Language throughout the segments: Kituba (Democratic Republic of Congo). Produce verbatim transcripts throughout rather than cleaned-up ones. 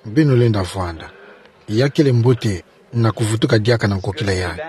Beno lenda vwanda. Ya kele mbote na kuvutuka diaka na nkokila yayi.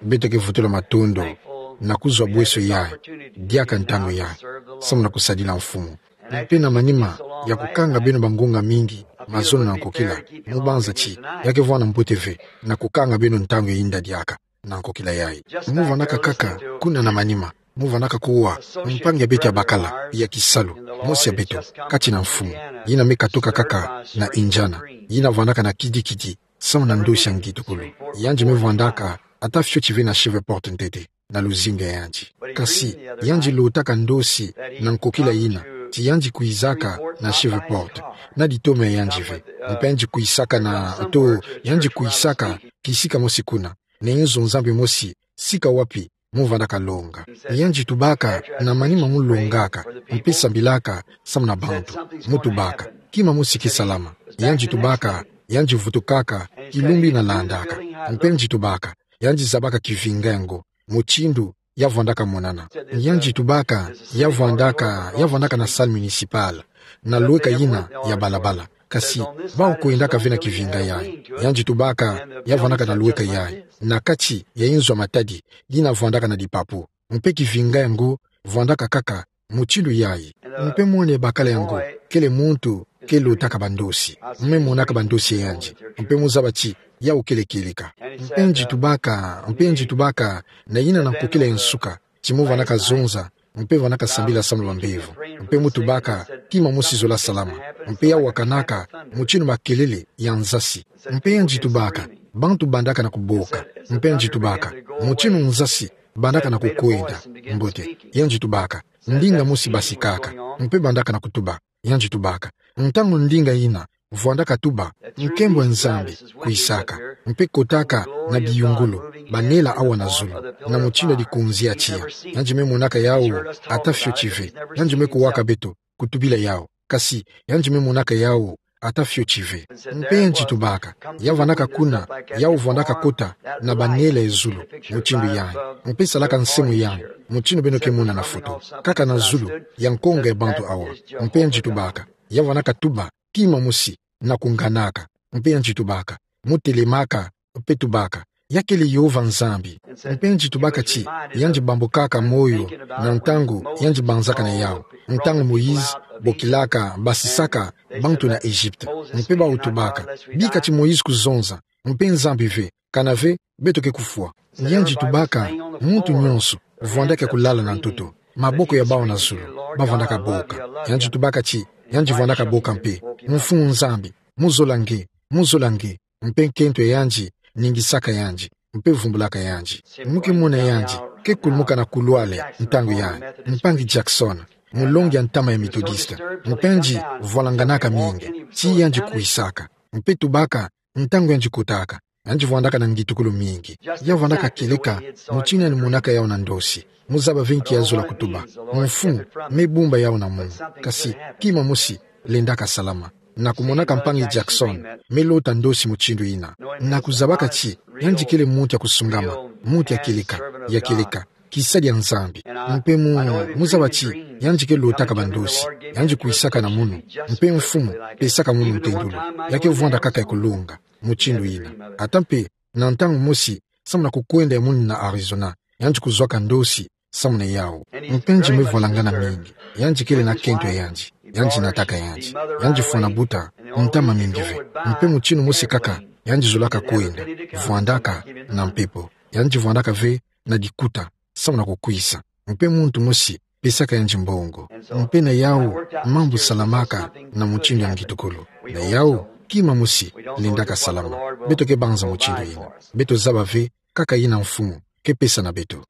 Beto ke vutula matondo na kuzwa bweso yayi, diaka ntangu yayi, samu na kusadila Mfumu. Mpe na manima ya kukanga beno bangunga mingi, mazono na nkokila, mu banza ti ya ke vwanda mbote ve na kukanga beno ntangu ya yinda diaka na nkokila yayi. Mu vwandaka kaka kuna na manima, mu vwandaka kuwa mpangi ya beto ya bakala ya kisalu, mosi ya beto, kati na Mfumu, yina me katuka kaka na Indiana, yina vwandaka na kidikidi samu na ndosi ya ngitukulu. Yandi me vwandaka ata fioti ve na Shreveport ntete, na luzingu ya yandi. Kasi yandi lotaka ndosi na nkokila yina, ti yandi kwizaka na Shreveport na ditoma ya yandi ve. Mpe yandi kwisaka na, to, yandi kwisaka kisika mosi kuna, na inzo Nzambi mosi, sika wapi mu vwandaka longa. Yandi tubaka, na manima mu longaka mpe sambilaka samu na bantu, mu tubaka kima mosi ke salama. Yandi tubaka, yandi vutukaka kilumbu yina landaka. Mpe yandi tubaka, yandi zabaka kivinga yango, mutindu ya vwandaka monana. Yandi tubaka, ya vwandaka, ya vwandaka na salle municipale, na lweka yina ya balabala. Kasi bawu kwendaka ve na kivinga yayi. Yandi tubaka, ya vwandaka na lweka yayi, na kati ya inzo ya matadi yina vwandaka na dipapu. Mpe kivinga yango vwandaka kaka mutindu yayi. Mpe mwana ya bakala yango, kele muntu ke lotaka bandosi. Mu me monaka bandosi ya yandi. Mpe mu zaba ti yawu kele kieleka. Mpe yandi tubaka, mpe yandi tubaka, na yina na nkokila ya nsuka, ti mu vwandaka zonza, mpe vwandaka sambila samu na bambevo. Mpe mu tubaka kima mosi zola salama. Mpe ya wakanaka mutindu makelele ya nzasi. Mpe yandi tubaka, bantu bandaka na kuboka. Mpe yandi tubaka, mutindu nzasi bandaka na kukwenda. Mbote, yandi tubaka, ndinga mosi basikaka, mpe bandaka na kutuba. Yandi tubaka, ntangu ndinga yina vwandaka tuba, nkembo ya Nzambi kwisaka, mpe kotaka na biyungulu, banela awa na zulu, na mutindu ya dikunzi ya tiya. Yandi me monaka yawu ata fioti ve. Yandi me kuwaka beto kutubila yawu. Kasi yandi me monaka yawu ata fioti ve. Mpe yandi tubaka, ya vwandaka kuna, yawu vwandaka kota na banela ya zulu, mutindu yayi. Mpe salaka nsamu yayi, mutindu beno ke mona na foto, kaka na zulu ya nkonga ya bantu awa. Mpe yandi tubaka, ya vwandaka tuba kima mosi na kunganaka. Mpe yandi tubaka, mu telemaka, mpe tubaka, ya kele Yehova Nzambi. Mpe yandi tubaka ti yandi bambukaka moyo na ntangu yandi banzaka na yawu, ntangu Moïse bokilaka, basisaka bantu na Egypte. Mpe bawu tubaka, bika ti Moïse kuzonza, mpe Nzambi ve, kana ve, beto ke kufwa. Yandi tubaka, muntu nyonso vwandaka kulala na ntoto, maboko ya bawu na zulu, ba vwandaka boka. Yandi tubaka ti yandi vwandaka boka mpe, Mfumu Nzambi, mu zola nge, mu zola nge. Mpe nkento ya yandi ningisaka yandi, mpe vumbulaka yandi. Mu ke mona yandi ke kulumuka na couloir ntangu yayi, mpangi Jackson, mulongi ya ntama ya Methodiste. Mpe yandi vwalanganaka mingi, ti yandi kwisaka. Mpe tubaka, ntangu yandi kotaka, yandi vwandaka na ngitukulu mingi. Ya vwandaka kieleka mutindu yandi monaka yawu na ndosi. Mu zaba ve nki ya zola kutuba. Mfumu me bumba yawu na munu. Kasi kima mosi lendaka salama. Na kumonaka mpangi Jackson me lota ndosi mutindu yina, na kuzabaka ti yandi kele muntu ya kusungama, muntu ya kieleka, ya kieleka, kisadi ya Nzambi. Mpe mu, mu zaba ti yandi ke lotaka bandosi, yandi kwisaka na munu, mpe Mfumu pesaka munu ntendulu, ya ke vwanda kaka ya kulonga mutindu yina. Ata mpe na ntangu mosi, samu na kukwenda ya munu na Arizona, yandi kuzwaka ndosi samu na yawu. Mpe yandi me vwalangana mingi. Yandi kele na nkento ya yandi, yandi nataka yandi. Yandi fwana buta ntama mingi ve. Mpe mutindu mosi kaka yandi zolaka kwenda, vwandaka na mpepo. Yandi vwandaka ve na dikuta samu na kukwisa. Mpe muntu mosi pesaka yandi mbongo. Mpe na yawu, mambu salamaka na mutindu ya ngitukulu. Na yawu, kima mosi lendaka salama. Beto ke banza mutindu yina. Beto zaba ve kaka yina Mfumu ke pesa na beto.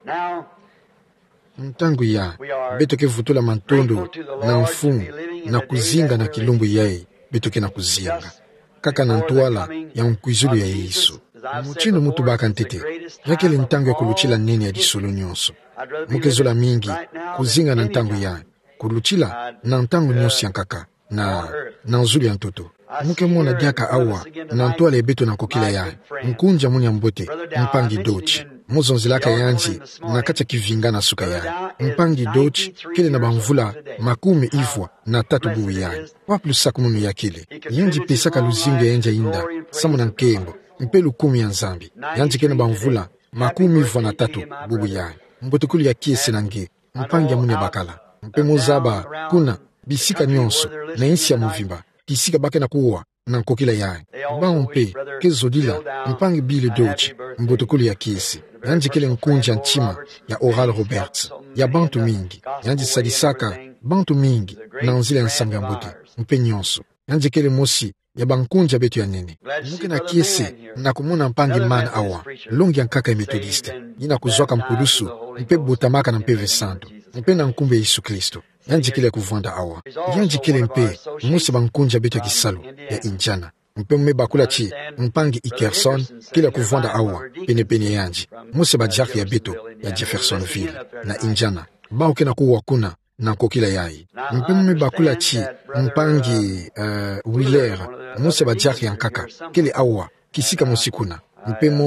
Ntangu yayi, beto ke vutula matondo na Mfumu na kuzinga na kilumbu yayi beto ke na kuzinga, kaka na ntwala ya nkwizulu ya Yesu. Mutindu mu tubaka ntete, ya kele ntangu ya kulutila nene ya disolo nyonso. Mu ke zola mingi kuzinga na ntangu yayi, kulutila na ntangu nyonso ya nkaka na, na zulu ya ntoto. Mu ke mona diaka awa, na ntwala ya beto na nkokila yayi, nkunzi ya munu ya mbote, mpangi Dodge. mo zonzelaka yandi na kati ya kivinga na suka yayi. Mpangi Deutsch kele na bamvula makumi ivwa na tatu bubu yayi. Wapi lusakumunu ya kele? Yandi pesaka luzingu ya yandi ya inda, samu na nkembo, mpe lukumi ya Nzambi. Yandi kele na bamvula makumi ivwa na tatu bubu yayi. Mbote kulu ya kiese na nge, mpangi ya muna bakala. Mpe mo zaba, kuna, bisika nionso, na insi ya mvimba, kisika ba ke na kuwa na nkokila yayi. Bawu mpe ke zodila, mpangi Bill Deutsch, mbote kulu ya kiese. Yandi kele nkunzi ya ntima ya Oral Roberts, ya bantu mingi. Yandi sadisaka bantu mingi na nzila ya nsangu ya mbote, mpe nionso. Yandi kele mosi ya bankunzi ya beto ya nene. Mo ke na kiese na kumona mpangi Mann awa, longi ya nkaka ya Methodiste, yina kuzwaka mpulusu, mpe botamaka na Mpeve Santu, mpe na nkumbu ya Yesu Kristo. Yandi kele ya kuvwanda awa. Yandi kele mpe mosi ya bankunzi ya beto ya kisalu ya Indiana. Mpe mo me bakula ti mpangi Hickerson kele ya kuvwanda awa, pene-pene ya yandi. Mosi ya badiakre ya beto ya Jeffersonville, na Indiana. Bawu ke na kuwa kuna na nkokila yayi. Mpe mo me bakula ti mpangi, eh, Wheeler, mosi ya badiakre ya nkaka, kele awa, kisika mosi kuna. Mpe mo,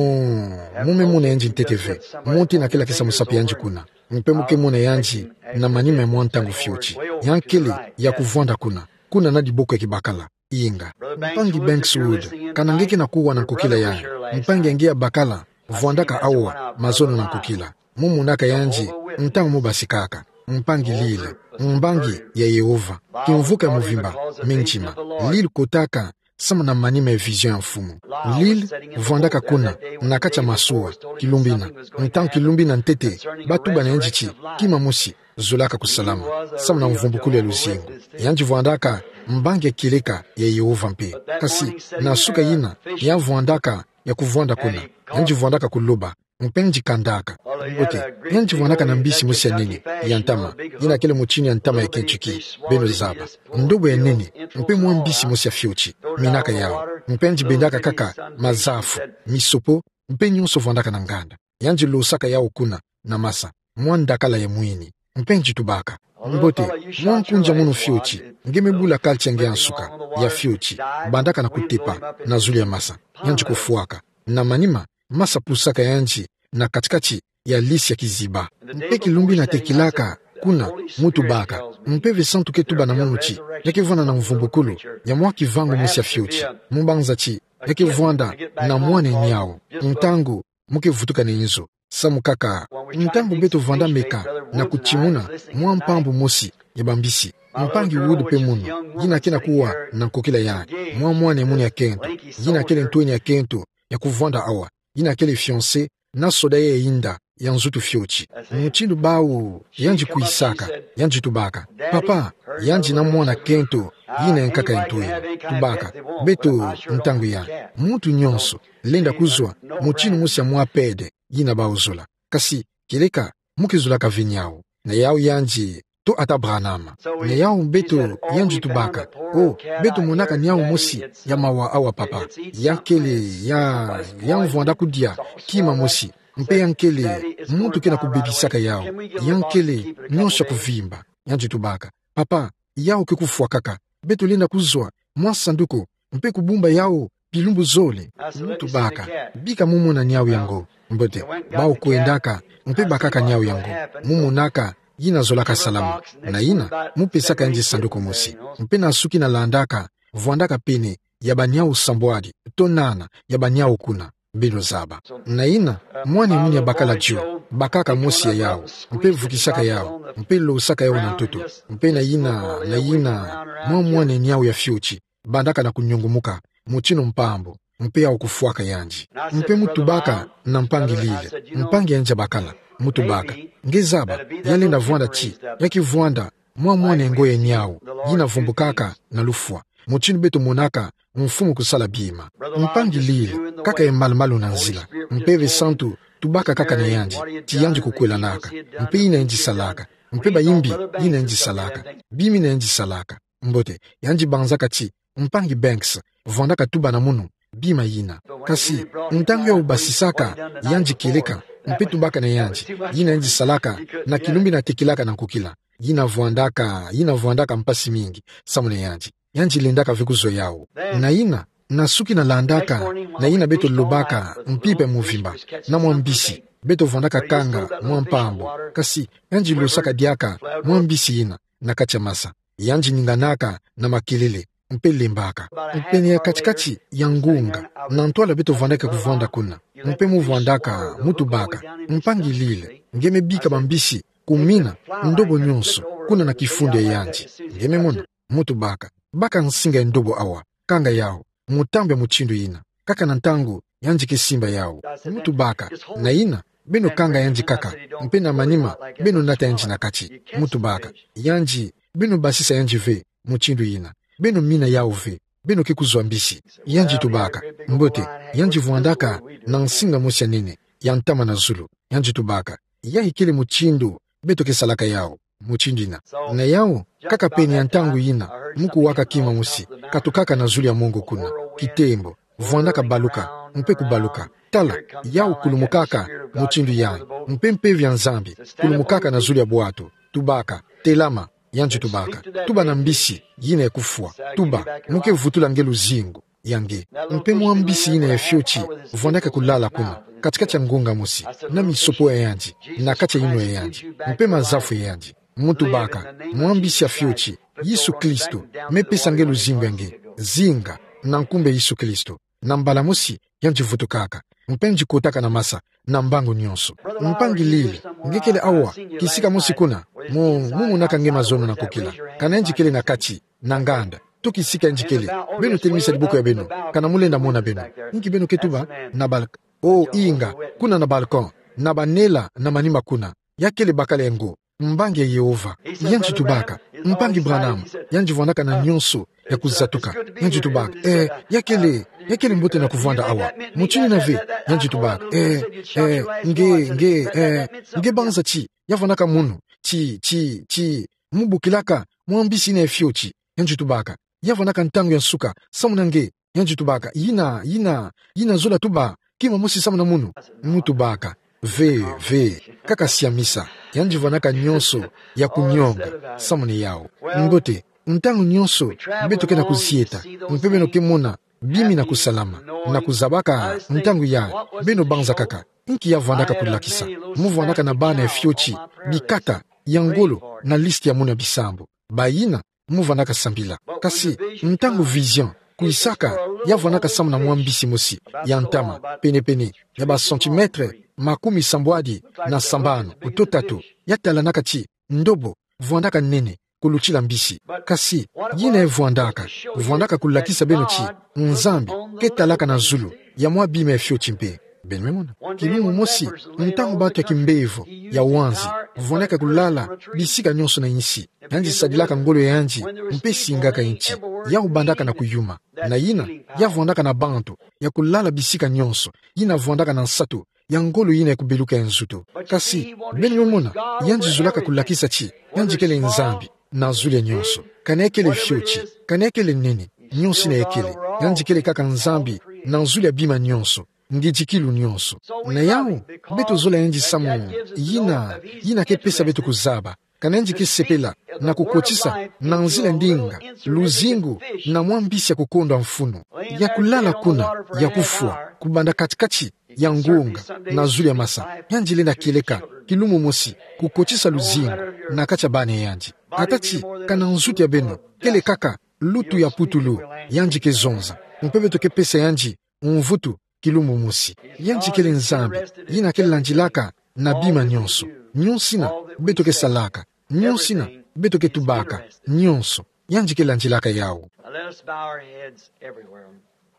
mo me mona yandi ntete ve. Mo tena kela kisa musapi yandi kuna. Mpe mo ke mona yandi na manima ya mwa ntangu fioti. Yandi kele ya kuvwanda kuna. Kuna na diboko ya kibakala. Inga. Mpangi Banks Wood, kana nge ke na kuwa na nkokila yayi. Mpangi ya nge ya bakala vwandaka awa mazono na nkokila. Mo monaka yandi ntangu mo basikaka. Mpangi Lil, mbangi ya Yehova, kimvuka ya mvimba, me ntima. Lil kotaka samu na manima ya vision ya Mfumu. Lil vwandaka kuna, na kati ya masuwa, kilumbu ina. Ntangu kilumbu ina ntete, ba tuba na yandi ti, kima mosi zolaka kusalama, samu na mvumbukulu ya luzingu. Yandi vwandaka mbangi ya kieleka ya Yehova mpe. Kasi, na suka yina, ya vwandaka ya kuvwanda kuna, yandi vwandaka kuloba, mpe yandi kandaka. Mbote, yandi vwandaka na mbisi mosi ya nene, ya ntama, yina kele mutinu ya ntama ya Kentucky, beno zaba. Ndobo ya nene, mpe mwa mbisi mosi ya fioti, minaka yawu. Mpe yandi bendaka kaka mazafu, misopo, mpe nionso vwandaka na nganda. Yandi losaka yawu kuna, na masa, mwa ndakala ya mwini. Mpe yandi tubaka. Mbote, mwa nkunzi ya munu fioti, nge me bula culture ya nge ya nsuka, ya fioti, bandaka na kutepa, na zulu ya masa. Yandi kufwaka. Na manima, masa pusaka yandi, na kati-kati ya lisi ya kiziba. Mpe kilumbu ina tekilaka, kuna, mo tubaka. Mpeve Santu ke tuba na munu ti, ya ke vwanda na mvumbukulu, ya mwa kivangu mosi ya fioti. Mo banza ti, ya ke vwanda na mwana ya niawu. Ntangu, mo ke vutuka na inzo. Samu kaka, ntangu beto vwanda meka na kutimuna mwa mpambu mosi ya bambisi. Mpangi Wood mpe munu, yina ke na kuwa na nkokila yayi. Mwa mwana ya munu ya kento, yina kele ntweni ya kento, ya kuvwanda awa, yina kele fiancée na soda ya inda, ya nzutu fioti. Mutinu bawu, yandi kwisaka, yandi tubaka. Papa, yandi na mwana kento, yina ya nkaka ya ntweni. Tubaka, beto, ntangu ya. Muntu nionso, lenda kuzwa, mutinu mosi ya mwa pede, yina bawu zola. Kasi, kieleka, mo ke zolaka ve niawu. Na yawu yandi, to ata Branham. Na yawu beto, yandi tubaka. O, beto monaka niawu mosi, ya mawa awa papa. Ya kele, ya, ya vwanda kudia, kima mosi. Mpe ya kele, muntu ke na kubebisaka yawu. Ya kele, nionso ya kuvimba. Yandi tubaka. Papa, yawu ke kufwakaka. Beto lenda kuzwa, mwa sanduku, mpe kubumba yawu, bilumbu zole. Mo tubaka, bika mo mona niawu yango. Mbote, bawu kwendaka, mpe bakaka niawu yango. Mo monaka, yina zolaka salama. Na yina, mo pesaka yandi sanduku mosi. Mpe na suki na landaka, vwandaka pene, ya baniawu sambwadi, to nana, ya baniawu kuna. Beno zaba. Na yina, mwana ya munu ya bakala dio, bakaka mosi ya yawu, mpe vukisaka yawu, mpe losaka yawu na ntoto, mpe na yina, na yina, mwa mwana ya niawu ya fioti, bandaka na kunyungumuka, mutinu mpambu, mpe yawu kufwaka yandi. Mpe mo tubaka, na mpangi Lil, mpangi yandi ya bakala, mo tubaka. Nge zaba, ya lenda vwanda ti, ya ke vwanda, mwa mwana ya ngoya ya niawu, yina vumbukaka, na lufwa. Mutinu beto monaka, Mfumu kusala bima. Mpangi Lil, kaka ya malu-malu na nzila. Mpeve Santu, tubaka kaka na yandi, ti yandi kukwelanaka. Mpe yina yandi salaka. Mpe bayimbi, yina yandi salaka. Bima yina yandi salaka. Mbote, yandi banzaka ti, mpangi Banks, vwandaka tuba na munu, bima yina. Kasi, ntangu yawu basisaka, yandi kieleka, mpe tubaka na yandi, yina yandi salaka, na kilumbu ina tekilaka na nkokila. Yina vwandaka, yina vwandaka mpasi mingi, samu na yandi. Yandi lendaka ve kuzwa yawu. Na yina, Na suki na landaka, na yina beto lobaka mpimpa mvimba, na mwa mbisi, beto vwandaka kanga mwa mpambu, kasi yandi losaka diaka mwa mbisi yina na kati ya masa. Yandi ninganaka na makelele, mpe lembaka. Mpe ni ya kati-kati ya ngunga, na ntwala beto vwandaka kuvwanda kuna, mpe mu vwandaka, mu tubaka: Mpangi Lil, nge me bika bambisi, kumina ndobo nyonso kuna na kifundu ya yandi. Nge me mona? Mu tubaka: Baka nsinga ya ndobo awa, kanga yawu, mu tambwe mutindu yina. Kaka na ntangu yandi ke simba yawu. Mu tubaka: Na yina, beno kanga yandi kaka, mpe na manima beno nata yandi na kati. Mu tubaka: Yandi, beno basisa yandi ve mutindu yina. Beno mina yawu ve, beno ke kuzwa mbisi. Yandi tubaka: Mbote. Yandi vwandaka na nsinga mosi ya nene, ya ntama na zulu. Yandi tubaka: Yayi kele mutindu beto ke salaka yawu, mutindu yina. Na yawu, kaka pene ya ntangu yina, mu kuwaka kima mosi katukaka na zulu ya mongo kuna, kitembo, vwandaka baluka, mpe kubaluka. Tala, yawu kulumukaka mutindu yayi, mpe mpeve ya Nzambi kulumukaka na zulu ya bwatu. Tubaka: Telama. Yandi tubaka: Tuba na mbisi yina ya kufwa. Tuba, mu ke vutula nge luzingu ya nge. Mpe mwa mbisi yina ya fioti vwandaka kulala kuna, kati-kati ya ngunga mosi, na misopo ya yandi, na kati ya yinwa ya yandi, mpe mazafu ya yandi. Mu tubaka: Mwa mbisi ya fioti, Yesu Kristo, me pesa nge luzingu ya nge. Zinga, na nkumbu ya Yesu Kristo. Na mbala mosi, yandi vutukaka, mpe yandi kotaka na masa, na mbangu nyonso. Mpangi Lil, nge kele awa, kisika mosi kuna, mu, mu monaka nge mazono na nkokila. Kana yandi kele na kati, na nganda, to kisika yandi kele, beno telemisa diboko ya beno, kana mu lenda mona beno. Inki beno ke tuba? Na balk-, o inga, kuna na balcon, na banela na manima kuna. Ya kele bakala ya ngo, mbangi ya Yehova. Yandi tubaka: Mpangi Branham. Yandi vwandaka na nyonso ya kuzatuka. Yandi tubaka: Eh, ya kele, ya kele mbote na kuvwanda awa, mutindu yina ve. Yandi tubaka: Eh, eh, nge, nge, eh, nge banza ti ya vwandaka munu, ti, ti, ti mu bokilaka mwa mbisi yina ya fioti. Yandi tubaka: Ya vwandaka ntangu ya nsuka samu na nge. Yandi tubaka: Yina, yina, yina zola tuba kima mosi samu na munu. Mu tubaka: Ve, ve, kaka siamisa. Yandi vwandaka nyonso ya kunionga samu na yawu. Mbote, ntangu nyonso beto ke na kuzieta, mpe beno ke mona bimi na kusalama, na kuzabaka ntangu yayi, beno banza kaka: Inki ya vwandaka kulakisa? Mu vwandaka na bana ya fioti bikata ya ngolo na liste ya munu ya bisambu. Bayina mu vwandaka sambila. Kasi, ntangu vision kwisaka, ya vwandaka samu na mwa mbisi mosi ya ntama, pene-pene ya ba centimètres makumi sambwadi na sambanu to tatu, ya talanaka ti ndobo vwandaka nene kulutila mbisi. Kasi, yina ya vwandaka, vwandaka kulakisa beno ti Nzambi ke talaka na zulu ya mwa bima ya fioti mpe. Beno me mona? Kilumu mosi, ntangu bantu ya kimbevo, ya wanzi, vwandaka kulala bisika nyonso na insi, yandi sadilaka ngolo ya yandi mpe singaka inti, yawu bandaka na kuyuma. Na yina, ya vwandaka na bantu ya kulala bisika nyonso, yina vwandaka na nsatu ya ngolo yina ya kubeluka ya nzutu. Kasi, beno me mona, yandi zolaka kulakisa ti yandi kele Nzambi na zulu ya nyonso. Kana ya kele fioti, kana ya kele nene, nyonso yina ya kele, yandi kele kaka Nzambi na zulu ya bima nyonso, ngidikilu nyonso. Na yawu, beto zola yandi samu yina, yina ke pesa beto kuzaba kana yandi ke sepela na kukotisa na nzila ndinga luzingu na mwa mbisi ya kukondwa mfunu, ya kulala kuna, ya kufwa, kubanda kati-kati ya ngunga na zulu ya masa. Yandi lenda kieleka kilumu mosi kukotisa luzingu na kati ya bana ya yandi. Kâ ti, kana nzutu ya beno kele kaka lutu ya putulu, yandi ke zonza. Mpe beto ke pesa yandi mvutu kilumu mosi. Yandi kele Nzambi yina ke landilaka na bima nyonso. Nyonso yina beto ke salaka, nyonso yina beto ke tubaka, nyonso, yandi ke landilaka yawu. Now let us bow our heads everywhere.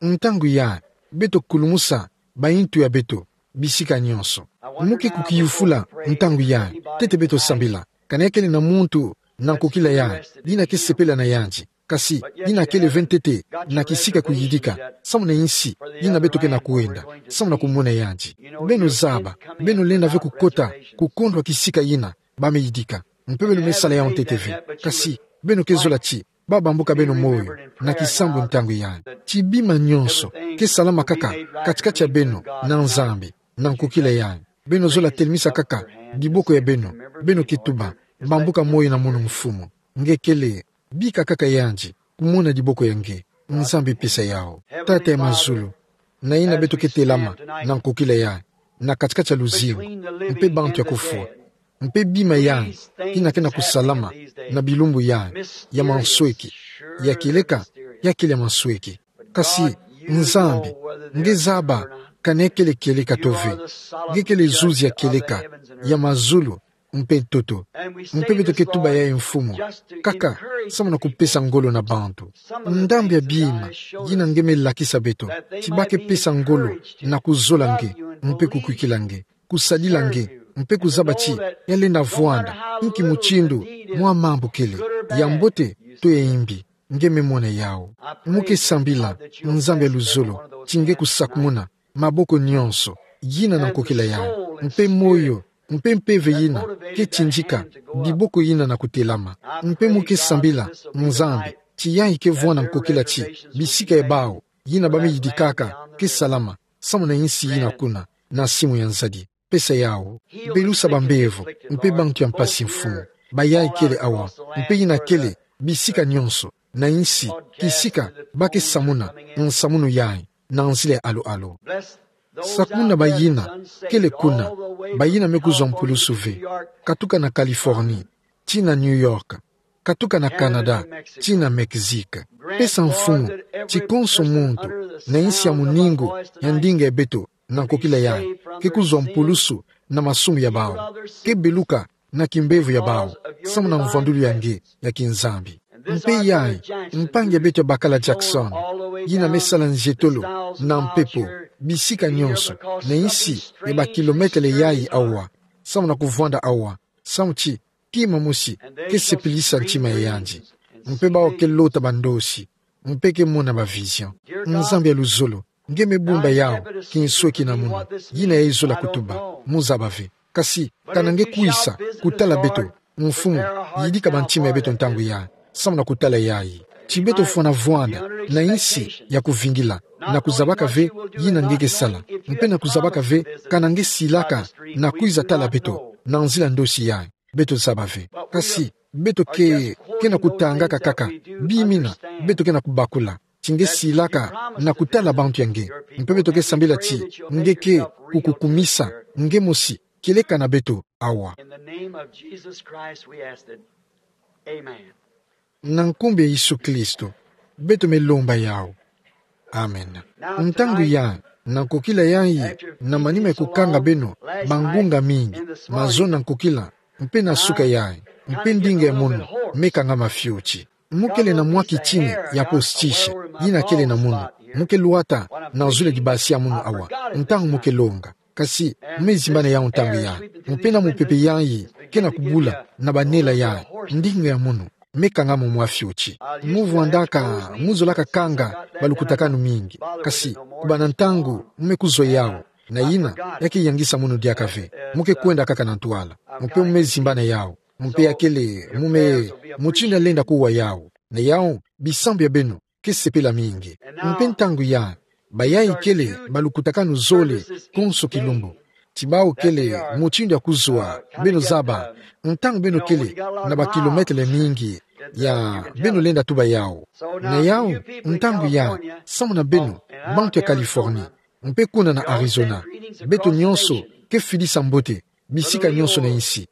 Ntangu yayi, beto kulumusa bayintu ya beto bisika nyonso. Muke kukiyufula ntangu yayi, ntete beto sambila, kana kele na muntu na nkokila yayi yina ke sepela na yandi, kasi yina kele ve ntete na kisika kuyidika samu na insi yina beto ke na kwenda, samu na kumona yandi. Beno zaba, beno lenda ve kukota kukondwa kisika yina ba me yidika. Mpe beno me sala yawu ntete ve. Kasi beno ke zola ti ba bambuka beno moyo na kisambu ntangu yayi. Ti bima nyonso ke salama kaka kati-kati ya beno na Nzambi na nkokila yayi. Beno zola telemisa kaka diboko ya beno, beno ke tuba: Bambuka moyo na mono Mfumu. Nge kele, bika kaka yandi kumona diboko ya nge. Nzambi pesa yawu. Tata ya mazulu, na yina beto ke telama na nkokila yayi, na kati-kati ya luzingu, mpe bantu ya kufwa, mpe bima yayi yina ke na kusalama na bilumbu yayi, ya mansweki, ya kieleka, ya kele ya mansweki. Kasi, Nzambi, nge zaba kana ya kele kieleka to ve. Nge kele zuzi ya kieleka, ya mazulu, mpe ntoto. Mpe beto ke tuba yayi, Mfumu, kaka samu na kupesa ngolo na bantu. Ndambu ya bima yina nge me lakisa beto, ti ba ke pesa ngolo na kuzola nge, mpe kukwikila nge, kusadila nge, mpe kuzaba ti ya lenda vwanda nki mutindu mwa mambu kele, ya mbote to ya yimbi. Nge me mona yawu. Mu ke sambila, Nzambi ya luzolo, ti nge kusakumuna maboko nyonso yina na nkokila yayi, mpe moyo, mpe mpeve yina ke tindika biboko yina na kutelama. Mpe mu ke sambila, Nzambi, ti yayi ke vwanda nkokila ti bisika ya bawu yina ba me yidikaka ke salama samu na yinsi yina kuna na simu ya nzadi. Pesa yawu. Belusa bambevo, mpe bantu ya mpasi, Mfumu, bayayi kele awa, mpe yina kele bisika nyonso na yinsi, kisika ba ke samuna nsamunu yayi na nzila ya alu-alu. Sakumuna bayina kele kuna, bayina me kuzwa mpulusu ve, katuka na Californie tii na New York, katuka na Canada tii na Mexique. Pesa, Mfumu, ti konso muntu na yinsi ya muningu ya ndinga ya beto na nkokila yayi ke kuzwa mpulusu na masumu ya bawu, ke beluka na kimbevo ya bawu samu na mvwandulu ya nge ya kinzambi. Mpe yayi, mpangi ya beto ya bakala Jackson, yina me sala nzietolo na mpepo bisika nyonso na yinsi ya bakilometele yayi awa, samu na kuvwanda awa, samu ti kima mosi ke sepelisa ntima ya yandi. Mpe bawu ke lota bandosi, mpe ke mona ba vision. Nzambi ya luzolo, nge me bumba yawu kinsweki na munu, yina yayi zola kutuba, mu zaba ve. Kasi, kana nge kwisa kutala beto, Mfumu, yidika bantima ya beto ntangu yayi samu na kutala yayi. Ti beto fwana vwanda na yinsi ya kuvingila, na kuzabaka ve yina nge ke sala, mpe na kuzabaka ve kana nge silaka na kwiza tala beto na nzila ndosi yayi. Beto zaba ve. Kasi, beto ke, ke na kutangaka kaka bima yina beto ke na kubakula, ti nge silaka na kutala bantu ya nge. Mpe beto ke sambila ti nge ke kukukumisa nge mosi kieleka na beto awa. In the name of Jesus Christ we ask it. Amen. Na nkumbu ya Yesu Kristo beto me lomba yawu. Amen. Ntangu yayi, na nkokila yayi, na manima ya kukanga beno bangunga mingi, mazono na nkokila, mpe na suka yayi, mpe ndinga ya munu me kangama fioti. Mu kele na mwa kitini ya postiche yina kele na munu, mu ke lwata na zulu ya dibasi ya munu awa ntangu mu ke longa. Kasi, mu me zimbana yawu ntangu yayi, mpe na mupepe yayi ke na kubula na banela yayi, ndinga ya munu me kangama mwa fioti. Mu vwandaka, mu zolaka kanga balukutakanu mingi. Kasi, kubana ntangu mu me kuzwa yawu, na yina ya ke yangisa munu diaka ve. Mu ke kwenda kaka na ntwala, mpe mu me zimbana yawu, mpe ya kele, mu me, mutindu ya lenda kuwa yawu. Na yawu, bisambu ya beno ke sepela mingi. Mpe ntangu yayi, bayayi kele balukutakanu zole konso kilumbu. Ti bawu kele mutindu ya kuzwa, beno zaba, ntangu beno kele na bakilometele mingi ya beno lenda tuba yawu. Na yawu, ntangu yayi, samu na beno, bantu ya Californie, mpe kuna na Arizona, beto nyonso ke fidisa mbote bisika nyonso na yinsi.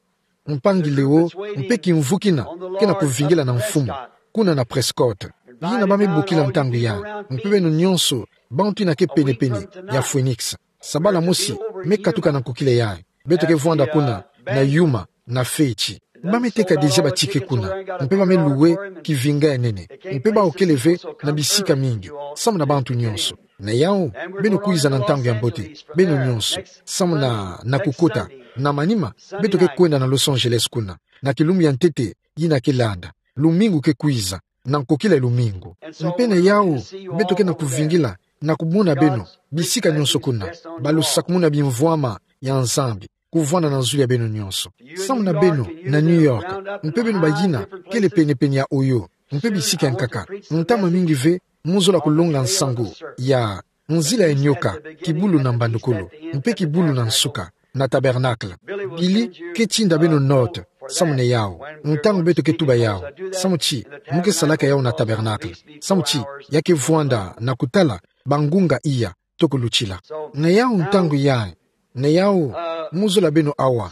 Mpangi Leo, mpe kimvu kina ke na kuvingila na Mfumu kuna na Prescott, yina ba me bokila ntangu yayi, mpe beno nyonso, bantu yina ke pene-pene ya Phoenix. Sabala mosi me katuka na nkokila yayi, beto ke vwanda kuna na Yuma, na feti. Ba me teka déjà ba ticket kuna, mpe ba me louer kivinga ya nene, mpe bawu kele ve na bisika mingi samu na bantu nyonso. Na yawu, beno kwiza na ntangu ya mbote, beno nyonso, samu na, na kukota, na manima, beto ke kwenda na Los Angeles kuna, na kilumbu ya ntete yina ke landa, lumingu ke kwiza, na nkokila ya lumingu. Mpe na yawu, beto ke na kuvingila na kumona beno bisika nyonso kuna, balusakumuna bimvwama ya Nzambi kuvwanda na zulu ya beno nyonso. Samu na beno na New York, mpe beno bayina kele pene-pene ya Ohio, mpe bisika ya nkaka, ntama mingi ve mu zola kulonga nsangu ya nzila ya nyoka, kibulu na mbandukulu, mpe kibulu na nsuka, na Tabernacle. Billy ke tinda beno note, Samu na yau, ntangu beto ke tuba yau, samu ti, mu ke salaka yau na tabernacle. Samu ti, ya ke vwanda na kutala bangunga iya toko lutila. Na yau ntangu yayi, na yau, mu zola beno awa.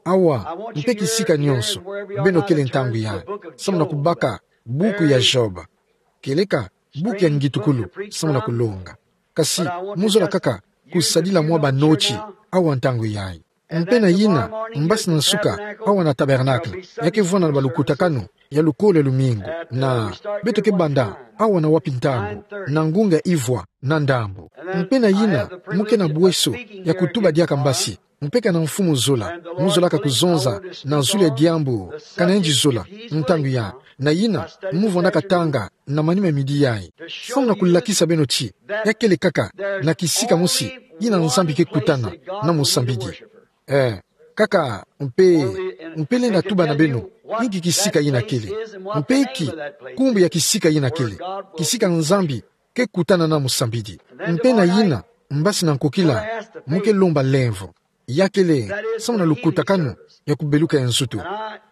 Awa, mpe kisika nyonso beno kele ntangu yayi, samu na kubaka buku ya Job. Kieleka buku ya ngitukulu, samu na kulonga. Kasi, mu zola kaka kusadila mwa banoti awa ntangu yayi. Mpe na yina, mbasi na nsuka, awa na tabernacle, ya ke vwanda na balukutakanu ya lukolo ya lumingu, na beto ke banda awa na wapi ntangu? Na ngunga ivwa na ndambu. Mpe na yina, mu ke na bweso ya kutuba diaka mbasi, mpe kana mfumu zola mu zolaka kuzonza na zulu ya diambu, kana yandi zola, ntangu yayi. Na yina, mu vwandaka tanga na manima midi yayi, samu na kulakisa beno ti, ya kele kaka na kisika mosi yina Nzambi ke kutana na musambidi. Eh, kaka, mpe, mpe lenda tuba na beno inki kisika yina kele, mpe inki nkumbu ya kisika yina kele, kisika Nzambi ke kutana na musambidi. Mpe na yina, mbasi na nkokila, mu ke lomba lemvo. Ya kele, samu na lukutakanu ya kubeluka ya nzutu.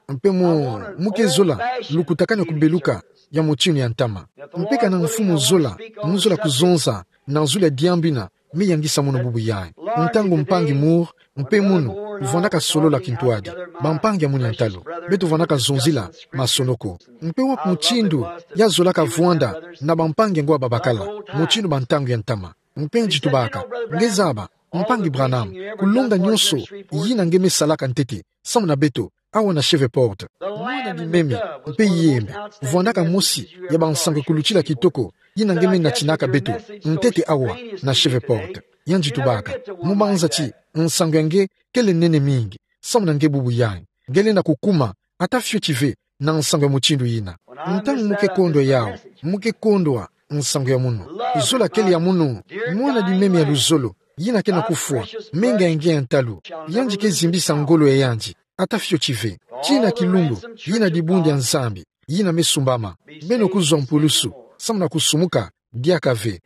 Mpe mu, mu ke zola lukutakanu ya kubeluka ya mutindu ya ntama. Mpe kana mfumu zola mu zola kuzonza na zulu ya diambu yina me yangisa munu bubu yayi. Ntangu mpangi Moore mpe munu vwandaka solola kintwadi, bampangi ya munu ya ntalu, beto vwandaka zonzila masonoko. Mpe wapi mutindu ya zolaka vwanda na bampangi ya ngo babakala, mutindu ba ntangu ya ntama? Mpe yandi tubaka, nge zaba, mpangi Branham, kulonga nyonso yina nge me salaka ntete samu na beto awa na Shreveport. Mwana di meme mpe yembe, vwandaka mosi ya bansangu ya kulutila kitoko yina nge me natinaka beto ntete awa na Shreveport. Yandi tubaka, mu banza ti nsangu ya nge kele nene mingi samu na nge bubu yayi, nge lenda kukuma ata fioti ve na nsangu ya mutindu yina. Ntangu mu ke kondwa yau, mu ke kondwa nsangu ya munu. Zola kele ya munu, mwana di meme ya luzolo, yina ke na kufwa, menga ya nge ya ntalu, yandi ke zimbisa ngolo ya yandi ata fioti ve. Tii na kilumbu, yina dibundu ya Nzambi yina me sumbama. Beno kuzwa mpulusu samu na kusumuka diaka ve.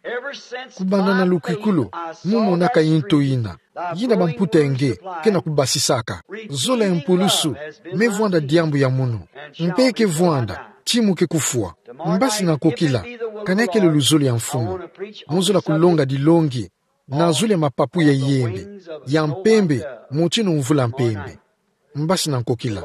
Kubanda na lukikulu, mu monaka yinto yina yina bamputa ya nge ke na kubasisaka. Zola ya mpulusu me vwanda diambu ya munu. Mpe ke vwanda ti mu ke kufwa. Mbasi na nkokila, kana ya kele luzolo ya mfumu, mu zola kulonga dilongi na zulu ya mapapu ya yembe, ya mpembe, mutindu mvula mpembe. Mbasi na nkokila,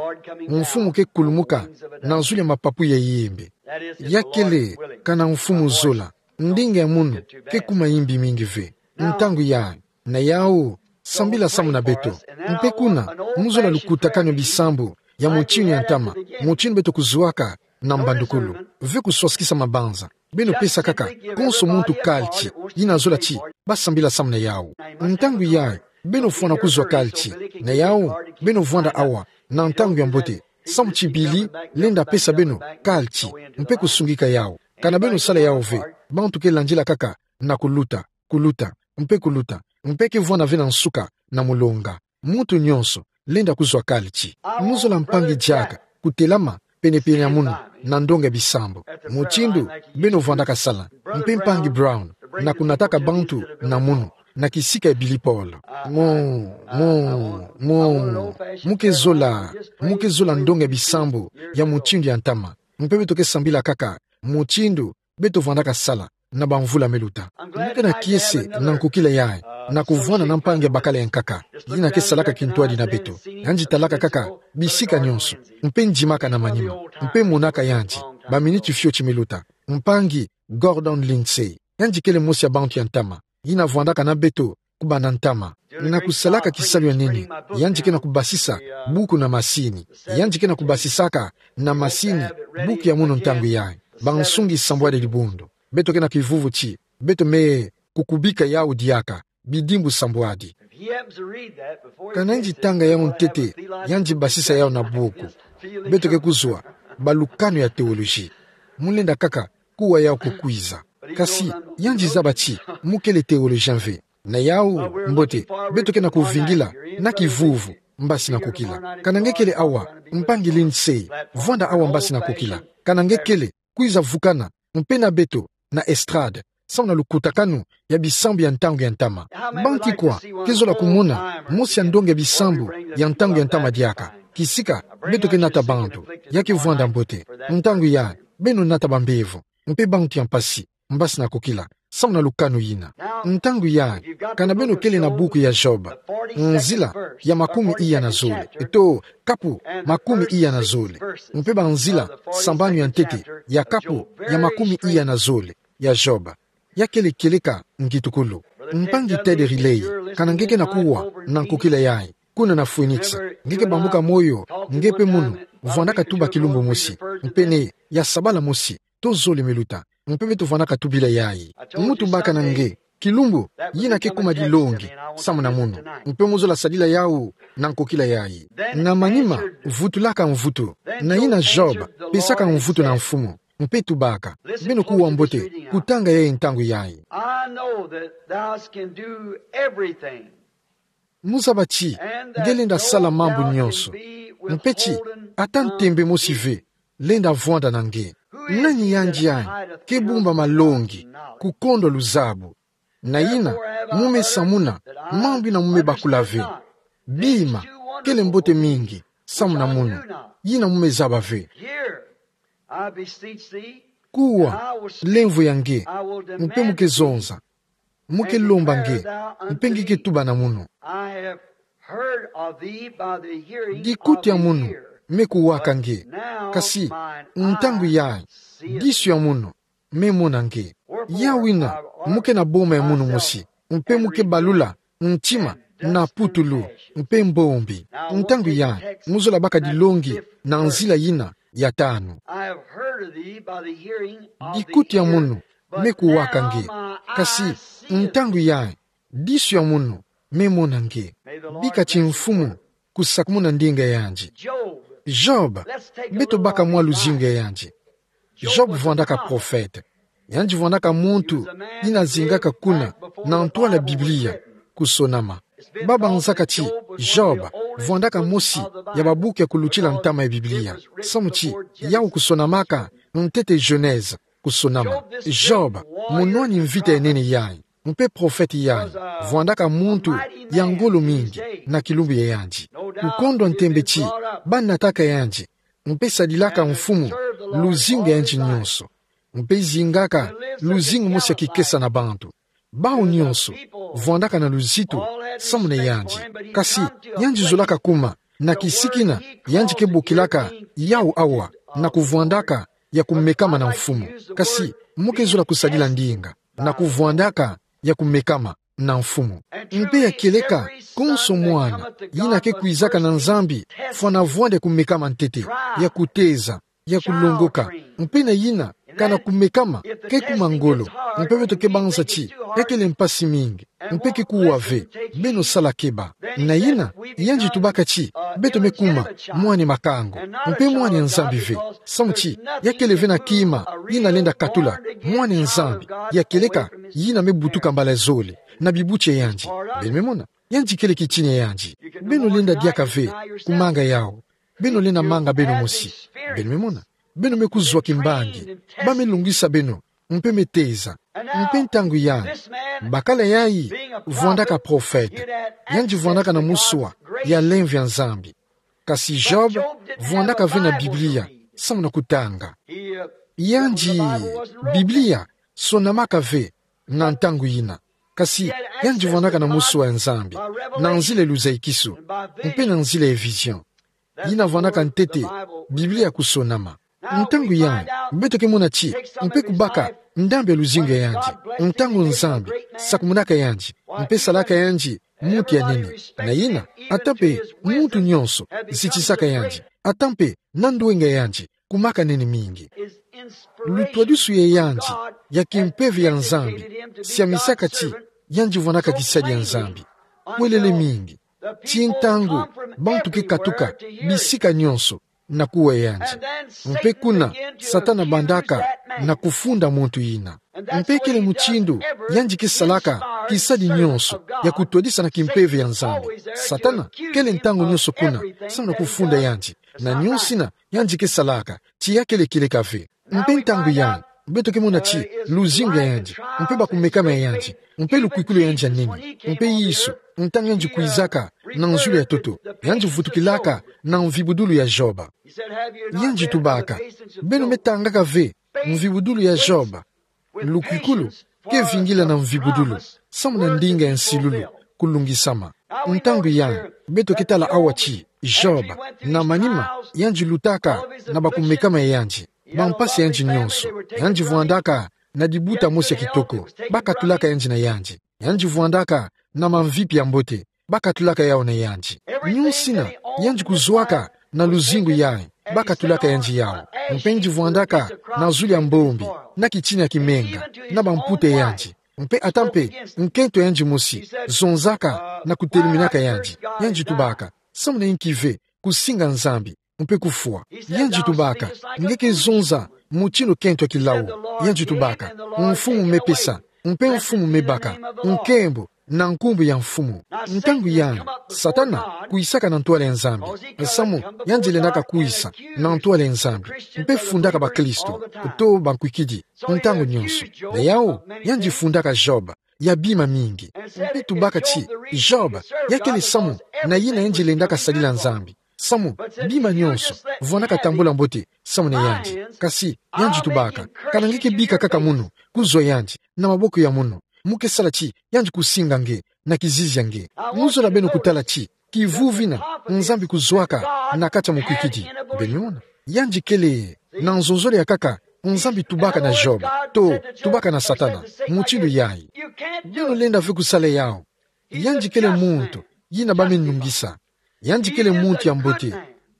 mfumu ke kulumuka na zulu ya mapapu ya yembe. Ya kele, kana mfumu zola, ndinga ya munu ke kuma yimbi mingi ve. Ntangu yayi, na yau, sambila samu na beto. Mpe kuna, mu zola lukutakanu ya bisambu ya mutindu ya ntama, mutindu beto kuzwaka na mbandukulu. Ve kuswasikisa mabanza. Beno pesa kaka konso muntu kalti yina zola ti ba sambila samu na yau. Ntangu yayi, beno fwana kuzwa kalti. Na yau, beno vwanda awa na ntangu ya mbote, samu ti Billy lenda pesa beno kalti mpe kusungika yau. Kana beno sala yau ve, bantu ke landila kaka na kuluta, kuluta, mpe kuluta, mpe ke vwanda ve na nsuka na mulonga. Muntu nyonso lenda kuzwa kalti. Mu zola mpangi Jack kutelama penepene ya munu na ndonga ya bisambu, mutindu beno vwandaka sala, mpe mpangi Brown na kunataka bantu na munu na kisika ya Billy Paul. Mo, mo, mo, mu ke zola, mu ke zola ndonga ya bisambu ya mutindu ya ntama. Mpe beto ke sambila kaka mutindu beto vwandaka sala na bamvula me luta. Mu ke na kiese na nkokila yayi, na kuvwanda na mpangi ya bakala ya nkaka yina ke salaka kintwadi na beto. Yandi talaka kaka bisika nyonso, mpe ndimaka na manima, mpe monaka yandi baminiti fioti me luta. Mpangi Gordon Lindsay, yandi kele mosi ya bantu ya ntama yina vwandaka na beto kubanda ntama. Na kusalaka kisalu ya nene, yandi ke na kubasisa buku na masini. Yandi ke na kubasisaka na masini buku ya munu ntangu yayi. Bansungi sambwadi ya dibundu, beto ke na kivuvu ti beto me kukubika yau diaka, bidimbu sambwadi. Kana yandi tanga yau ntete, yandi basisa yau na buku, beto ke kuzwa balukanu ya théologie. Mu lenda kaka kuwa yau ko kwiza. Kasi, yandi zaba ti mu kele théologien ve. Na yau, mbote, beto ke na kuvingila na kivuvu, mbasi na nkokila. Kana nge kele awa, mpangi Lindsay, vwanda awa, mbasi na nkokila. Kana nge kele, kwiza vukana mpe na beto na estrade, samu na lukutakanu ya bisambu ya ntangu ya ntama. Banti kwa ke zola kumona mosi ya ndonga ya bisambu ya ntangu ya ntama diaka? Kisika, beto ke nata bantu, ya ke vwanda mbote. Ntangu yayi, beno nata bambevo, mpe bantu ya mpasi, mbasi na kokila, samu na lukanu yina. Ntangu yayi, kana beno kele na buku ya Job, nzila ya makumi iya na zole, eto, kapu makumi iya na zole, mpe banzila sambanu ya ntete ya kapu ya makumi iya na zole ya Job. Ya kele kieleka ngitukulu. Mpangi Ted Riley, kana nge ke na kuwa na nkokila yayi, kuna na Phoenix, nge ke bambuka moyo, nge mpe munu, vwandaka tuba kilumbu mosi, mpe ne, ya sabala mosi, to zole me luta, mpe beto vwandaka tubila yayi. Mu tubaka na nge, kilumbu yina ke kuma dilongi samu na munu, mpe mu zola sadila yawu na nkokila yayi. Na manima, vutulaka mvutu, na yina Job pesaka mvutu na Mfumu, mpe tubaka. Beno kuwa mbote kutanga yayi ntangu yayi. I know that thou can do everything. Mu zaba ti nge lenda sala mambu nyonso, mpe ti ata ntembe mosi ve lenda vwanda na nge. Nani yandi yayi ke bumba malongi, kukondwa luzabu? Na yina, mu me samuna mambu yina mu me bakula ve. Bima, kele mbote mingi samu na munu, yina mu me zaba ve. Here, I beseech thee, kuwa, lemvo ya nge, mpe mu ke zonza, mu ke lomba nge, mpe nge ke tuba na munu. I have heard of thee by the hearing of the ear. Dikuti ya munu me kuwaka nge, kasi ntangu yayi, disu ya munu me mona nge. Ya wina, mu ke na boma ya munu mosi, mpe mu ke balula ntima na putulu mpe mbombi. Ntangu yayi, mu zola baka dilongi na nzila yina ya tanu. I have heard of thee by the hearing of the ear, but now my eyes see thee. Dikuti ya munu me kuwaka nge, kasi ntangu yayi, disu ya munu me mona nge. Bika ti Mfumu kusakumuna ndinga ya yandi. Job, beto baka mwa luzingu ya yandi. Job vwandaka profete. Yandi vwandaka muntu yina zingaka kuna na ntwala Biblia kusonama. Ba banzaka ti Job vwandaka mosi ya babuku ya kulutila ntama ya Biblia, samu ti yawu kusonamaka ntete Genèse kusonama. Job, munwani mvita ya nene yayi, mpe profete yayi, vwandaka muntu ya ngolo mingi na kilumbu ya yandi. Kukondwa ntembe ti ba nataka yandi, mpe sadilaka Mfumu luzingu ya yandi nyonso, mpe zingaka luzingu mosi ya kikesa na bantu. Bawu nyonso vwandaka na luzitu samu na yandi. Kasi yandi zolaka kuma na kisika yina yandi ke bokilaka yawu awa, na kuvwandaka ya kumekama na Mfumu. Kasi mu ke zola kusadila ndinga na kuvwandaka ya kumekama na Mfumu. Mpe ya kieleka, konso mwana yina ke kwizaka na Nzambi fwana vwanda ya kumekama ntete, ya kuteza, ya kulongoka. Mpe na yina, kana kumekama ke kuma ngolo, mpe beto ke banza ti ya kele mpasi mingi, mpe ke kuwa ve, beno sala keba. Na yina, yandi tubaka ti beto me kuma mwana makango, mpe mwana Nzambi ve, samu ti ya kele ve na kima yina lenda katula mwana Nzambi ya kieleka, yina me butuka mbala zole na bibuti ya yandi. Beno me mona, yandi kele kitini ya yandi. Beno lenda diaka ve kumanga yawu. Beno lenda manga beno mosi. Beno me mona, beno me kuzwa kimbangi. Ba me lungisa beno, mpe me teza. Mpe ntangu yayi, bakala yayi vwandaka profete, yandi vwandaka na muswa ya lemvo ya Nzambi. Kasi Job vwandaka ve na Biblia samu na kutanga. Yandi, Biblia sonamaka ve na ntangu yina. Kasi yandi vwandaka na muswa ya Nzambi, na nzila ya luzayikisu, mpe na nzila ya vision. Yina vwandaka ntete Biblia kusonama. Ntangu yayi, beto ke mona ti mpe kubaka ndambu ya luzingu ya yandi, ntangu Nzambi sakumunaka yandi, mpe salaka yandi muntu ya nene. Na yina, ata mpe muntu nyonso zitisaka yandi, ata mpe na ndwenga ya yandi kumaka nene mingi. Lutwadisu ya yandi ya kimpeve ya Nzambi siamisaka ti yandi vwandaka kisadi ya Nzambi. Kwelele mingi ti ntangu bantu ke katuka bisika nyonso na kuwa yandi. Mpe kuna, Satana bandaka na kufunda muntu yina. Mpe kele mutindu yandi ke salaka kisadi nyonso ya kutwadisa na kimpeve ya Nzambi. Satana kele ntangu nyonso kuna samu na kufunda yandi na nyonso yina yandi ke salaka ti ya kele kieleka ve. Mpe ntangu yayi, beto ke mona ti luzingu ya yandi, mpe bakumekama ya yandi, mpe lukwikulu yandi ya nene. Mpe Yesu, ntangu yandi kwizaka na nzulu ya ntoto, yandi vutukilaka na mvibudulu ya Job. Yandi tubaka: Beno me tangaka ve mvibudulu ya Job? Lukwikulu ke vingila na mvibudulu, samu na ndinga ya nsilulu, kulungisama. Ntangu yai, beto ke tala awa ti Job, na manima, yandi lutaka na bakumekama ya yandi, bampasi ya yandi nyonso. Yandi vwandaka na dibuta mosi ya kitoko, bakatulaka yandi na yandi. Yandi vwandaka na mamvipi ya mbote, bakatulaka yawu na yandi. Nyonsina yandi kuzwaka na luzingu yai, bakatulaka yandi yawu. Mpe yandi vwandaka na zulu ya mbombi, na kitina ya kimenga, na bamputa ya yandi. Mpe ata mpe nkento ya yandi mosi zonzaka na kuteleminaka yandi. Yandi tubaka: Samu na inki ve kusinga Nzambi mpe kufwa? Yandi tubaka: Nge ke zonza mutindu kento ya kilau. Yandi tubaka: Mfumu me pesa, mpe Mfumu me baka, nkembo na nkumbu ya Mfumu. Ntangu yai, Satana kwisaka na ntwala ya Nzambi, samu yandi lendaka kwisa na ntwala ya Nzambi, mpe fundaka bakristo, to bankwikidi, ntangu nyonso. Na yawu, yandi fundaka Job ya bima mingi. Mpe tubaka ti Job, ya kele samu na yina yandi lendaka sadila Nzambi, samu bima nyonso vwandaka tambula mbote samu na yandi. Kasi yandi tubaka: Kana nge ke bika kaka munu kuzwa yandi na maboko ya munu, mu ke sala ti yandi kusinga nge na kizizi ya nge? Mu zola beno kutala ti kivuvu kina Nzambi kuzwaka na kati ya mukwikidi. Beno mona, yandi kele na nzonzolo ya nkaka Nzambi tubaka na Job, to tubaka na Satana mutindu yai. Beno lenda ve kusala yawu. Yandi kele muntu yina ba me nungisa. Yandi kele muntu ya mbote.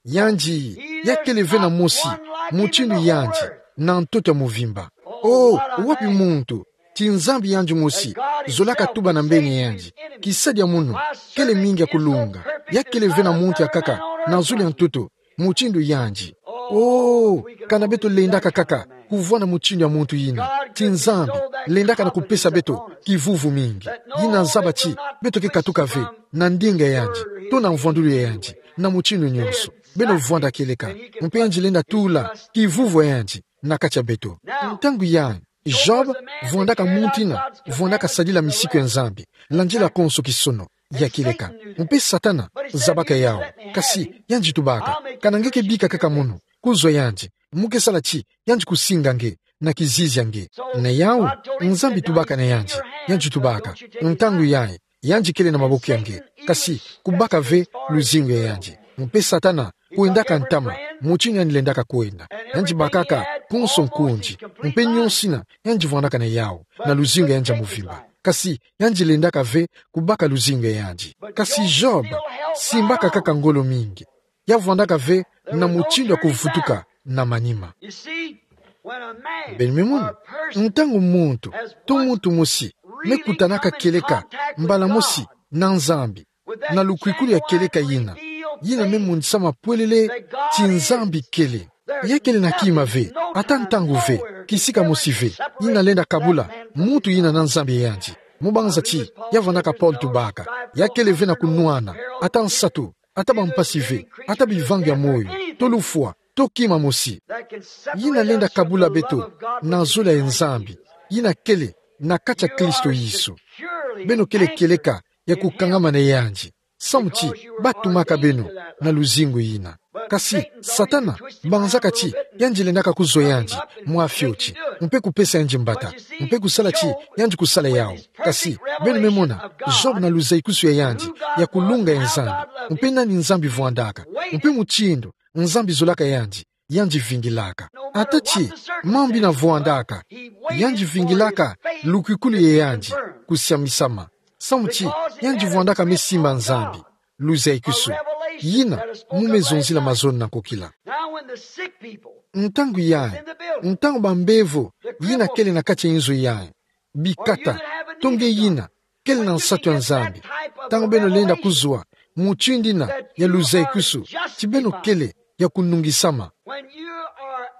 Yandi, ya kele ve na mosi mutindu yandi na ntoto ya muvimba. Oh, wapi muntu ti Nzambi yandi mosi zolaka tuba na mbenge yandi: Kisadi ya munu kele mingi ya kulunga. Ya kele ve na muntu ya nkaka na zulu ya ntoto mutindu yandi. Oh, kana beto lendaka kaka kuvwanda mutindu ya muntu yina, ti Nzambi lendaka na kupesa beto kivuvu mingi. Yina zaba ti beto ke katuka ve na ndinga ya yandi, to na mvwandulu ya yandi, na mutindu nyonso. Beno vwanda kieleka, mpe yandi lenda tula kivuvu ya yandi na kati ya beto. Ntangu yai, Job vwandaka muntu yina vwandaka sadila misiku ya Nzambi, landila konso kisono ya kieleka. Mpe Satana zabaka yawu. Kasi yandi tubaka: Kana nge ke bika kaka munu kuzwa yandi, mu ke sala ti yandi kusinga nge na kizizi ya nge. Na yawu, Nzambi tubaka na yandi. Yandi tubaka: Ntangu yai, yandi kele na maboko ya nge, kasi kubaka ve luzingu ya yandi. Mpe Satana kwendaka ntama mutindu yandi lendaka kwenda. Yandi bakaka konso nkundi, mpe nyonsina yandi vwandaka na yawu na luzingu ya yandi ya muvimba. Kasi yandi lendaka ve kubaka luzingu ya yandi. Kasi Job simbaka kaka ngolo mingi. Ya vwandaka ve na mutindu ya kuvutuka na manima. Beno me mona, ntangu muntu, to muntu mosi, me kutanaka kieleka mbala mosi na Nzambi, na lukwikulu ya kieleka yina, yina me monisama pwelele ti Nzambi kele. Ya kele na kima ve, ata ntangu ve, kisika mosi ve, yina lenda kabula muntu yina na Nzambi ya yandi. Mu banza ti ya vwandaka Paul tubaka: Ya kele ve na kunwana, ata nsatu, ata bampasi ve, ata bivangi ya moyo, to lufwa, to kima mosi, yina lenda kabula beto na zola ya Nzambi yina kele na kati ya Kristo Yesu. Beno kele kieleka ya kukangama na yandi, samu ti ba tumaka beno na luzingu yina. Kasi Satana banzaka ti yandi lendaka kuzwa yandi mwa fioti, mpe kupesa yandi mbata, mpe kusala ti yandi kusala yawu. Kasi beno me mona Job na luzayikisu ya yandi ya kulunga ya Nzambi, mpe nani Nzambi vwandaka, mpe mutindu Nzambi zolaka yandi, yandi vingilaka. Ata ti mambu yina vwandaka, yandi vingilaka lukwikulu ya yandi kusiamisama, samu ti yandi vwandaka me simba Nzambi, luzayikisu yina mu me zonzila mazono na nkokila. Ntangu yai, ntangu bambevo yina kele na kati ya inzo yai, bikata, to nge yina kele na nsatu ya Nzambi, ntangu beno lenda kuzwa mutindu yina ya luzayikisu ti beno kele ya kunungisama,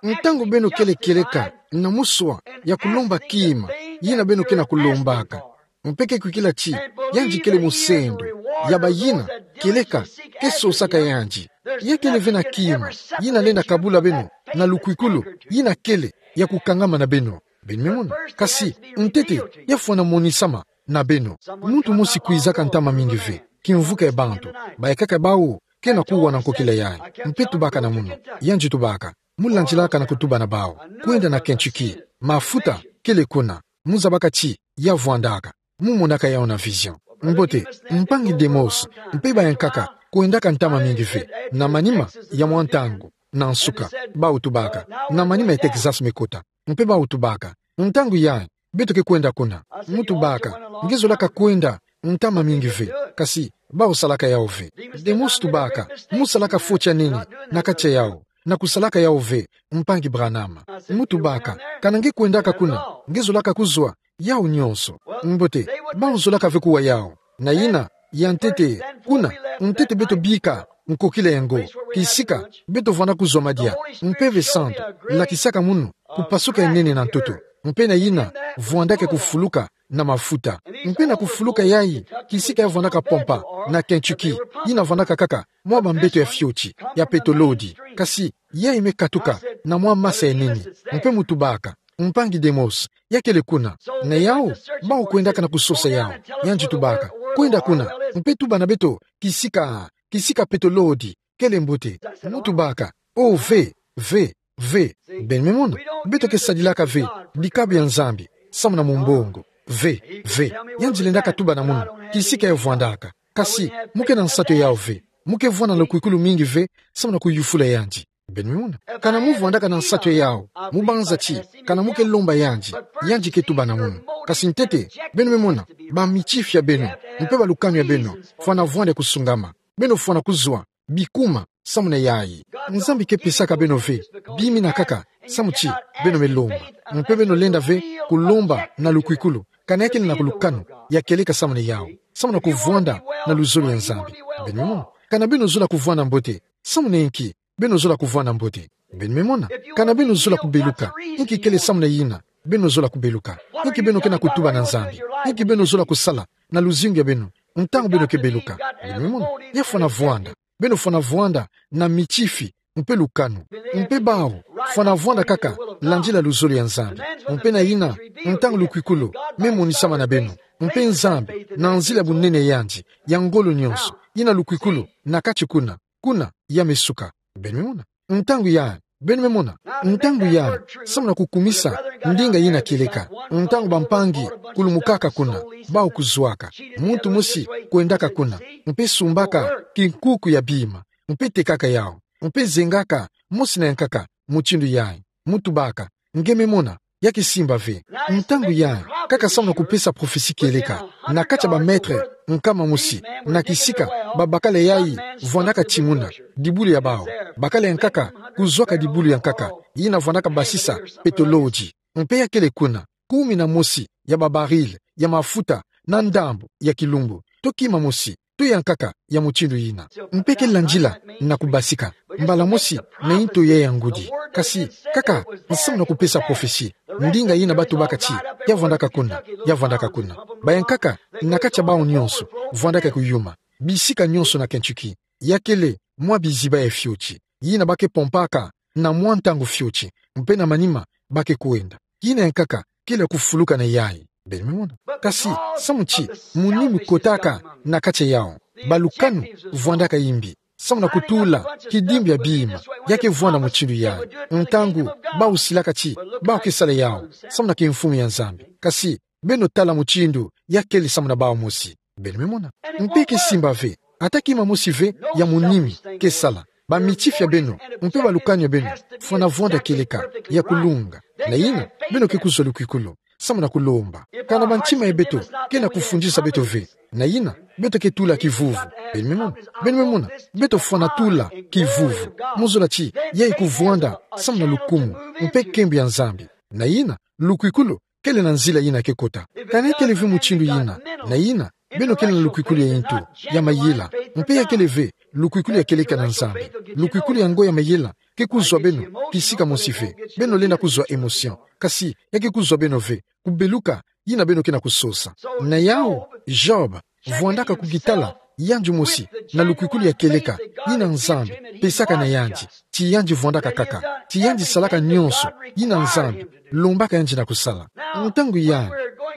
ntangu beno kele kieleka na muswa ya kulomba kima yina beno ke na kulombaka, mpe ke kwikila ti yandi kele musendo ya bayina kieleka ke sosaka yandi, ya kele ve na kima yina lenda kabula beno na lukwikulu yina kele ya kukangama na beno. Beno me mona. Kasi ntete ya fwana monisama na beno. Muntu mosi kwizaka ntama mingi ve kimvuka ya bantu, baikaka bau ke na kuwa na nkokila yayi. Mpe tubaka na munu, yandi tubaka, mu landilaka na kutuba na bau, kwenda na Kentucky, mafuta kele kuna, mu zabaka ti ya vwandaka, mu monaka yau na vision. Mbote, mpangi Demos, mpe bayankaka kwendaka ntama mingi ve, na manima ya mwa ntangu, na nsuka, bau tubaka, na manima ya Texas me kota, mpe bau tubaka, ntangu yayi, beto ke kwenda kuna. Mu tubaka, nge zolaka kwenda ntama mingi ve, kasi bau salaka yau ve. Demos tubaka, mu salaka foti ya nene na kati ya yau, na kusalaka yau ve, mpangi Branham. Mu tubaka, kana nge kwendaka kuna, nge zolaka kuzwa yau nyonso. Mbote, bau zolaka ve kuwa yau. Na yina, ya ntete, kuna, ntete beto bika nkokila yango, kisika beto vwanda kuzwa madia, Mpeve Santu lakisaka munu kupasuka ya nene na ntoto, mpe na yina vwandaka kufuluka na mafuta. Mpe na kufuluka yayi, kisika ya vwandaka pompa na Kentucky, yina vwandaka kaka mwa bambeto ya fioti, ya petolodi, kasi yayi me katuka na mwa masa ya nene. Mpe mu tubaka, mpangi Demos, ya kele kuna. Na yau, bau kwendaka na kusosa yau. Yandi tubaka, kwenda kuna, mpe tuba na beto, kisika, kisika petolodi kele mbote. Mu tubaka, o ve, ve, ve. Beno me mona, beto ke sadilaka ve bikabu ya Nzambi samu na mumbongo. Ve, ve. Yandi lendaka tuba na munu kisika ya vwandaka. Kasi mu ke na nsatu ya yau ve, mu ke vwanda na lukwikulu mingi ve samu na kuyufula yandi. Beno me mona, kana mu vwandaka na nsatu ya yau, mu banza ti kana mu ke lomba yandi, yandi ke tuba na munu. Kasi ntete, beno me mona, bamitifi ya beno, mpe balukanu ya beno, fwana vwanda kusungama. Beno fwana kuzwa bikuma samu na yayi. Nzambi ke pesaka beno ve bima ina kaka samu ti beno me lomba. Mpe beno lenda ve kulomba na lukwikulu, kana ya kele na lukanu ya kieleka samu na yau, samu na kuvwanda na luzolo ya Nzambi. Beno me mona, kana beno zola kuvwanda mbote, samu na inki beno zola kuvwanda mbote? Beno me mona, kana beno zola kubeluka, inki kele samu na yina beno zola kubeluka? Inki beno ke na kutuba na Nzambi? Inki beno zola kusala na luzingu ya beno ntangu beno ke beluka? Beno me mona, ya fwana vwanda. Beno fwana vwanda na mitifi mpe lukanu. Mpe bau fwana vwanda kaka landila luzolo ya Nzambi. Mpe na yina, ntangu lukwikulu me monisama na beno, mpe Nzambi, na nzila bunene ya yandi ya ngolo nyonso, yina lukwikulu na kati kuna, kuna ya me suka. Beno me mona, ntangu yayi, beno me mona, ntangu yayi, samu na kukumisa ndinga yina kieleka, ntangu bampangi kulumukaka kuna, bau kuzwaka, muntu mosi kwendaka kuna, mpe sumbaka kinkuku ya bima, mpe tekaka yau, mpe zengaka mosi na yankaka mutindu yayi. Mu tubaka, nge me mona, ya ke simba ve. Ntangu yayi, kaka samu na kupesa prophetie kieleka, na kati ya ba mètre nkama mosi, na kisika, babakala yayi vwandaka timuna dibulu ya bau, bakala yankaka kuzwaka dibulu ya nkaka, yina vwandaka basisa petolodi. Mpe ya kele kuna, kumi na mosi ya ba baril ya mafuta na ndambu ya kilumbu, to kima mosi, to yankaka ya mutindu yina. Mpe ke landila na kubasika mbala mosi na intoya ya ngudi. Kasi, kaka samu na kupesa prophetie, ndinga yina ba tubaka ti ya vwandaka kuna, ya vwandaka kuna. Bayankaka na kati ya bau nyonso vwandaka kuyuma, bisika nyonso na Kentucky. Ya kele mwa biziba ya fioti, yina ba ke pompaka na mwa ntangu fioti, mpe na manima ba ke kwenda. Yina yankaka kele kufuluka na yayi. Beno me mona. Kasi, samu ti munimi kotaka na kati ya yau, balukanu vwandaka imbi samu na kutula kidimbu ya bima, ya ke vwanda mutindu yayi. Ntangu bau silaka ti bau ke sala yau samu na kimfumu ya Nzambi. Kasi, beno tala mutindu ya kele samu na bau mosi. Beno me mona. Mpe ke simba ve, ata kima mosi ve ya munimi ke sala. Bamitifi ya beno mpe balukanu ya beno fwana vwanda kieleka, ya kulunga. Na yina, beno ke kuzwa lukwikulu samu na kulomba. Kana bantima ya beto ke na kufundisa beto ve, na yina, beto ke tula kivuvu. Beno me mona. Beno me mona, beto fwana tula kivuvu. Mu zola ti yayi kuvwanda samu na lukumu mpe nkembo ya Nzambi. Na yina, lukwikulu kele na nzila yina ke kota. Kana ya kele ve mutindu yina, na yina, beno kele na lukwikulu ya intu, ya mayela. Mpe ya kele ve lukwikulu ya kieleka na Nzambi, lukwikulu yango ya mayela ke kuzwa beno kisika mosi ve. Beno lenda kuzwa émotion, kasi ya ke kuzwa beno ve kubeluka yina beno ke na kusosa. Na yau, Job vwandaka kukitala yandi mosi na lukwikulu ya kieleka yina Nzambi pesaka na yandi, ti yandi vwandaka kaka, ti yandi salaka nyonso yina Nzambi lombaka yandi na kusala. Ntangu yayi,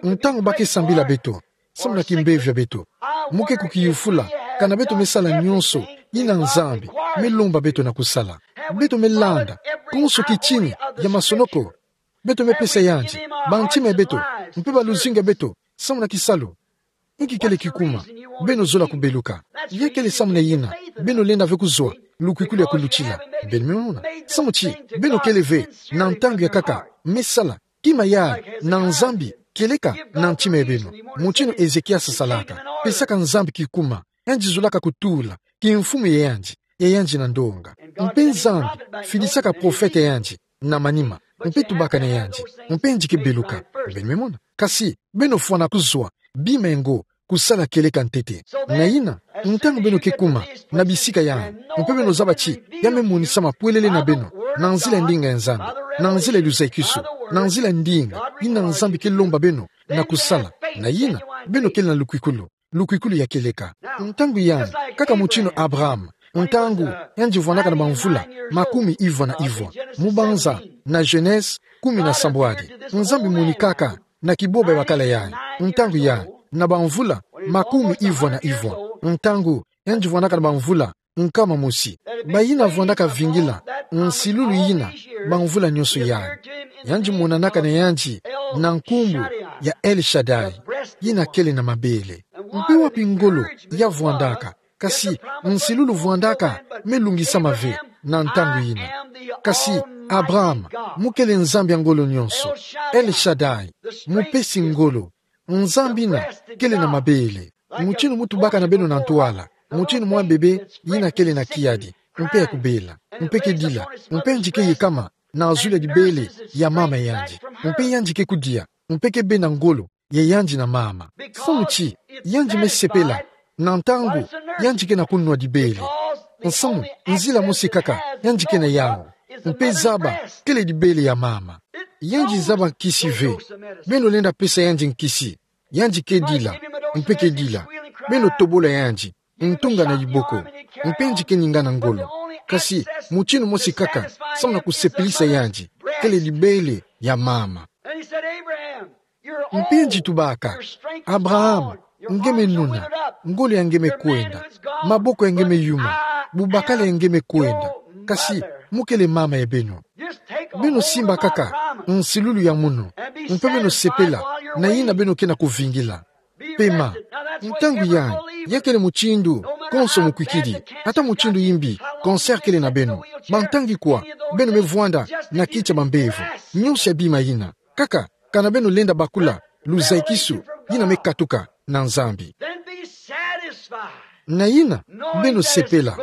ntangu ba ke sambila beto, samu na kimbevo ya beto. Mu ke kukiyufula, kana beto me sala nyonso yina Nzambi me lomba beto na kusala. Beto me landa konso kitini ya masonoko. Beto me pesa yandi bantima ya beto, mpe baluzinga ya beto, samu na kisalu. Nki kele kikuma beno zola kubeluka? Ya kele samu na yina beno lenda ve kuzwa lukwikulu ya kulutila. Beno me mona? Samu ti beno kele ve na ntangu ya nkaka me sala kima yai na Nzambi, kieleka na ntima ya beno, mutinu Ezekiasi asalaka, pesaka Nzambi kikuma. Yandi zolaka kutula kimfumu ya yandi, ya yandi na ndonga. Mpe Nzambi fidisaka profete ya yandi na manima, mpe tubaka na yandi, mpe yandi ke beluka. Beno me mona? Kasi beno fwana kuzwa bima yango, kusala kieleka ntete. Na yina, ntangu beno ke kuma na bisika yai, mpe beno zaba ti ya me monisama pwelele na beno na nzila ya ndinga ya Nzambi, na nzila ya luzaikisu, na nzila ya ndinga yina Nzambi ke lomba beno na kusala, na yina beno kele na lukwikulu, lukwikulu ya kieleka. Ntangu yai, kaka mutinu Abraham, ntangu yandi vwandaka na bamvula makumi ivwa na ivwa, mu banza na Genese kumi na sambwadi, Nzambi monikaka na kiboba ya bakala yai. Ntangu yai, na bamvula makumi ivwa na ivwa, ntangu yandi vwandaka na bamvula nkama mosi, bayina vwandaka vingila nsilulu yina bamvula nyonso yai, yandi monanaka na yandi na nkumbu ya El Shaddai, yina kele na mabele. Mpe wapi ngolo ya vwandaka? Kasi nsilulu vwandaka me lungisama ve na ntangu yina. Kasi Abraham, mu kele Nzambi ya ngolo nyonso, El Shaddai, mupesi ngolo, Nzambi yina kele na mabele. Mutinu mu tubaka na beno na ntwala, mutinu mwa bebe yina kele na kiadi, mpe ya kubela, mpe ke dila, mpe yandi ke yekama na zulu ya dibele ya mama yandi, mpe yandi ke kudia, mpe ke bena ngolo ya yandi na mama. Samu ti yandi me sepela na ntangu yandi ke na kunwa dibele. Nsamu, nzila mosi kaka yandi ke na yau, mpe zaba kele dibele ya mama. Yandi zaba nkisi ve. Beno lenda pesa yandi nkisi, yandi ke dila, mpe ke dila. Beno tobola yandi ntunga na diboko, mpe yandi ke ninga na ngolo. Kasi mutinu mosi kaka samu na kusepelisa yandi, kele dibele ya mama. Mpe yandi tubaka: Abraham, nge me nuna, ngolo ya nge me kwenda, maboko ya nge me yuma, bubakala ya nge me kwenda, kasi mu kele mama ya beno. Beno simba kaka nsilulu ya munu, mpe beno sepela na yina beno ke na kuvingila. Pema. Ntangu yai, ya kele mutindu konso mukwikidi, ata mutindu yimbi cancer kele na beno, bantangi kwa beno me vwanda na kiti ya bambevo, nyonso ya bima yina. Kaka kana beno lenda bakula luzaikisu yina me katuka na Nzambi. Na yina, beno sepela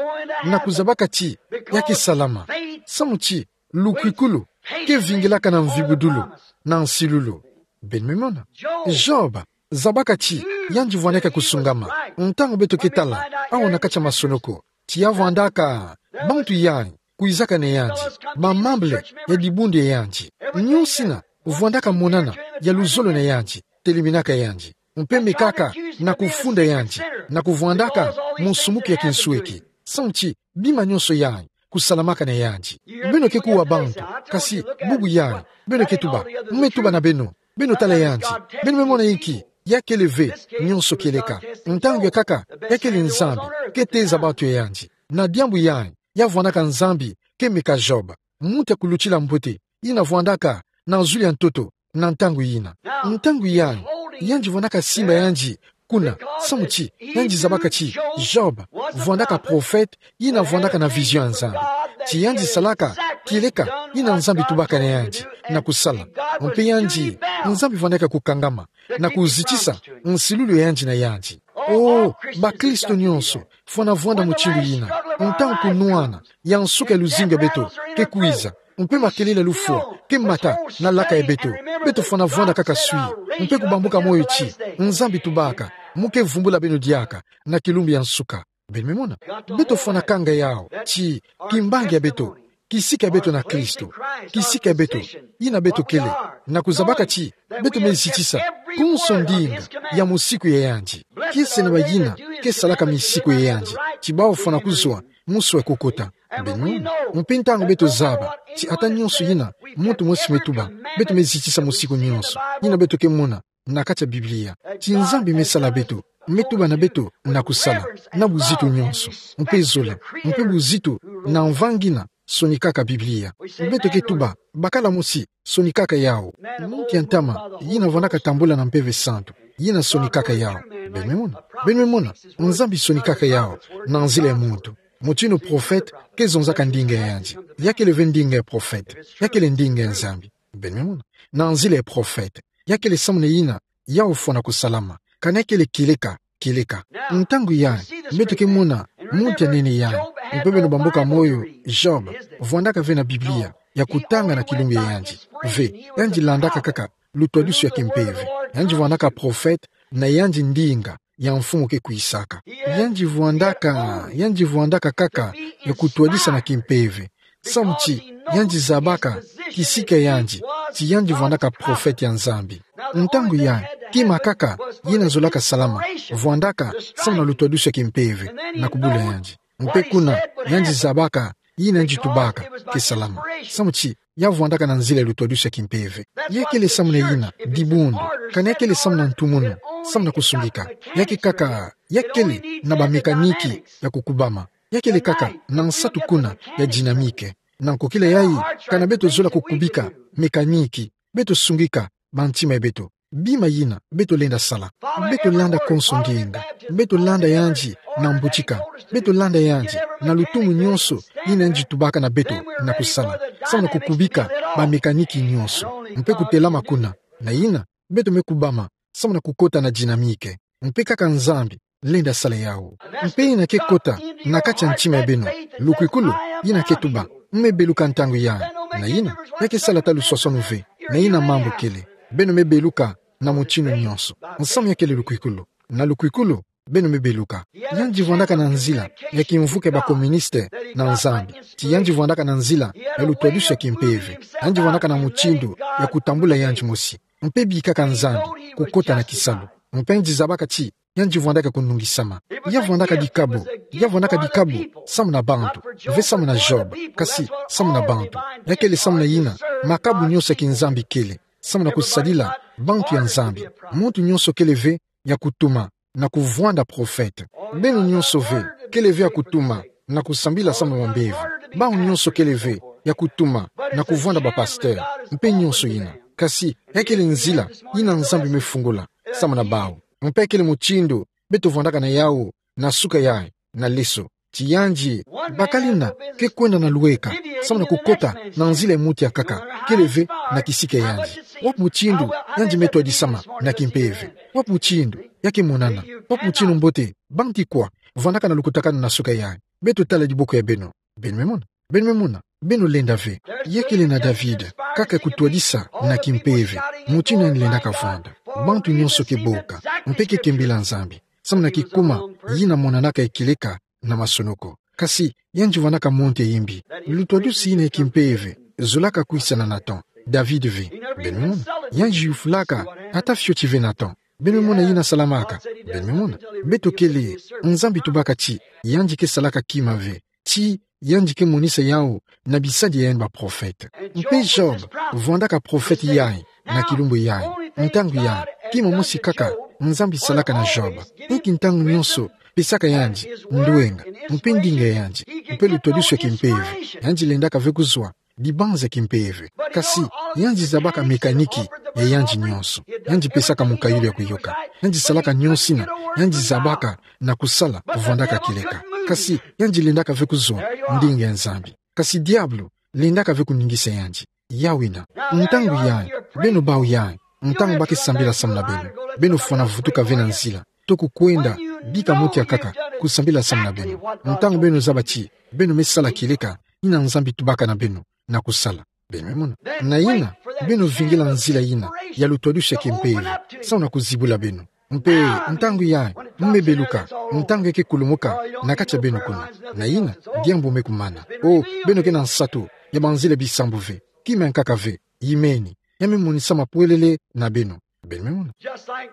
na kuzabaka ti ya ke salama, samu ti lukwikulu ke vingilaka na mvibudulu na nsilulu. Beno me mona? Job zabaka ti yandi vwandaka kusungama. Ntangu beto ke tala awa na kati ya masonoko, ti ya vwandaka bantu yai kwizaka na yandi, bamambele ya dibundu ya yandi, nyonso yina vwandaka monana ya luzolo na yandi, teleminaka yandi, mpe mekaka na kufunda yandi na kuvwandaka munsumuki ya kinsweki. Samu ti bima nyonso yai kusalamaka na yandi. Beno ke kuwa bantu, kasi bubu yai, beno ke tuba, me tuba na beno, beno tala yandi, beno me mona inki ya kele ve. Nyonso kieleka, ntangu ya nkaka ya kele Nzambi ke teza bantu ya yandi. Na diambu yai, ya vwandaka Nzambi ke meka Job, muntu ya kulutila mbote, yina vwandaka na zulu ya ntoto na ntangu yina. Ntangu yai, yandi vwandaka simba yandi kuna, samu ti yandi zabaka ti Job vwandaka profete yina vwandaka na vision ya Nzambi, ti yandi salaka kieleka yina Nzambi tubaka na yandi na kusala. Mpe yandi, Nzambi vwandaka kukangama na kuzitisa nsilulu ya yandi na yandi. Oh, bakristo nyonso fwana vwanda mutindu yina. Ntangu kunwana ya nsuka ya luzingu ya beto ke kwiza, mpe makelele ya lufwa ke mata na laka ya beto, beto fwana vwanda kaka swi, mpe kubambuka moyo ti Nzambi tubaka mu ke vumbula beno diaka na kilumbu ya nsuka. Beno me mona? Beto fwana kanga yau ti kimbangi ya beto, kisika ya beto na Kristo, kisika ya beto, yina beto kele, na kuzabaka ti beto me zitisa konso ndinga ya musiku ya yandi. Kiese na bayina ke salaka misiku ya yandi, ti bawu fwana kuzwa musu ya kukota. Beno me mona? Mpe ntangu beto zaba ti ata nyonso yina muntu mosi me tuba, beto me zitisa musiku nyonso, yina beto ke mona na kati ya Biblia. Ti Nzambi me sala beto, me tuba na beto na kusala, na buzitu nyonso, mpe zola, mpe buzitu na mva ngina sonikaka Biblia. Beto ke tuba, bakala mosi sonikaka yawu. Muntu ya ntama, yina vwandaka tambula na Mpeve Santu, yina sonikaka yawu. Beno me mona, beno me mona, Nzambi sonikaka yawu na nzila ya muntu. Mutinu prophète ke zonzaka ndinga ya yandi. Ya kele ve ndinga ya prophète. Ya kele ndinga ya Nzambi. Beno me mona. Na nzila ya prophète. Ya kele samu na yina yawu fwana kusalama. Kana ya kele kieleka, kieleka. Ntangu yayi, beto ke mona muntu ya nene yayi. Mpe beno bamboka moyo, Job, vwandaka ve na Biblia, ya kutanga na kilumbu ya yandi. Ve, yandi landaka kaka lutwadusu ya kimpeve. Yandi vwandaka prophète, na yandi ndinga ya mfumu ke kwisaka. Yandi vwandaka, yandi vwandaka kaka ya kutwadisa na kimpeve. Samu ti yandi zabaka kisika ya yandi, ti yandi vwandaka prophète ya Nzambi. Ntangu yayi, kima kaka yina zolaka salama, vwandaka samu na lutwadusu ya kimpeve, na kubula yandi. Mpe kuna, yandi zabaka yina yandi tubaka ke salama. Samu ti ya vwandaka na nzila ya lutwadusu ya kimpeve. Ya kele samu na yina dibundu, kana ya kele samu na ntumunu, samu na kusungika. Ya ke kaka, ya kele na ba mécanique ya kukubama. Ya kele kaka na nsatu kuna ya dynamique. Na nkokila yayi, kana beto zola kukubika mécanique, beto sungika bantima ya beto. Bima yina beto lenda sala. Beto landa konso ndinga. Beto landa yandi na mbutika. Beto landa yandi na lutumu nyonso yina yandi tubaka na beto na kusala, samu na kukubika ba mécanique nyonso. Mpe kutelama kuna. Na yina, beto me kubama samu na kukota na dynamique. Mpe kaka Nzambi lenda sala yawu. Mpe yina ke kota na kati ya ntima ya beno. Lukwikulu, yina ke tuba, me beluka ntangu yayi. Na yina, ya ke sala ata luswaswanu ve. Na yina mambu kele. Beno me beluka na mutinu nyonso. Nsamu ya kele lukwikulu. Na lukwikulu, beno me beluka. Yandi vwandaka na nzila ya kimvuka ya ba communiste na Nzambi. Ti yandi vwandaka na nzila ya lutwadusu ya kimpeve. Yandi vwandaka na mutindu ya kutambula yandi mosi. Mpe bikaka Nzambi kukota na kisalu. Mpe yandi zabaka ti yandi vwandaka kunungisama. Ya vwandaka dikabu, ya vwandaka dikabu samu na bantu, ve samu na Job, kasi samu na bantu. Ya kele samu na yina makabu nyonso ya kiNzambi kele, samu na kusadila bantu ya Nzambi. Muntu nyonso kele ve ya kutuma na kuvwanda prophète. Beno nyonso ve kele ve ya kutuma na kusambila samu na bambevo. Bawu nyonso kele ve ya kutuma na kuvwanda ba pasteur, mpe nyonso yina. Kasi ya kele nzila yina Nzambi me fungula samu na bawu. Mpe ya kele mutindu beto vwandaka na yawu na suka yayi na leso. Ti yandi, bakala yina ke kwenda na lweka samu na kukota na nzila ya muntu ya nkaka, kele ve na kisika ya yandi. Wapi mutindu yandi me twadisama na kimpeve? Wapi mutindu ya ke monana? Wapi mutindu mbote? Bantu kwa vwandaka na lukutakanu na suka yayi? Beto tala diboko ya beno. Beno me mona? Beno me mona? Beno lenda ve. Ya kele na David kaka ya kutwadisa na kimpeve, mutindu yandi lendaka vwanda. Bantu nyonso ke boka, mpe ke kembila Nzambi samu na kikuma yina monanaka ya kieleka na masonoko. Kasi yandi vwandaka monte ya imbi. Lutwadusu yina ya kimpeve zolaka kwisa na Nathan, David ve. Beno me mona? Yandi yufulaka ata fioti ve Nathan. Beno me mona yina salamaka? Beno me mona? Beto kele, Nzambi tubaka ti yandi ke salaka kima ve. Ti yandi ke monisa yawu na bisadi ya yandi ba prophète. Mpe Job vwandaka prophète yayi na kilumbu yayi. Ntangu yayi, kima mosi kaka Nzambi salaka na Job. Inki ntangu nyonso pesaka yandi ndwenga, mpe ndinga ya yandi, mpe lutwadusu ya kimpeve. Yandi lendaka ve kuzwa dibanza ya kimpeve. Kasi yandi zabaka mécanique ya yandi nyonso. Yandi pesaka mukayulu ya kuyoka. Yandi salaka nyonso yina yandi zabaka na kusala, vwandaka kieleka. Kasi yandi lendaka ve kuzwa ndinga ya Nzambi. Kasi diabulu lendaka ve kuningisa yandi. Yawu yina. Ntangu yayi, beno bawu yayi, ntangu ba ke sambila samu na beno, beno fwana vutuka ve na nzila, toko kwenda bika muntu ya nkaka kusambila samu na beno. Ntangu beno zaba ti beno me sala kieleka yina Nzambi tubaka na beno na kusala. Beno me mona? Na yina, beno vingila nzila yina ya lutwadusu ya kimpeve samu na kuzibula beno. Mpe ntangu yayi, mu me beluka, ntangu ya ke kulumuka na kati ya beno kuna. Na yina, diambu me kumana. O, beno ke na nsatu ya banzila bisambu ve, kima ya nkaka ve, yimeni, ya me monisama pwelele na beno. Beno me mona? Just like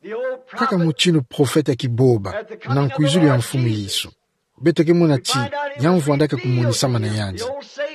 the old prophet, kaka mutindu prophète ya kiboba, na nkwizulu ya Mfumu Yesu. Beto ke mona ti ya vwandaka kumonisama na yandi.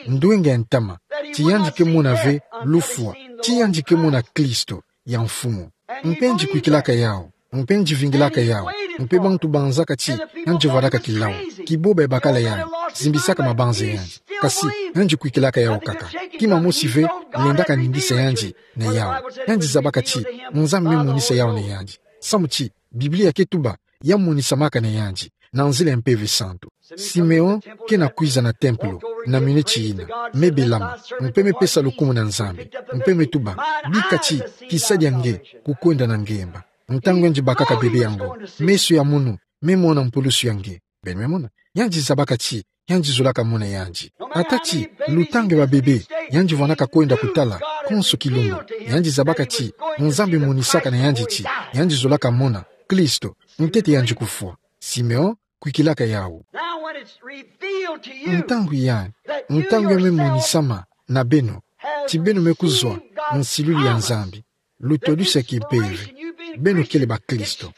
Ndwenga ya ntama, ti yandi ke mona ve lufwa, ti yandi ke mona Kristo, ya mfumu. Mpe yandi kwikilaka yawu, mpe yandi vingilaka yawu, mpe bantu banzaka ti yandi vwandaka kilawu, kiboba ya bakala yandi, zimbisaka mabanza yandi. Kasi yandi kwikilaka yawu kaka. Kima mosi ve lendaka ningisa yandi na yawu. Yandi zabaka ti Nzambi me monisa yawu na yandi. Samu ti Biblia ke tuba ya monisamaka na yandi na nzila ya Mpeve Santu. Simeon ke na kwiza na tempelo na miniti yina, me belama, mpe me pesa lukumu na Nzambi, mpe me tuba: Bika ti kisa dia nge kukwenda na ngemba. Ntangu yandi bakaka bebe yango, meso ya munu me mona mpulusu ya nge. Beno me mona, yandi zabaka ti yandi zolaka mona yandi. Ata ti lutanga ya babebe yandi vwandaka kwenda kutala konso kilumbu, yandi zabaka ti Nzambi monisaka na yandi ti yandi zolaka mona Kristo ntete yandi kufwa. Simeon kwikilaka yawu. Now, when it's revealed to you Ntangu ya, that you ntangu ya me yourself monisama na beno ti beno me kuzwa nsilulu ya Nzambi, lutwadusu ya kimpeve, beno kele bakristo,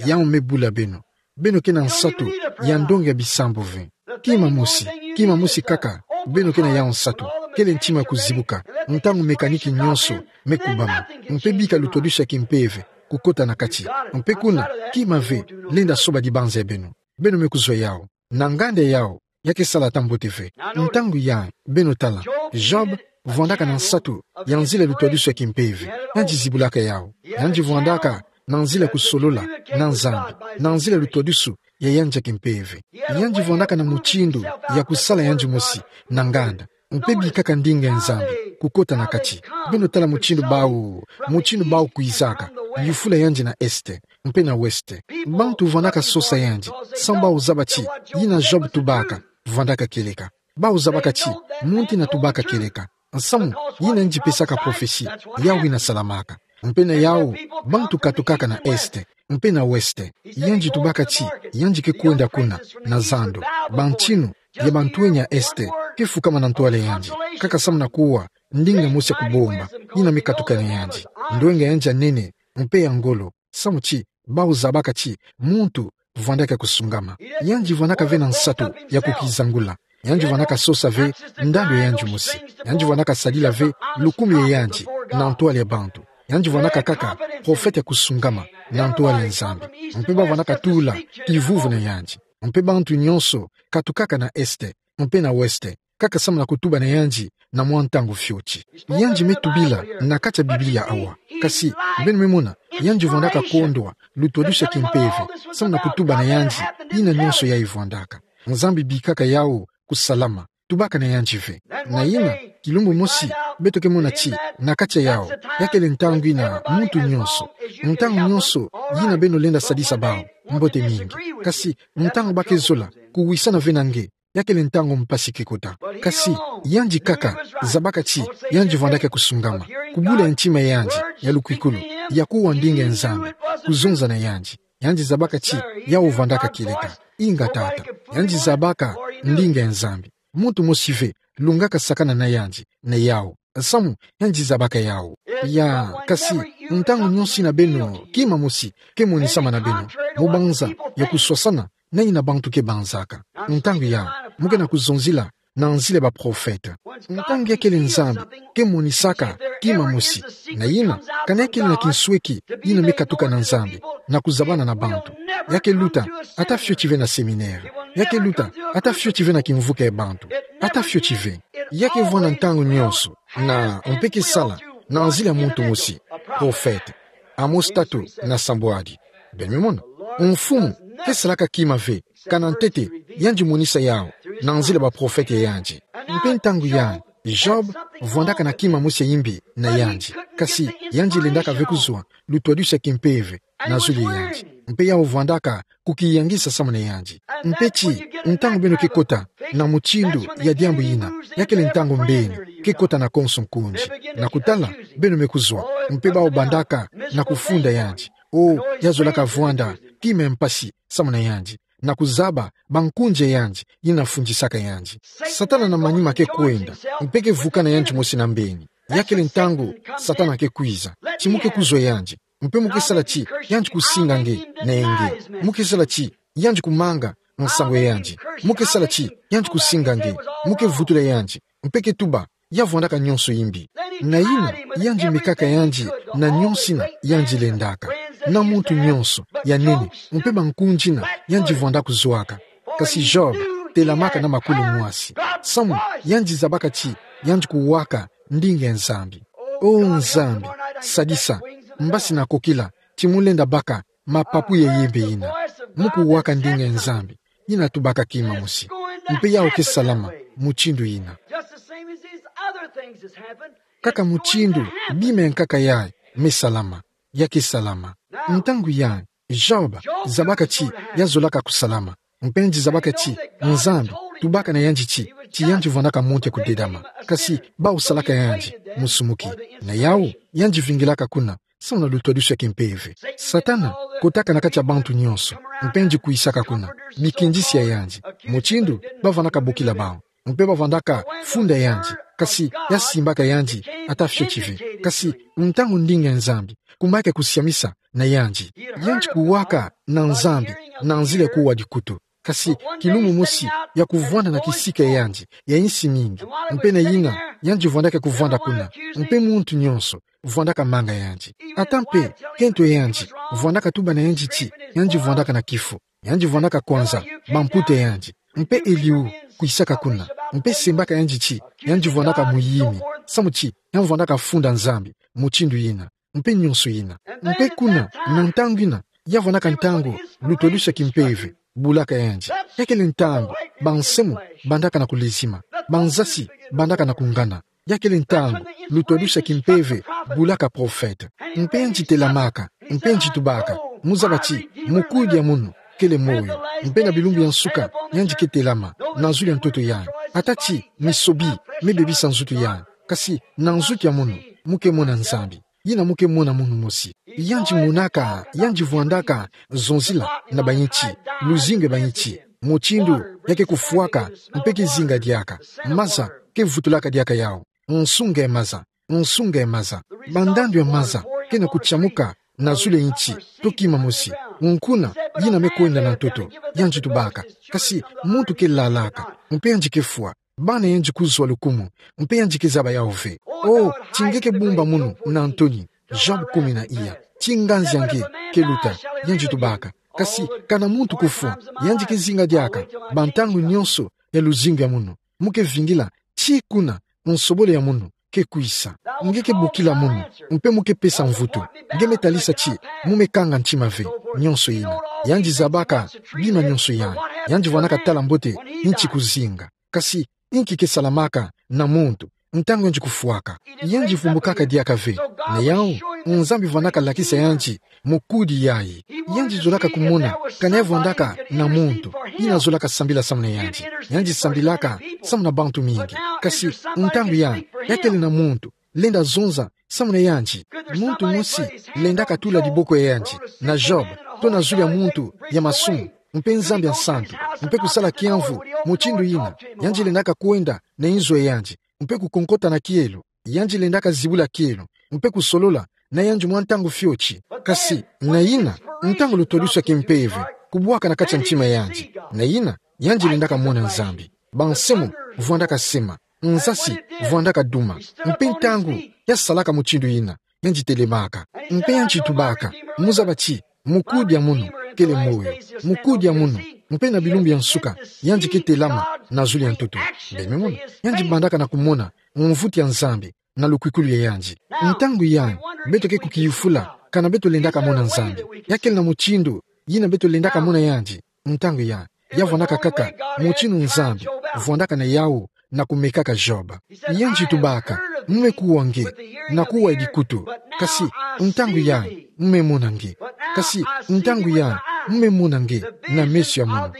yawu me bula beno. Beno ke na nsatu ya ndonga ya bisambu ve. Kima mosi, kima mosi kaka beno ke na yawu nsatu, kele ntima ya kuzibuka ntangu mekaniki nyonso me kubama, mpe bika lutwadusu ya kimpeve kukota na kati. Mpe kuna, kima ve lenda soba dibanza ya beno. Beno me kuzwa yawu. Na nganda yawu, ya ke sala ata mbote ve. Ntangu ya, beno tala, Job vwandaka na nsatu ya nzila ya lutwadusu ya kimpeve. Yandi zibulaka yawu. Yandi vwandaka na nzila ya kusolola na Nzambi, na nzila ya lutwadusu ya yandi ya kimpeve. Yandi vwandaka na mutindu ya kusala yandi mosi na nganda, mpe bikaka ndinga ya Nzambi kukota na kati. Beno tala mutindu bawu, mutindu bawu kwizaka, yufula yandi na est mpe na ouest. Bantu vwandaka sosa yandi, samu bawu zaba ti yina Job tubaka vwandaka kieleka. Bawu zabaka ti muntu yina tubaka kieleka, nsamu yina yandi pesaka prophetie, yawu yina salamaka. Mpe na yawu, bantu katukaka na est mpe na ouest. Yandi tubaka ti yandi ke kwenda kuna na zando. Bantinu ya bantwenya ya est ke fukama na ntwala ya yandi, kaka samu na kuwa ndinga mosi ya kubomba yina me katuka na yandi. Ndwenga ya yandi ya nene mpe ya ngolo, samu ti bawu zabaka ti muntu vwandaka kusungama. Yandi vwandaka ve na nsatu ya kukizangula. Yandi vwandaka sosa ve ndandu ya yandi mosi. Yandi vwandaka sadila ve lukumu ya yandi na ntwala ya bantu. Yandi vwandaka kaka profete ya kusungama na ntwala ya Nzambi. Mpe ba vwandaka tula kivuvu na yandi. Mpe bantu nyonso katukaka na est mpe na ouest, kaka samu na kutuba na yandi na mwa ntangu fioti. Yandi me tubila na kati ya Biblia awa. Kasi, beno me mona, yandi vwandaka kondwa lutwadusu ya kimpeve samu na kutuba na yandi yina nyonso yayi vwandaka. Nzambi bikaka yawu kusalama, tubaka na yandi ve. Na yina, kilumbu mosi, beto ke mona ti na kati ya yawu, ya kele ntangu yina muntu nyonso, ntangu nyonso yina beno lenda sadisa bawu mbote mingi. Kasi ntangu ba ke zola kuwisana ve na nge, ya kele ntangu mpasi ke kota. Kasi yandi kaka zabaka ti yandi vwandaka kusungama, kubula ya ntima ya yandi ya lukwikulu, ya kuwa ndinga ya Nzambi kuzonza na yandi. Yandi zabaka ti yawu vwandaka kieleka. Inga tata, yandi zabaka ndinga ya Nzambi. Muntu mosi ve lungaka sakana na yandi na yawu, samu yandi zabaka yawu. Ya, kasi ntangu nyonso yina beno, kima mosi ke monisama na beno, mu banza ya kuswasana na yina bantu ke banzaka. Ntangu ya, mu ke na kuzonzila na nzila ya baprofete. Ntangu ya kele Nzambi ke monisaka kima mosi, na yina, kana ya kele na kinsweki yina me katuka na Nzambi na kuzabana na bantu, ya ke luta ata fioti ve na séminaire. Ya ke luta ata fioti ve na kimvuka ya bantu. Ata fioti ve. Ya ke vwanda ntangu nyonso, na mpe ke sala na nzila ya muntu mosi, profete. Amos tatu na sambwadi. Beno me mona, mfumu ke salaka kima ve kana ntete yandi monisa yawu na nzila ya baprofete ya yandi. Mpe ntangu ya, Job vwandaka na kima mosi ya imbi na yandi. Kasi yandi lendaka ve kuzwa lutwadusu ya kimpeve na zulu ya yandi. Mpe yawu vwandaka kukiyangisa samu na yandi. Mpe ti, ntangu beno ke kota na mutindu ya diambu yina, ya kele ntangu mbeni ke kota na konso nkunzi. Na kutala, beno me kuzwa, mpe bawu bandaka na kufunda yandi. O, ya zolaka vwanda kima ya mpasi samu na yandi, na kuzaba bankunzi ya yandi yina fundisaka yandi. Satana na manima ke kwenda, mpe ke vukana yandi mosi na mbeni. Ya kele ntangu Satana ke kwiza, ti mu ke kuzwa yandi, mpe mu ke sala ti yandi kusinga nge na yenge. Mu ke sala ti yandi kumanga nsangu ya yandi. Mu ke sala ti yandi kusinga nge. Mu ke vutula yandi, mpe ke tuba ya vwandaka nionso imbi. Na yina, yandi mekaka yandi na nionso ina yandi lendaka. Na muntu nionso, ya nene, mpe bankundi ina yandi vwanda kuzwaka. Kasi Job telamaka na makulu mwasi. Samu, yandi zabaka ti yandi kuwaka ndinga ya Nzambi. O Nzambi, sadisa, mbasi nakokila ti mu lenda baka mapapu ya yembe ina. Mu kuwaka ndinga ya Nzambi, yina tubaka kima mosi. Mpe yawu ke salama mutindu yina. Just the same as these other things has happened. Kaka mutindu bima ya nkaka yayi me salama, ya ke salama. Ntangu yayi, Job zabaka ti ya zolaka kusalama. Mpe yandi zabaka ti Nzambi tubaka na yandi ti, ti yandi vwandaka muntu ya kudedama. Kasi bawu salaka yandi musumuki. Na yawu, yandi vingilaka kuna, samu na lutwadusu ya kimpeve. Satana kotaka na kati ya bantu nionso, mpe yandi kwisaka kuna, bikindisi ya yandi, mutindu bavwandaka bokila bawu, mpe bavwandaka funda yandi, kasi ya simbaka yandi ata fioti ve. Kasi ntangu ndinga ya Nzambi kumayaka kusiamisa na yandi, yandi kuwaka na Nzambi na nzila ya kuwa dikutu. Kasi kilumbu mosi ya kuvwanda na kisika ya yandi ya insi mingi, mpe na yina yandi vwandaka kuvwanda kuna, mpe muntu nionso vwandaka manga yandi. Ata mpe kento ya yandi vwandaka tuba na yandi ti yandi vwandaka na kifu, yandi vwandaka kwanza bamputa ya yandi, mpe Eliu kwisaka kuna, mpe sembaka yandi ti yandi vwandaka muyimi, samu ti ya vwandaka funda Nzambi mutindu yina, mpe nionso yina. Mpe kuna, na ntangu yina, ya vwandaka ntangu lutwadusu ya kimpeve bulaka yandi. Ya kele ntangu bansemo bandaka na kulezima, banzasi bandaka na kungana. Ya kele ntangu lutwadusu ya kimpeve bulaka profete. Mpe yandi telamaka, mpe yandi tubaka, mu zaba ti mukudi ya munu kele moyo, mpe na bilumbu ya nsuka yandi ke telama na zulu ya ntoto yayi. Ata ti misobi mibebisa nzutu yayi, kasi na nzutu ya munu mu ke mona Nzambi. Yina mu ke mona munu mosi. Yandi monaka, yandi vwandaka zonzila na bayinti, luzingu ya bayinti, mutindu ya ke kufwaka, mpe ke zinga diaka. Maza ke vutulaka diaka yawu. Nsunga ya maza, nsunga ya maza. Bandandu ya maza ke na kutiamuka na zulu ya yinti, to kima mosi. Nkuna, yina me kwenda na ntoto, yandi tubaka. Kasi muntu ke lalaka, mpe yandi ke fwa. Bana yandi kuzwa lukumu, mpe yandi ke zaba yawu ve. O, ti nge ke bumba munu na ntoni, Job kumi na iya. Ti nganzi ya nge ke luta, yandi tubaka. Kasi kana muntu kufwa, yandi ke zinga diaka bantangu nionso ya luzingu ya munu. Mu ke vingila, ti kuna nsobolo ya munu ke kwisa. Nge ke bokila munu, mpe mu ke pesa mvutu. Nge me talisa ti mu me kanga ntima ve, nionso yina. Yandi zabaka bima nionso yayi. Yandi vwandaka tala mbote yinti kuzinga. Kasi inki ke salamaka na muntu ntangu yandi kufwaka? Yandi vumbukaka diaka ve. Na yawu, Nzambi vwandaka lakisa yandi mukudi yayi. Yandi zolaka kumona kana ya vwandaka na muntu yina zolaka sambila samu na yandi. Yandi sambilaka samu na bantu mingi. Kasi ntangu yayi, ya kele na muntu lenda zonza samu na yandi. Muntu mosi lendaka tula diboko ya yandi na Job, to na zulu ya muntu ya masumu, mpe Nzambi ya nsantu, mpe kusala kiamvu mutindu yina. Yandi lendaka kwenda na inzo ya yandi, mpe kukonkota na kielo. Yandi lendaka zibula kielo, mpe kusolola na yandi mwa ntangu fioti. Kasi na yina, ntangu lutwadusu ya kimpeve kubwaka na kati ya ntima ya yandi, na yina, yandi lendaka mona Nzambi. Bansemo vwandaka sema, nzasi vwandaka duma. Mpe ntangu ya salaka mutindu yina, yandi telemaka. Mpe yandi tubaka, mu zaba ti mukudi ya munu kele moyo. Mukudi ya munu, mpe na bilumbu ya nsuka, yandi ke telama na zulu ya ntoto. Beno mona, yandi bandaka na kumona mvutu ya Nzambi na lukwikulu ya yandi. Ntangu yayi, beto ke kukiyufula kana beto lendaka mona Nzambi. Ya kele na mutindu yina beto lendaka mona yandi. Ntangu yayi, ya vwandaka kaka mutindu Nzambi vwandaka na yawu na kumekaka Job. Yandi tubaka, mu me kuwa nge na kuwa ya dikutu. Kasi ntangu yayi, mu me mona nge. Kasi ntangu yayi, mu me mona nge na meso ya munu.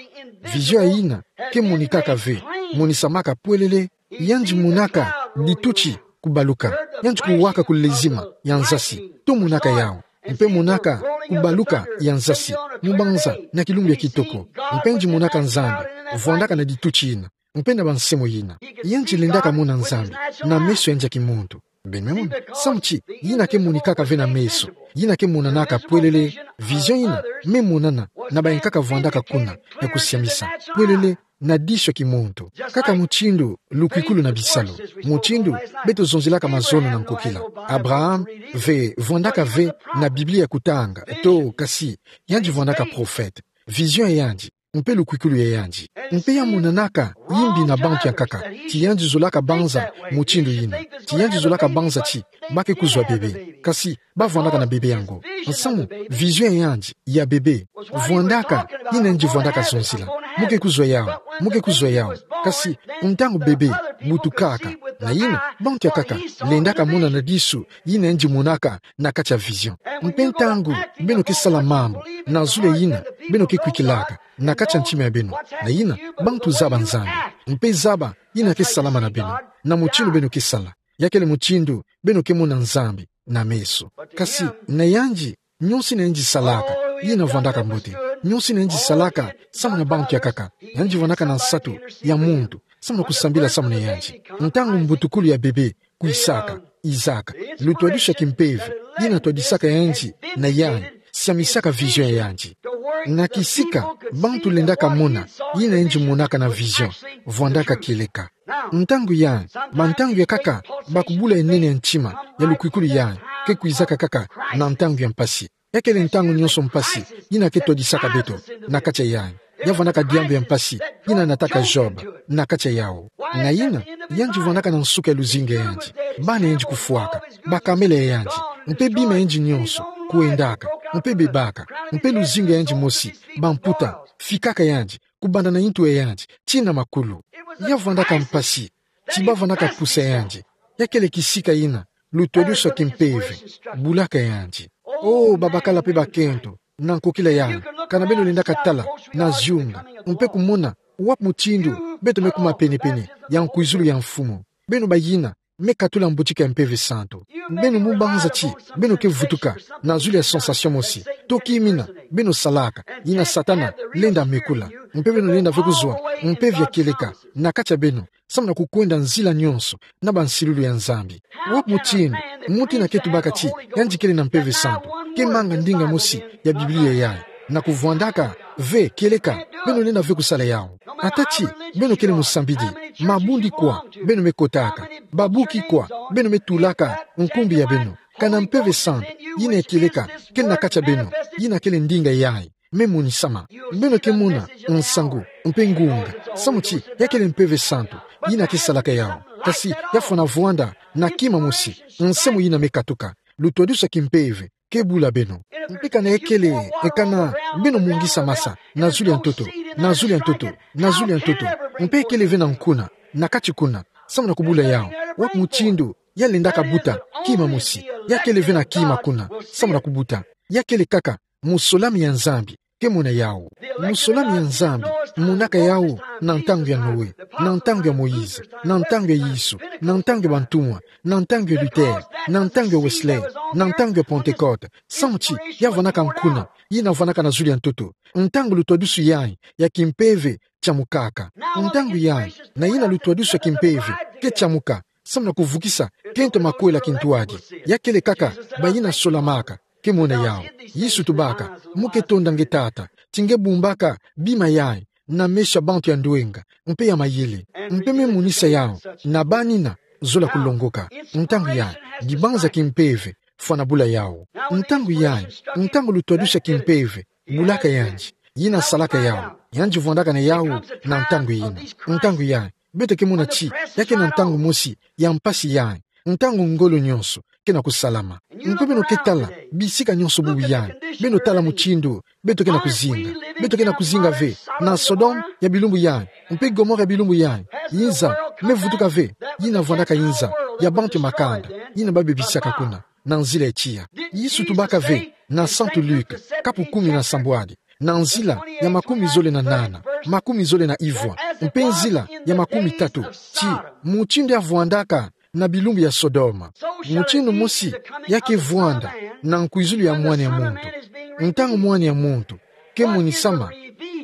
Vision yina ke monikaka ve, monisamaka pwelele. Yandi monaka dituti kubaluka. Yandi kuwaka kulezima ya nzasi, to monaka yawu. Mpe monaka kubaluka ya nzasi mu banza na kilumbu ya kitoko. Mpe yandi monaka Nzambi vwandaka na dituti yina, mpe na bansemo yina. Yandi lendaka mona Nzambi na meso ya yandi ya kimuntu. Beno me mona, samu ti yina ke monikaka ve na meso, yina ke monanaka pwelele. Vision yina me monana na bayi nkaka vwandaka kuna ya kusiamisa pwelele. na disu ya kimuntu. Kaka mutindu lukwikulu na bisalu, mutindu beto zonzelaka mazono na nkokila. Abraham ve, vwandaka ve na Biblia kutanga, to kasi, yandi vwandaka profete. Vision ya yandi, mpe lukwikulu ya yandi. Mpe ya monanaka yimbi na bantu yankaka, ti yandi zolaka banza mutindu yina. Ti yandi zolaka banza ti ba ke kuzwa bebe. Kasi ba vwandaka na bebe yango. Nsamu, vision ya yandi ya bebe vwandaka, yina yandi vwandaka zonzila. Mu ke kuzwa yawu, mu ke kuzwa yawu. Kasi ntangu bebe butukaka, na yina bantu yankaka lendaka mona na disu yina yandi monaka na kati ya vision. Mpe ntangu beno ke sala mambu na zulu ya yina beno ke kwikilaka na kati ya ntima ya beno, na yina bantu zaba Nzambi, mpe zaba yina ke salama na beno, na mutindu beno ke sala. Ya kele mutindu beno ke mona Nzambi na meso. Kasi na yandi, nionso yina yandi salaka, yina vwandaka mbote. Nionso yina yandi salaka samu na bantu yankaka. Yandi vwandaka na nsatu ya muntu samu na kusambila samu na yandi. Ntangu mbutukulu ya bebe kwisaka, Isaac, lutwadisu ya kimpeve, yina twadisaka yandi na yandi, siamisaka vision ya yandi. Na kisika bantu lendaka mona yina yandi monaka na vision, vwandaka kieleka. Ntangu yandi, bantangu yankaka bakubula ya nene ya ntima ya lukwikulu yandi ke kwizaka kaka na ntangu ya mpasi. Ya kele ntangu nionso mpasi yina ke twadisaka beto na kati ya yandi. Ya vwandaka diambu ya mpasi yina nataka Job na kati ya yawu. Na yina, yandi vwandaka na nsuka ya luzingu ya yandi, bana ya yandi kufwaka, bakamela ya yandi, mpe bima ya yandi nionso kwendaka, mpe bebaka, mpe luzingu ya yandi mosi, bamputa, fikaka yandi, kubanda na ntu ya yandi tii na makulu. Ya vwandaka mpasi, ti ba vwandaka pusa yandi. Ya kele kisika yina lutwadisu ya kimpeve bulaka yandi. O babakala mpe bakento na nkokila yandi, kana beno lendaka tala na ziunga, mpe kumona wapi mutindu beto me kuma penepene ya nkwizulu ya Mfumu. Beno bayina me katula mbutika ya Mpeve Santu. Beno mu banza ti beno ke vutuka na zulu ya sensation mosi, to kimina beno salaka, yina Satana lenda mekula. Mpe beno lenda ve kuzwa mpeve ya kieleka na kati ya beno, samu na kukwenda nzila nionso na bansilulu ya Nzambi. Wapi mutindu muntu yina ke tubaka ti yandi kele na Mpeve Santu ke manga ndinga mosi ya Biblia yayi, na kuvwandaka ve kieleka? Beno lenda ve kusala yawu. Ata ti beno kele musambidi, mabundi kwa beno me kotaka, babuki kwa beno me tulaka nkumbu ya beno, kana Mpeve Santu yina ya kieleka kele na kati ya beno, yina kele ndinga yayi me monisama. Beno ke mona nsangu mpe ngunga samu ti ya kele Mpeve Santu yina ke salaka yawu. Kasi ya fwana vwanda na kima mosi, nse mo yina me katuka, lutwadisu ya kimpeve ke bula beno. Mpe kana ya kele, e kana beno mungisa masa na zulu ya ntoto, na zulu ya ntoto, na zulu ya ntoto, mpe ya kele ve na nkuna na kati kuna samu na kubula yawu. Wapi mutindu ya lendaka buta kima mosi? Ya kele ve na kima kuna samu na kubuta. Ya kele kaka musolami ya Nzambi ke mona yawu. Musolami ya Nzambi monaka yawu na ntangu ya Noe, na ntangu ya Moïse, na ntangu ya Yesu, na ntangu ya bantumwa, na ntangu ya Luther, na ntangu ya Wesley, na ntangu ya Pentecôte, samu ti ya vwandaka nkuna yina vwandaka na zulu ya ntoto, ntangu lutwadisu yayi ya kimpeve tiamukaka. Ntangu yayi, na yina lutwadisu ya kimpeve ke tiamuka samu na kuvukisa kento makwela kintwadi. Ya kele kaka bayina solamaka ke mona yawu. Yesu tubaka: Mu ke tonda nge Tata ti nge bumbaka bima yayi na meso ya bantu ya ndwenga mpe ya mayele, mpe me monisa yawu na bana yina zola kulongoka. Ntangu yayi, dibanza kimpeve fwana bula yawu. Ntangu yayi, ntangu lutwadisu ya kimpeve bulaka yandi, yina salaka yawu, yandi vwandaka na yawu na ntangu yina. Ntangu yayi, beto ke mona ti ya ke na ntangu mosi ya mpasi yayi, ntangu ngolo nionso ke na kusalama. Mpe beno ke tala bisika nionso bubu yayi, beno tala mutindu beto ke na kuzinga. Beto ke na kuzinga ve na Sodome ya bilumbu yayi mpe Gomore ya bilumbu yayi. Inza me vutuka ve, yina vwandaka inza ya bantu ya makanda, yina ba bebisaka kuna na nzila ya tiya. Yesu tubaka ve na Santu Luc, kapu kumi na sambwadi, na nzila ya makumi zole na nana, makumi zole na ivwa, mpe nzila ya makumi tatu, ti mutindu ya vwandaka na bilumbu ya Sodoma, mutindu mosi ya ke vwanda na nkwizulu ya Mwana ya muntu. Ntangu Mwana ya muntu ke monisama,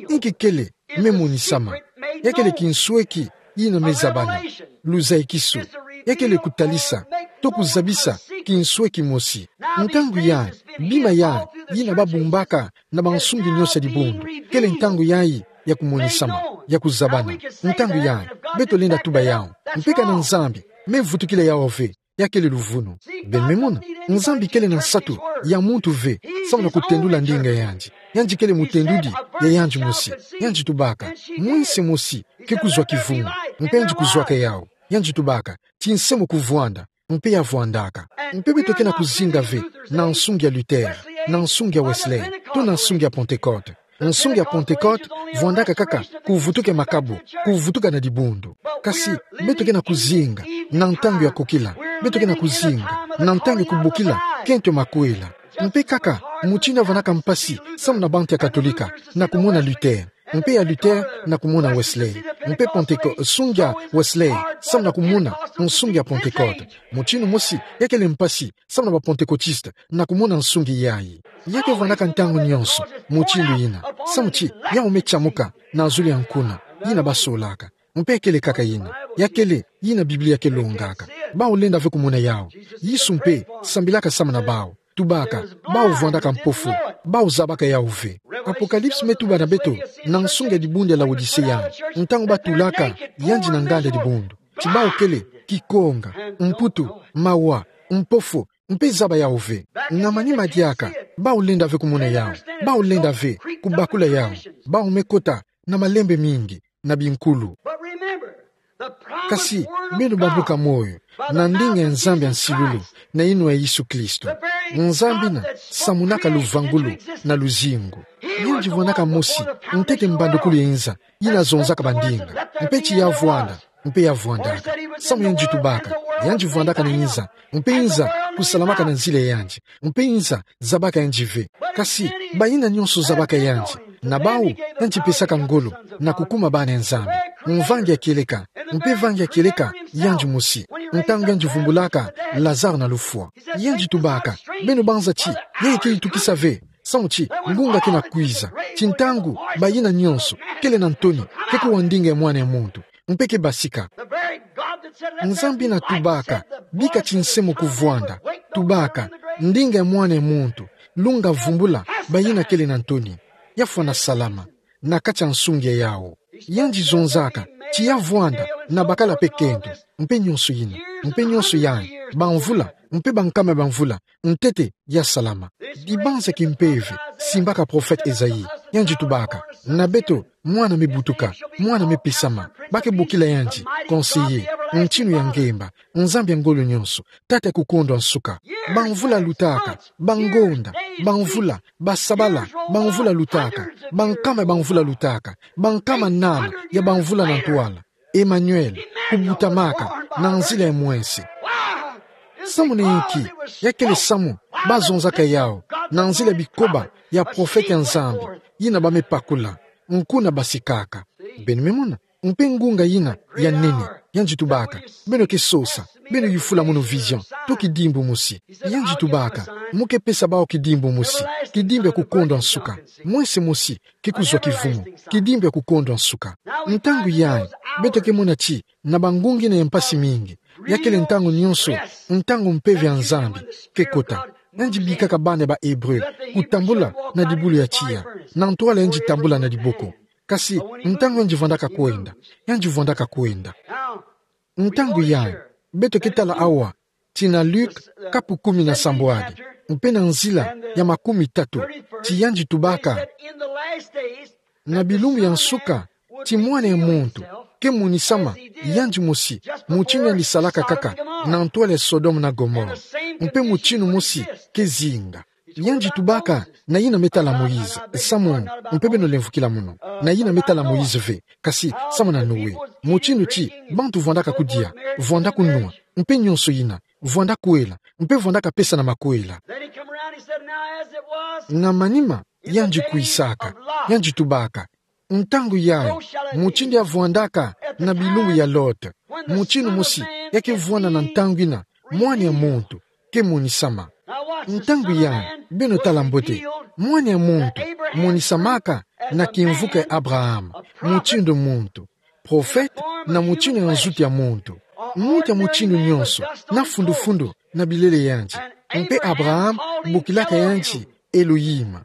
inki kele me monisama? Ya kele kinsweki yina me zabana, luzayikisu. Ya kele kutalisa to kuzabisa kinsweki mosi. Ntangu yayi, bima yayi yina ba bumbaka na bansungi nionso ya dibundu, kele ntangu yayi ya kumonisama, ya kuzabana. Ntangu yayi, beto lenda tuba yawu. Mpe ka na Nzambi me vutukila yawu ve, ya kele luvunu. Beno me mona, Nzambi kele na nsatu ya muntu ve, samu na kutendula ndinga yandi. Yandi kele mutendudi ya yandi mosi. Yandi tubaka, mwinsi mosi ke kuzwa kivumu. Mpe yandi kuzwaka yawu. Yandi tubaka, ti nse mo kuvwanda. Mpe ya vwandaka. Mpe beto ke na kuzinga ve na nsungi ya Luther, na nsungi ya Wesley, to na nsungi ya Pentecote. Nsungi ya Pentecote vwandaka kaka kuvutuka makabu, kuvutuka na dibundu. Kasi, beto ke na kuzinga na ntangu ya kokila. Beto ke na kuzinga na ntangu ya kubokila kento ya makwela. Mpe kaka, mutindu ya vwandaka mpasi samu na bantu ya Katolika na kumona Luther. Mpe ya Luther na kumona Wesley. Mpe Penteko-, nsungi ya Wesley samu na kumona nsungi ya Pentecote. Mutindu mosi ya kele mpasi samu na ba Pentecôtistes na kumona nsungi yayi. Ya ke vwandaka ntangu nyonso mutindu yina, samu ti yawu me tiamuka na zulu ya nkuna yina basolaka. Mpe kele kaka yina, ya kele yina Biblia ke longaka. Bawu lenda ve kumona yawu. Yesu mpe sambilaka samu na bawu. Tubaka, bawu vwandaka mpofu, bawu zabaka yawu ve. Apocalypse me tuba na beto na nsungi ya dibundu ya Laodicea, ntangu batulaka yandi na nganda ya dibundu, ti bawu kele kikonga, mputu, mawa, mpofu, mpe zaba yawu ve. Na manima diaka, bawu lenda ve kumona yawu. Bawu lenda ve kubakula yawu. Bawu me kota na malembe mingi, na binkulu. Kasi, beno bambuka moyo na ndinga ya Nzambi ya nsilulu, na yinwa ya Yesu Kristo. Nzambi yina samunaka luvangulu na luzingu. Yandi vwandaka mosi ntete mbandukulu ya inza, yina zonzaka bandinga. Mpe ti ya vwanda, mpe ya vwandaka. Samu yandi tubaka, yandi vwandaka na inza, mpe inza kusalamaka na nzila ya yandi, mpe inza zabaka yandi ve. Kasi, bayina nyonso zabaka yandi, na bawu yandi pesaka ngolo na kukuma bana ya Nzambi. Mvangi ya kieleka, mpe vangi ya kieleka yandi mosi, ntangu yandi vumbulaka Lazare na lufwa. Yandi tubaka, beno banza ti yayi ke yitukisa ve, samu ti ngunga ke na kwiza, ti ntangu bayina nyonso kele na ntoni ke kuwa ndinga ya Mwana ya Muntu, mpe ke basika. Nzambi yina tubaka, bika ti nse mo kuvwanda. Tubaka, ndinga ya Mwana ya Muntu, lunga vumbula bayina kele na ntoni. Ya fwana salama na kati ya nsungi ya yawu. Yandi zonzaka ti ya vwanda na bakala mpe kento, mpe nyonso yina, mpe nyonso yayi, bamvula, mpe bankama ya bamvula, ntete ya salama. Dibanza ki mpeve simbaka prophète Esaïe, yandi tubaka, na beto mwana me butuka, mwana me pesama, ba ke bokila yandi Conseiller, Ntinu ya ngemba, Nzambi ya ngolo nyonso, Tata ya kukondwa nsuka. Bamvula lutaka, bangonda, bamvula, basabala, bamvula lutaka, bankama ya bamvula lutaka, bankama nana ya bamvula na ntwala. Emmanuel, kubutamaka na nzila ya mwese. Samu na inki? Ya kele samu bazonzaka yawu na nzila ya bikoba ya prophète ya Nzambi, yina ba me pakula, nkuna basikaka. Beno me mona, mpe ngunga yina ya nene, yandi tubaka, beno ke sosa, beno yufula mono vision, to kidimbu mosi. Yandi tubaka, mo ke pesa bawu kidimbu mosi, kidimbu ya kukondwa nsuka. Mwese mosi ke kuzwa kivumu, kidimbu ya kukondwa nsuka. Ntangu yayi, beto ke mona ti na bangunga yina ya mpasi mingi, ya kele ntangu nyonso ntangu mpeve ya Nzambi ke kota. Yandi bikaka bana ya ba Hébreu kutambula na dibulu ya tiya, na ntwala yandi tambula na diboko. Kasi ntangu yandi vwandaka kwenda, yandi vwandaka kwenda. Ntangu yayi, beto ke tala awa ti na Luke kapu kumi na sambwadi, mpe na nzila ya makumi tatu, ti yandi tubaka, na bilumbu ya nsuka, ti Mwana ya Muntu ke monisama yandi mosi, mutinu yandi salaka kaka na ntwala ya Sodome na Gomorrhe, mpe mutinu mosi ke zinga. Yandi tubaka na yina me tala Moïse, samu, mpe beno lemvokila mono, na yina me tala Moïse ve, kasi samu na Noé. Mutinu ti bantu vwandaka kudia, vwanda kunwa, mpe nyonso yina, vwanda kwela, mpe vwandaka pesa na makwela. Then he come around, he said, "Now as it was Na manima, yandi kwisaka, yandi tubaka, ntangu yayi, mutindu ya vwandaka na bilumbu ya Lot, mutinu mosi ya ke vwanda na ntangu yina Mwana ya Muntu ke monisama. Ntangu yayi, beno tala mbote, Mwana ya Muntu monisamaka na kimvuka ya Abraham, mutindu muntu, prophète na mutinu ya nzutu ya muntu. Muntu ya mutinu nyonso na fundu-fundu na bilele yandi. Mpe Abraham bokilaka yandi Elohim.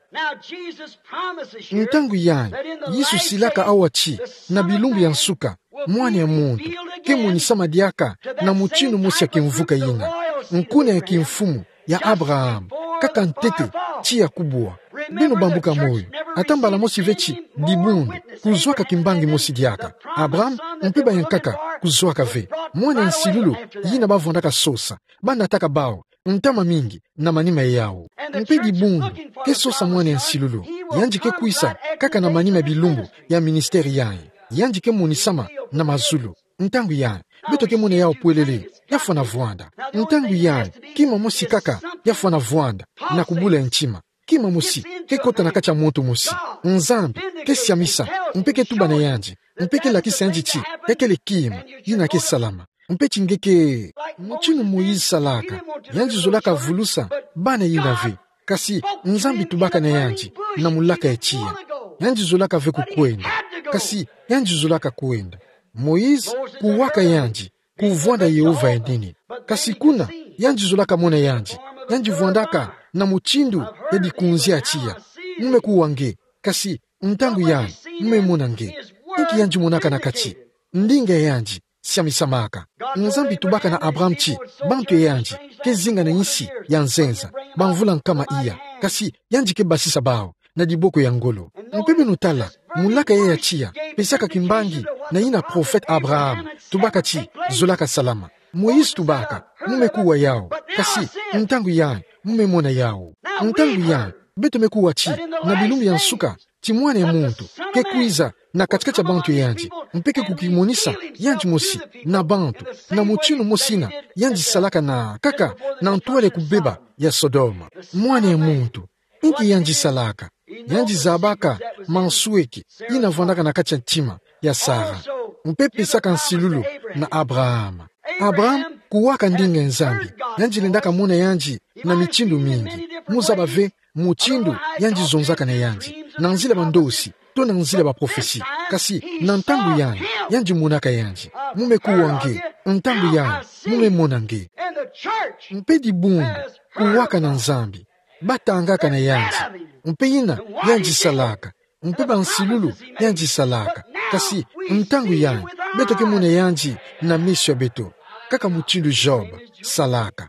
Ntangu yayi, Yesu silaka awa ti, na bilumbu ya nsuka, Mwana ya Muntu ke monisama diaka na mutinu mosi ya kimvuka yina, nkuna ya kimfumu ya Abraham, kaka ntete tiya kubwa. Beno bambuka moyo, ata mbala mosi ve ti dibundu kuzwaka kimbangi mosi diaka. Abraham mpe bayankaka kuzwaka ve. Mwana ya nsilulu yina bavwandaka sosa, banataka bawu ntama mingi na manima yau. Mpe dibundu ke sosa mwana ya nsilulu, yandi ke kwisa kaka na manima ya bilumbu ya ministère yayi. Yandi ke monisama na mazulu. Ntangu yayi, beto ke mona yau pwelele, yafwana vwanda. Ntangu yayi, kima mosi kaka yafwana vwanda na kubula ya ntima. Kima mosi ke kota na kati ya muntu mosi. Nzambi ke siamisa, mpe ke tuba na yandi, mpe ke lakisa yandi ti yakele kima yina ke salama. Mpe ti nge ke, mutinu Moïse salaka, yandi zolaka vulusa bana yina ve. Kasi Nzambi tubaka na yandi na mulaka ya tiya, yandi zolaka ve kukwenda. Kasi yandi zolaka kwenda. Moïse kuwaka yandi kuvwanda Yehova ya nene. Kasi kuna, yandi zolaka mona yandi. Yandi vwandaka na mutindu ya dikunzi ya tiya. Mu me kuwa nge, kasi ntangu yayi, mu me mona nge. Inki yandi monaka na kati? Ndinga ya yandi siamisamaka. Nzambi tubaka na Abraham ti bantu ya yandi ke zinga na insi ya nzenza bamvula nkama iya. Kasi yandi ke basisa bawu na diboko ya ngolo. Mpe beno tala, mulaka yayi ya tiya pesaka kimbangi na yina prophète Abraham tubaka ti zolaka salama. Moïse tubaka, mu me kuwa yau. Kasi ntangu yayi, mu me mona yau. Ntangu yayi, beto me kuwa ti na bilumbu ya nsuka, ti Mwana ya Muntu ke kwiza na katikati ya bantu ya yandi, mpe ke kukimonisa yandi mosi na bantu, na mutinu mosi yina yandi salaka na kaka na ntwala ya kubeba ya Sodome. Mwana ya Muntu, inki yandi salaka? Yandi zabaka mansweki yina vwandaka na kati ya ntima ya Sara, mpe pesaka nsilulu na Abraham. Abraham kuwaka ndinga ya Nzambi, yandi lendaka mona yandi na mitindu mingi. Mu zaba ve mutindu yandi zonzaka na yandi, na nzila bandosi, to na nzila baprofesi. Kasi na ntangu yayi, yandi monaka yandi. Mu me kuwa nge, ntangu yayi, mu me mona nge. Mpe dibundu kuwaka na Nzambi, batangaka na yandi, mpe yina yandi salaka, mpe bansilulu yandi salaka. Kasi ntangu yayi, beto ke mona yandi na meso ya beto, kaka mutindu Job salaka.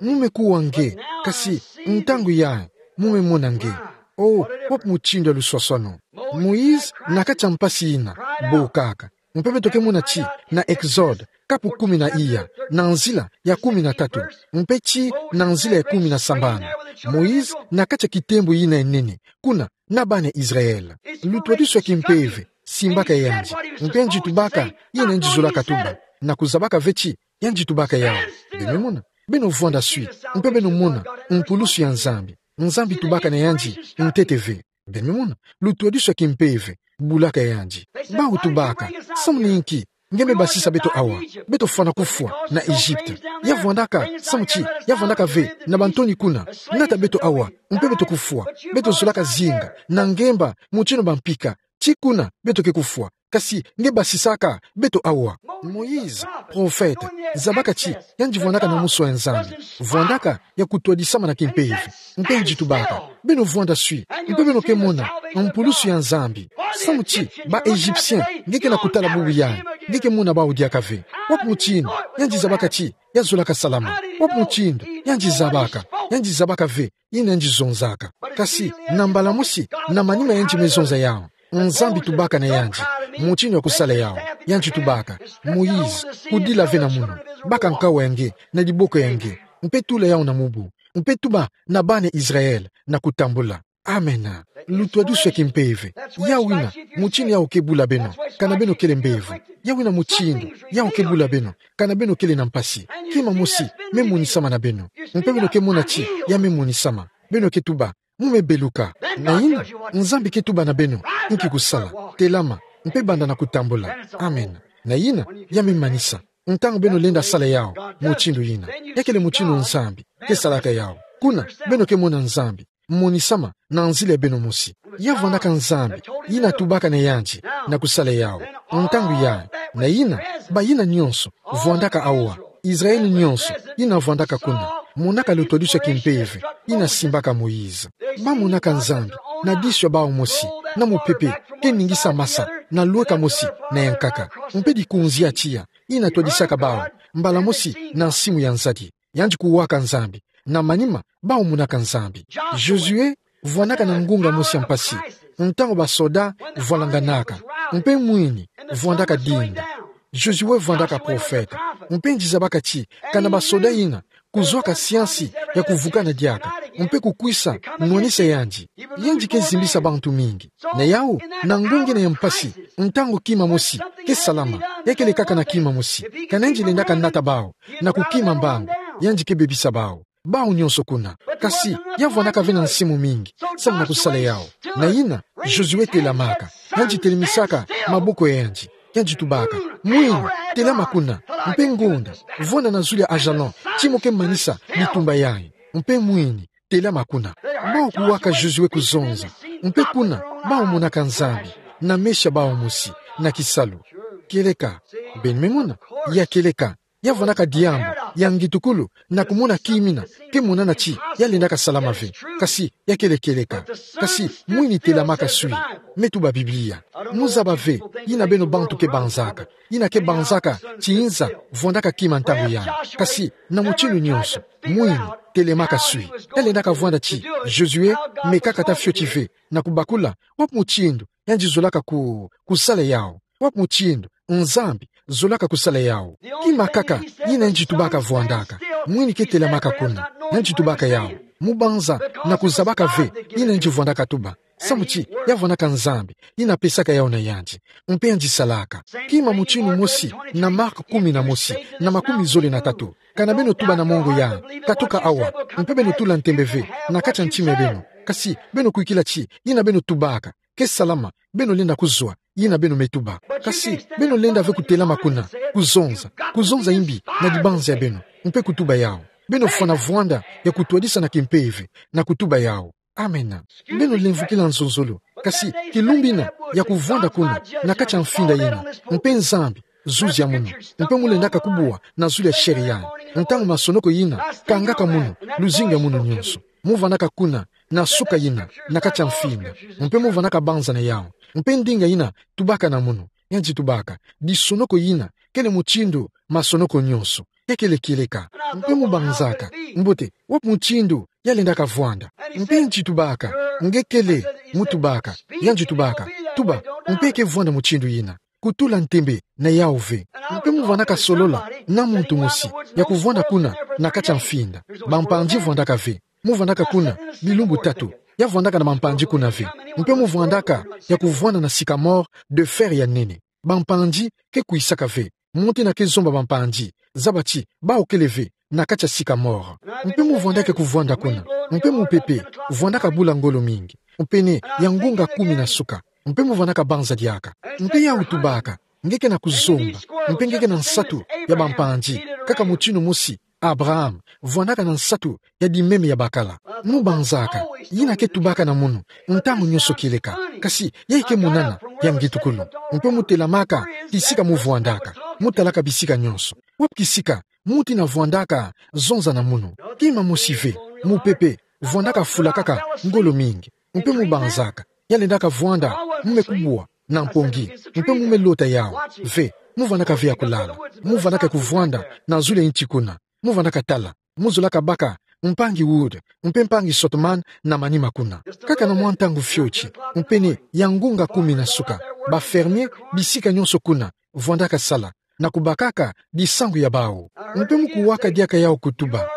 Mu me kuwa nge, kasi ntangu yayi, mu me mona nge. Oh, wapi mutindu ya luswaswanu! Moïse, na kati ya mpasi yina, bokaka. Mpe beto ke mona ti na Exode, kapu kumi na iya, na nzila ya kumi na tatu, mpe ti na nzila ya kumi na sambanu. Moïse, na kati ya kitembo yina ya nene, kuna na bana Israël. Lutwadisu ya kimpeve simbaka yandi, mpe yandi tubaka yina yandi zolaka tuba, na kuzabaka ve ti yandi tubaka yau. Beno mona, beno vwanda swi, mpe beno mona mpulusu ya Nzambi. Nzambi tubaka na yandi ntete ve. Beno mona, lutwadisu ya kimpeve bulaka yandi. Bawu tubaka: Samu na inki nge me basisa beto awa? Beto fwana kufwa na Egypte. Ya vwandaka, samu ti ya vwandaka ve na bantoni kuna. Nata beto awa, mpe beto kufwa. Beto zolaka zinga na ngemba, mutindu bampika. Ti kuna beto ke kufwa, kasi nge basisaka beto awa. Moïse, prophète, zabaka ti yandi vwandaka na musu ya Nzambi, vwandaka ya kutwadisama na kimpeve. Mpe yandi tubaka: Beno vwanda swi, mpe beno ke mona mpulusu ya Nzambi. Samu ti ba Égyptien nge ke na kutala bubu yayi, nge ke mona bawu diaka ve. Wapi mutindu yandi zabaka ti ya zolaka salama? Wapi mutindu yandi zabaka, yandi zabaka ve yina yandi zonzaka? Kasi na mbala mosi, na manima yandi me zonza yau, Nzambi tubaka na yandi mutindu ya kusala yau. Yandi tubaka: Moïse, kudila ve na munu, baka nkawa ya nge na diboko ya nge, mpe tula yau na mubu, mpe tuba na bana Israël na kutambula. Amena. Lutwadisu ya kimpeve. Yau yina mutindu yau ke bula beno, kana beno kele mbevo. Yau yina mutindu yau ke bula beno, kana beno kele na mpasi. Kima mosi me monisama na beno, mpe beno ke mona ti ya me monisama. Beno ke tuba: Mu me beluka. Na yina, Nzambi ke tuba na beno: Inki kusala? Telama, mpe banda na kutambula. Amena. Na yina, ya me manisa. Ntangu beno lenda sala yau mutindu yina, ya kele mutindu Nzambi ke salaka yau. Kuna beno ke mona Nzambi monisama na nzila ya beno mosi. Ya vwandaka Nzambi yina tubaka na yandi na kusala yau. Ntangu yayi, na yina, bayina nyonso vwandaka awa, Israël nyonso yina vwandaka kuna, Monaka lutwadusi ya kimpeve, ina simbaka Moïse. Bamonaka Nzambi, na disu ya bawu mosi, na mupepe, ke ningisa masa, na lweka mosi, na yankaka. Mpe dikunzi ya tiya, ina twadisaka bawu, mbala mosi, na nsimu ya nzadi. Yandi kuwaka Nzambi, na manima, bawu monaka Nzambi. Josué, vwandaka na ngunga mosi ya mpasi, ntango basoda vwalanganaka, mpe mwini vwandaka dinda. Josué vwandaka profeta, mpe nzizabaka ti, kana basoda ina, kuzwaka siansi ya kuvukana diaka, mpe kukwisa nwanisa yandi. Yandi ke zimbisa bantu mingi. Na yawu, na ngunga ina ya mpasi, ntango kima mosi ke salama, ya kele kaka na kima mosi, kana yandi lendaka nata bawu, na kukima mbangu, yandi ke bebisa bawu. Bawu nyonso kuna. Kasi, ya vwandaka ve na nsimu mingi, samu na kusala yawu. Na yina, Josué telamaka, yandi telemisaka maboko ya yandi, yandi tubaka: Mwini, telama kuna, mpe ngonda, vwanda na zulu ya Ajalon, ti mo ke manisa bitumba yayi. Mpe mwini, telama kuna. Bawu kuwaka Josué kuzonza. Mpe kuna, bawu monaka Nzambi, na meso ya bawu mosi, na kisalu. Kieleka, beno me mona, ya kieleka, ya vwandaka diambu ya ngitukulu, na kumona kima ina ke monana ti ya lendaka salama ve. Kasi, ya kele kieleka. Kasi, mwini telamaka sui. Me tuba Biblia. Mu zaba ve, yina beno bantu ke banzaka. Yina ke banzaka ti nza vwandaka kima ntangu yandi. Kasi, na mutindu nyonso, mwini telamaka sui. Ya lendaka vwanda ti Josué, me kaka ta fioti ve, na kubakula wapi mutindu yandi zolaka ku, kusala yawu. Wapi mutindu Nzambi zolaka kusala yawu. Kima kaka yina yandi tubaka vwandaka, mwini ke telamaka kuna, yandi tubaka yawu. Mu banza na kuzabaka ve yina yandi vwandaka tuba. Samu ti, ya vwandaka Nzambi, yina pesaka yawu na yandi. Mpe yandi salaka. Kima mutindu mosi, na Marc kumi na mosi, na makumi zole na tatu. Kana beno tuba na mongo yayi: Katuka awa, mpe beno tula ntembe ve na kati ya ntima ya beno. Kasi, beno kwikila ti, yina beno tubaka ke salama, beno lenda kuzwa yina beno me tuba. Kasi, beno lenda ve kutelama kuna, kuzonza, kuzonza imbi na dibanzi ya beno, mpe kutuba yawu. Beno fwana vwanda ya kutwadisa na kimpeve, na kutuba yawu. Amena. Beno lemvukila nzonzolo. Kasi, kilumbu ina, ya kuvwanda kuna, na kati ya mfinda yina, mpe Nzambi, zuzi ya munu, mpe mu lendaka kubwa na zulu ya chair yayi. Ntangu masonoko yina kangaka munu, luzingu ya munu nyonso. Mu vwandaka kuna, na suka yina, na kati ya mfinda. Mpe mu vwandaka banza na yawu. Mpe ndinga yina tubaka na munu, yandi tubaka: Disonoko yina kele mutindu masonoko nyonso. Ya kele kieleka. Mpe mu banzaka: Mbote, wapi mutindu ya lendaka vwanda? Mpe yandi tubaka: Nge kele, mu tubaka. Yandi tubaka: Tuba, mpe ke vwanda mutindu yina. Kutula ntembe na yawu ve. Mpe mu vwandaka solola na muntu mosi ya kuvwanda kuna, na kati ya mfinda. Bampangi vwandaka ve. Mu vwandaka kuna bilumbu tatu. Ya vwandaka na bampangi kuna ve. Mpe mu vwandaka ya kuvwanda na sycamore de fer ya nene. Bampangi ke kwisaka ve. Muntu ina ke zomba bampangi, zaba ti bawu kele ve na kati ya sycamore. Mpe mu vwandaka ya kuvwanda kuna. Mpe mupepe vwandaka bula ngolo mingi. Mpe ne, ya ngunga kumi na suka. Mpe mu vwandaka banza diaka. Mpe yawu tubaka: Nge ke na kuzomba. Mpe nge ke na nsatu ya bampangi, kaka mutindu mosi Abraham vwandaka na nsatu ya dimeme ya bakala. Mu banzaka: Yina ke tubaka na munu ntangu nyonso kieleka. Kasi, yayi ke monana ya ngitukulu. Mpe mu telamaka kisika mu vwandaka. Mu talaka bisika nyonso. Wapi kisika muntu ina vwandaka zonza na munu? Kima mosi ve. Mupepe vwandaka fulakaka ngolo mingi. Mpe mu banzaka: Ya lendaka vwanda, mu me kubwa na mpongi, mpe mu me lota yawu ve. Mu vwandaka ve ya kulala. Mu vwandaka ya kuvwanda na zulu ya nti kuna. Mu vwandaka tala. Mu zolaka baka mpangi Wood, mpe mpangi Sotman na manima kuna. Kaka na mwa ntangu fioti, mpe ne, ya ngunga kumi na suka. Ba fermier, bisika nyonso kuna, vwandaka sala na kubakaka disangu ya bawu. Mpe mu kuwaka diaka yawu kutuba: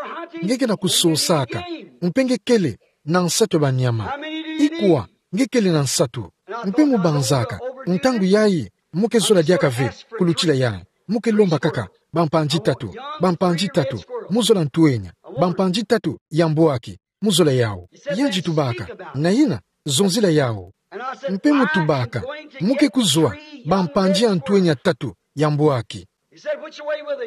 Nge ke na kusosaka. Mpe nge kele na nsatu ya banyama. Ikwa nge kele na nsatu? Mpe mu banzaka: Ntangu yayi, mu ke zola diaka ve kulutila yayi. Mu ke lomba kaka bampangi tatu, bampangi tatu. Mu zola ntwenya, bampangi tatu ya mbwaki. Mu zola yawu. Yandi tubaka: Na yina, zonzila yawu. Mpe mu tubaka: Mu ke kuzwa bampangi ya ntwenya tatu ya mbwaki.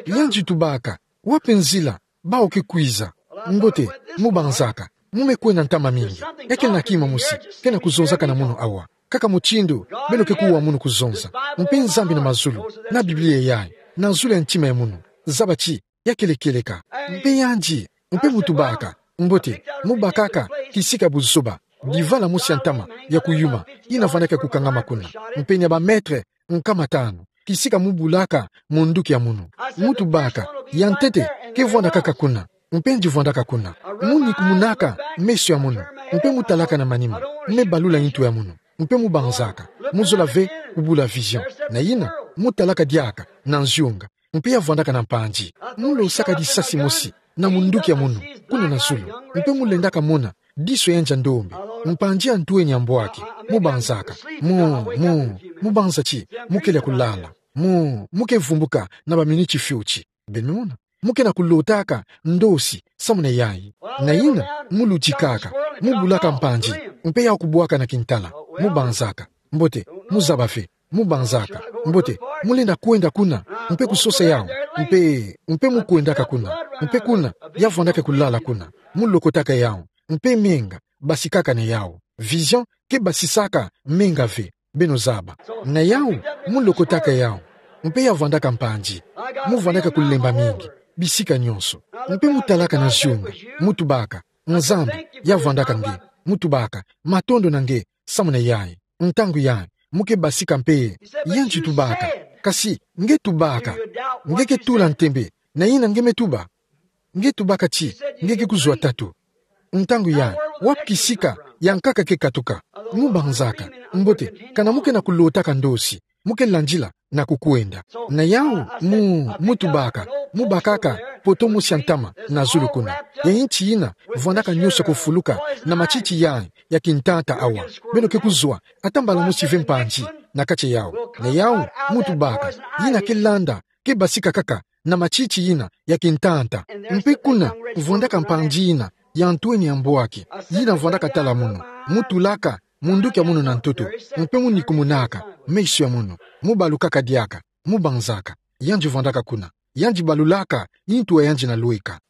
Yandi tubaka: Wapi nzila bawu ke kwiza? Mbote, mu banzaka: Mu me kwenda ntama mingi. Ya kele na kima mosi ke na kuzonzaka na munu awa. Kaka mutindu beno ke kuwa munu kuzonza. Mpe Nzambi na mazulu, na Biblia yayi, na zulu ya ntima ya munu, zaba ti ya kele kieleka. Mpe yandi Mpe mu tubaka. Mbote, mu bakaka kisika buzoba, divala mosi ya ntama ya kuyuma, yina vandaka kukangama kuna. Mpe ni ya ba mètre nkama tanu, kisika mu bulaka munduki ya munu. Mu tubaka, ya ntete, ke vwanda kaka kuna. Mpe nge vwandaka kuna. Mu nikumunaka meso ya munu. Mpe mu talaka na manima. Me balula ntu ya munu. Mpe mu banzaka. Mu zola ve kubula vision. Na yina, mu talaka diaka na nziunga. Mpe ya vwandaka na mpanzi. Mu losaka disasi mosi na munduki ya munu, kuna na zulu. Mpe mu lendaka mona diso ya nge ya ndombe, mpanzi ya ntweni ya mbwaki. Mu banzaka. Mu, mu, mu banza ti, mu kele ya kulala. Mu, mu ke vumbuka na ba minuti fioti. Beno mona. Mu ke na kulotaka ndosi, samu na yayi. Na yina, mu lutikaka, mu bulaka mpanzi, mpe ya kubwaka na kintala. Mu banzaka. Mbote, mu zaba ve. Mu banzaka. Mbote, mu lenda kwenda kuna, mpe kusosa yawu. Mpe, mpe mu kwendaka kuna. Mpe kuna, ya vwandaka kulala kuna. Mu lokotaka yawu. Mpe menga, basikaka na yawu. Vision, ke basisaka menga ve. Beno zaba. Na yawu, mu lokotaka yawu. Mpe ya vwandaka mpanzi. Mu vwandaka kulemba mingi. Bisika nyonso. Mpe mu talaka na nziunga. Mu tubaka. Nzambi, ya vwandaka nge. Mu tubaka. Matondo na nge, samu na yayi. Ntangu yayi, mu ke basika mpe. Ya nge tubaka. Kasi, nge tubaka. Nge ke tula ntembe na yina nge me tuba. Nge tubaka ti, nge ke kuzwa tatu. Ntangu yayi, wapi kisika yankaka ke katuka? Mu banzaka. Mbote, kana mu ke na kulotaka ndosi, mu ke landila na kukwenda. Na yawu, mu, mu tubaka, mu bakaka poto mosi ya ntama na zulu kuna. Ya nti yina vwandaka nyonso kufuluka na matiti yayi ya kintanta awa. Beno ke kuzwa ata mbala mosi ve mpanzi na kati ya yawu. Na yawu, mu tubaka, yina ke landa, ke basika kaka na matiti yina ya kintanta. Mpe kuna, vwandaka mpanzi yina ya ntweni ya mbwaki, yina vwandaka tala munu. Mu tulaka munduki ya munu na ntoto. Mpe mu nikumunaka meso ya munu. Mu balukaka diaka. Mu banzaka. Ya nge vwandaka kuna. Ya nge balulaka ntu ya nge na lweka.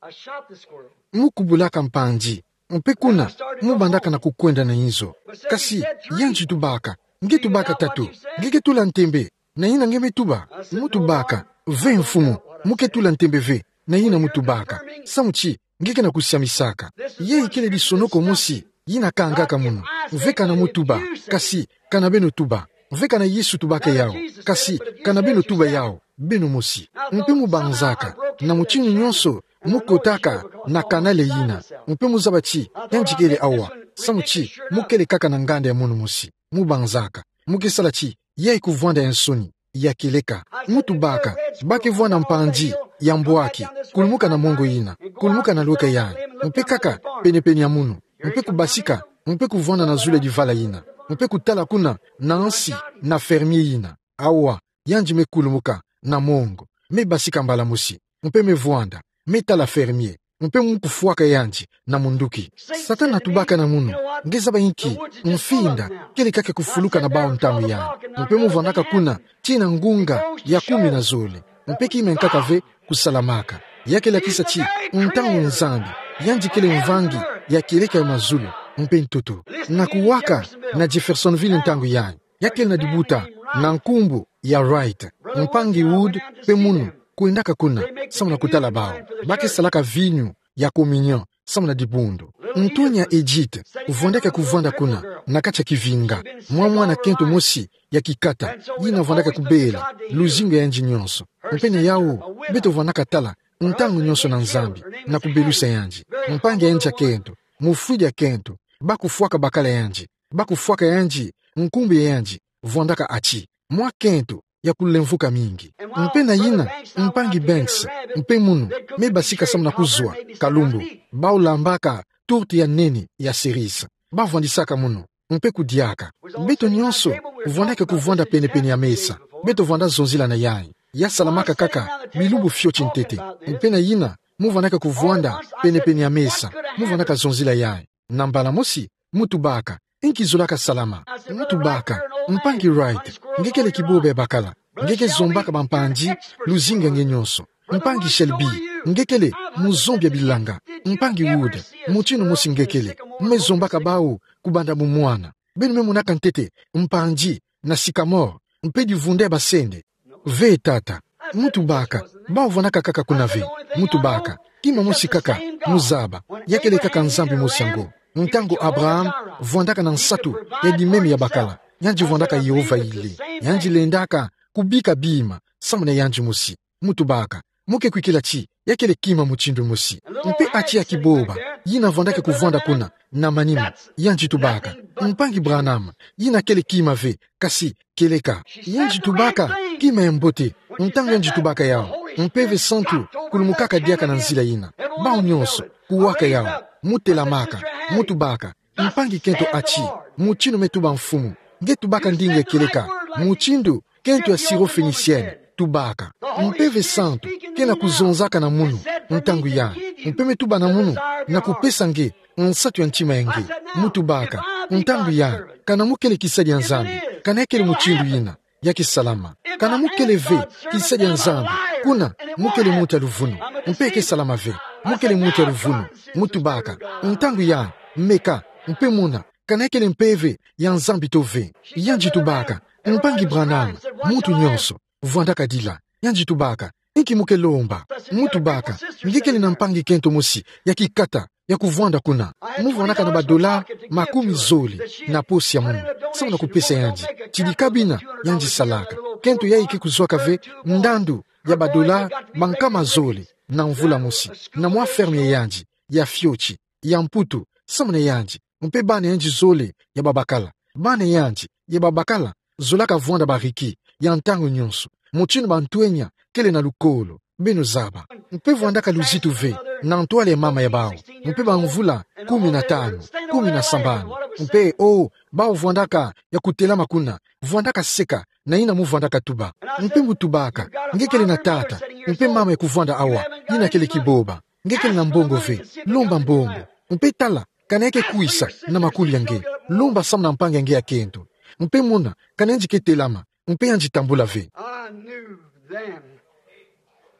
Mu kubulaka mpanzi. Mpe kuna, mu bandaka na kukwenda na inzo. Kasi, ya nge tubaka. Nge tubaka tatu. Nge ke tula ntembe na yina nge me tuba. Mu tubaka. Ve mfumu. Mu ke tula ntembe ve na yina mu tubaka. Samu ti, nge ke na kusiamisaka. Yayi kele disonoko mosi yina kangaka munu. Ve kana mu tuba. Kasi, kana beno tuba. Ve kana Yesu tubaka yawu. Kasi, kana beno tuba yawu. Beno mosi. Mpe mu banzaka. Na mutinu nyonso, mu kotaka na kanale yina. Mpe mu zaba ti, ya nge kele awa. Samu ti, mu kele kaka na nganda ya munu mosi. Mu banzaka. Mu ke sala ti, yayi kuvwanda ya nsoni, ya kieleka. Mu tubaka, ba ke vwanda mpanzi ya mbwaki, kulumuka na mongo yina, kulumuka na lweka yayi, mpe kaka penepene ya munu, mpe kubasika, mpe kuvwanda na zulu ya divala yina, mpe kutala kuna na nsi na fermier yina. Awa, ya nge me kulumuka na mongo, me basika mbala mosi, mpe me vwanda, me tala fermier, mpe mu kufwaka ya nge na munduki. Satana atubaka na munu, nge zaba inki, mfinda kele kaka kufuluka na bawu ntangu yayi. Mpe mu vwandaka kuna tii na ngunga ya kumi na zole. Mpe ki me nkaka ve kusalamaka. Ya ke lakisa ti, ntangu Nzambi, ya nge kele mvangi ya kieleka ya mazulu mpe ntoto. Na kuwaka na Jeffersonville ntangu yayi, ya kele na dibuta na nkumbu ya Wright, mpangi Wood mpe munu kwendaka kuna, samu na kutala bawu. Ba ke salaka vinyo ya communion samu na dibundu. Ntweni ya Edith vwandaka kuvwanda kuna, na kati ya kivinga, mwa mwana kento mosi ya kikata, yina vwandaka kubela luzingu ya nge nyonso. Mpe na yawu, beto vwandaka tala ntangu nyonso na Nzambi, na kubelusa ya nge. Mpangi ya nge ya kento, mufwidi ya kento, ba kufwaka bakala ya nge, ba kufwaka ya nge, nkumbu ya nge vwandaka ati, mwa kento ya kulemvuka mingi. Mpe na yina, mpangi Banks mpe munu me basika samu na kuzwa kalumbu. Bawu lambaka tourte ya nene ya cerise. Ba vwandisaka munu, mpe kudiaka. Beto nyonso vwandaka kuvwanda penepene ya mesa. Beto vwanda zonzila na yayi. Ya salamaka kaka bilumbu fioti ntete. Mpe na yina, mu vwandaka kuvwanda penepene ya mesa, mu vwandaka zonzila yayi. Na mbala mosi, mu tubaka, inki zolaka salama? Mu tubaka, mpangi Wright, nge kele kibobe ya bakala. Nge ke zombaka bampanzi luzingu ya nge nyonso. Mpangi Shelby, nge kele muzombi ya bilanga. Mpangi Wood, mutinu mosi nge kele. Me zombaka bawu kubanda bumwana. Beno me monaka ntete mpanzi na sycamore, mpe dibundu ya basende? Ve tata. Mu tubaka, bawu vwandaka kaka kuna ve. Mu tubaka, Kima mosi kaka, muzaba, ya kele kaka Nzambi mosi yango. Ntangu Abraham vwandaka na nsatu ya dimeme ya bakala, yandi vwandaka Yehova ile. Yandi lendaka kubika bima samu na yandi mosi. Mu tubaka, mu ke kwikila ti ya kele kima mutindu mosi. Mpe ati ya kiboba yina vwandaka kuvwanda kuna na manima, yandi tubaka: Mpangi Branham, yina kele kima ve, kasi kieleka. Yandi tubaka kima ya mbote. Ntangu yandi tubaka yawu, Mpeve Santu kulumukaka diaka na nzila yina. Bawu nyonso kuwaka yawu, mu telamaka, mu tubaka: Mpangi kento ati, mutindu me tuba Mfumu, nge tubaka ndinga ya kieleka, mutindu kento ya Syrophénicienne, tubaka. Mpeve Santu ke na kuzonzaka na munu ntangu yai, mpe me tuba na munu na kupesa nge nsatu ya ntima ya nge. Mu tubaka, ntangu yai, kana mu kele kisadi ya Nzambi, kana ya kele mutindu yina, ya ke salama. Kana mu kele ve kisadi ya Nzambi, kuna mu kele muntu ya luvunu, mpe ya ke salama ve. Mu kele muntu ya luvunu, mu tubaka, ntangu yai, meka, mpe mona kana ya kele mpeve ya Nzambi to ve. Yandi tubaka: Mpangi Branham, muntu nyonso vwandaka dila. Yandi tubaka: Inki mu ke lomba? Mu tubaka: Nge kele na mpangi kento mosi ya kikata ya kuvwanda kuna. Mu vwandaka na ba dollars makumi zole na posi ya munu, samu na kupesa yandi. Tidika bina yandi salaka. Kento yai ke kuzwaka ve ndandu ya ba dollars bankama zole na mvula mosi, na mwa ferme ya yandi ya fioti, ya Mputu, samu na yandi mpe bana yandi zole ya babakala. Bana yandi ya babakala zolaka vwanda bariki ya ntangu nyonso, mutindu bantwenya kele na lukolo, beno zaba. Mpe vwandaka luzitu ve na ntwala ya mama ya bawu, mpe ba mvula kumi na tanu, kumi na sambanu. Mpe, o, bawu vwandaka ya kutelama kuna, vwandaka seka na yina mu vwandaka tuba. Mpe mu tubaka: Nge kele na tata mpe mama ya kuvwanda awa, yina kele kiboba. Nge kele na mbongo ve, lomba mbongo. Mpe tala kana ya ke kwisa na makuli ya nge. Lomba samu na mpangi ya nge ya kento, mpe mona kana yandi ke telama, mpe yandi tambula ve. I knew then.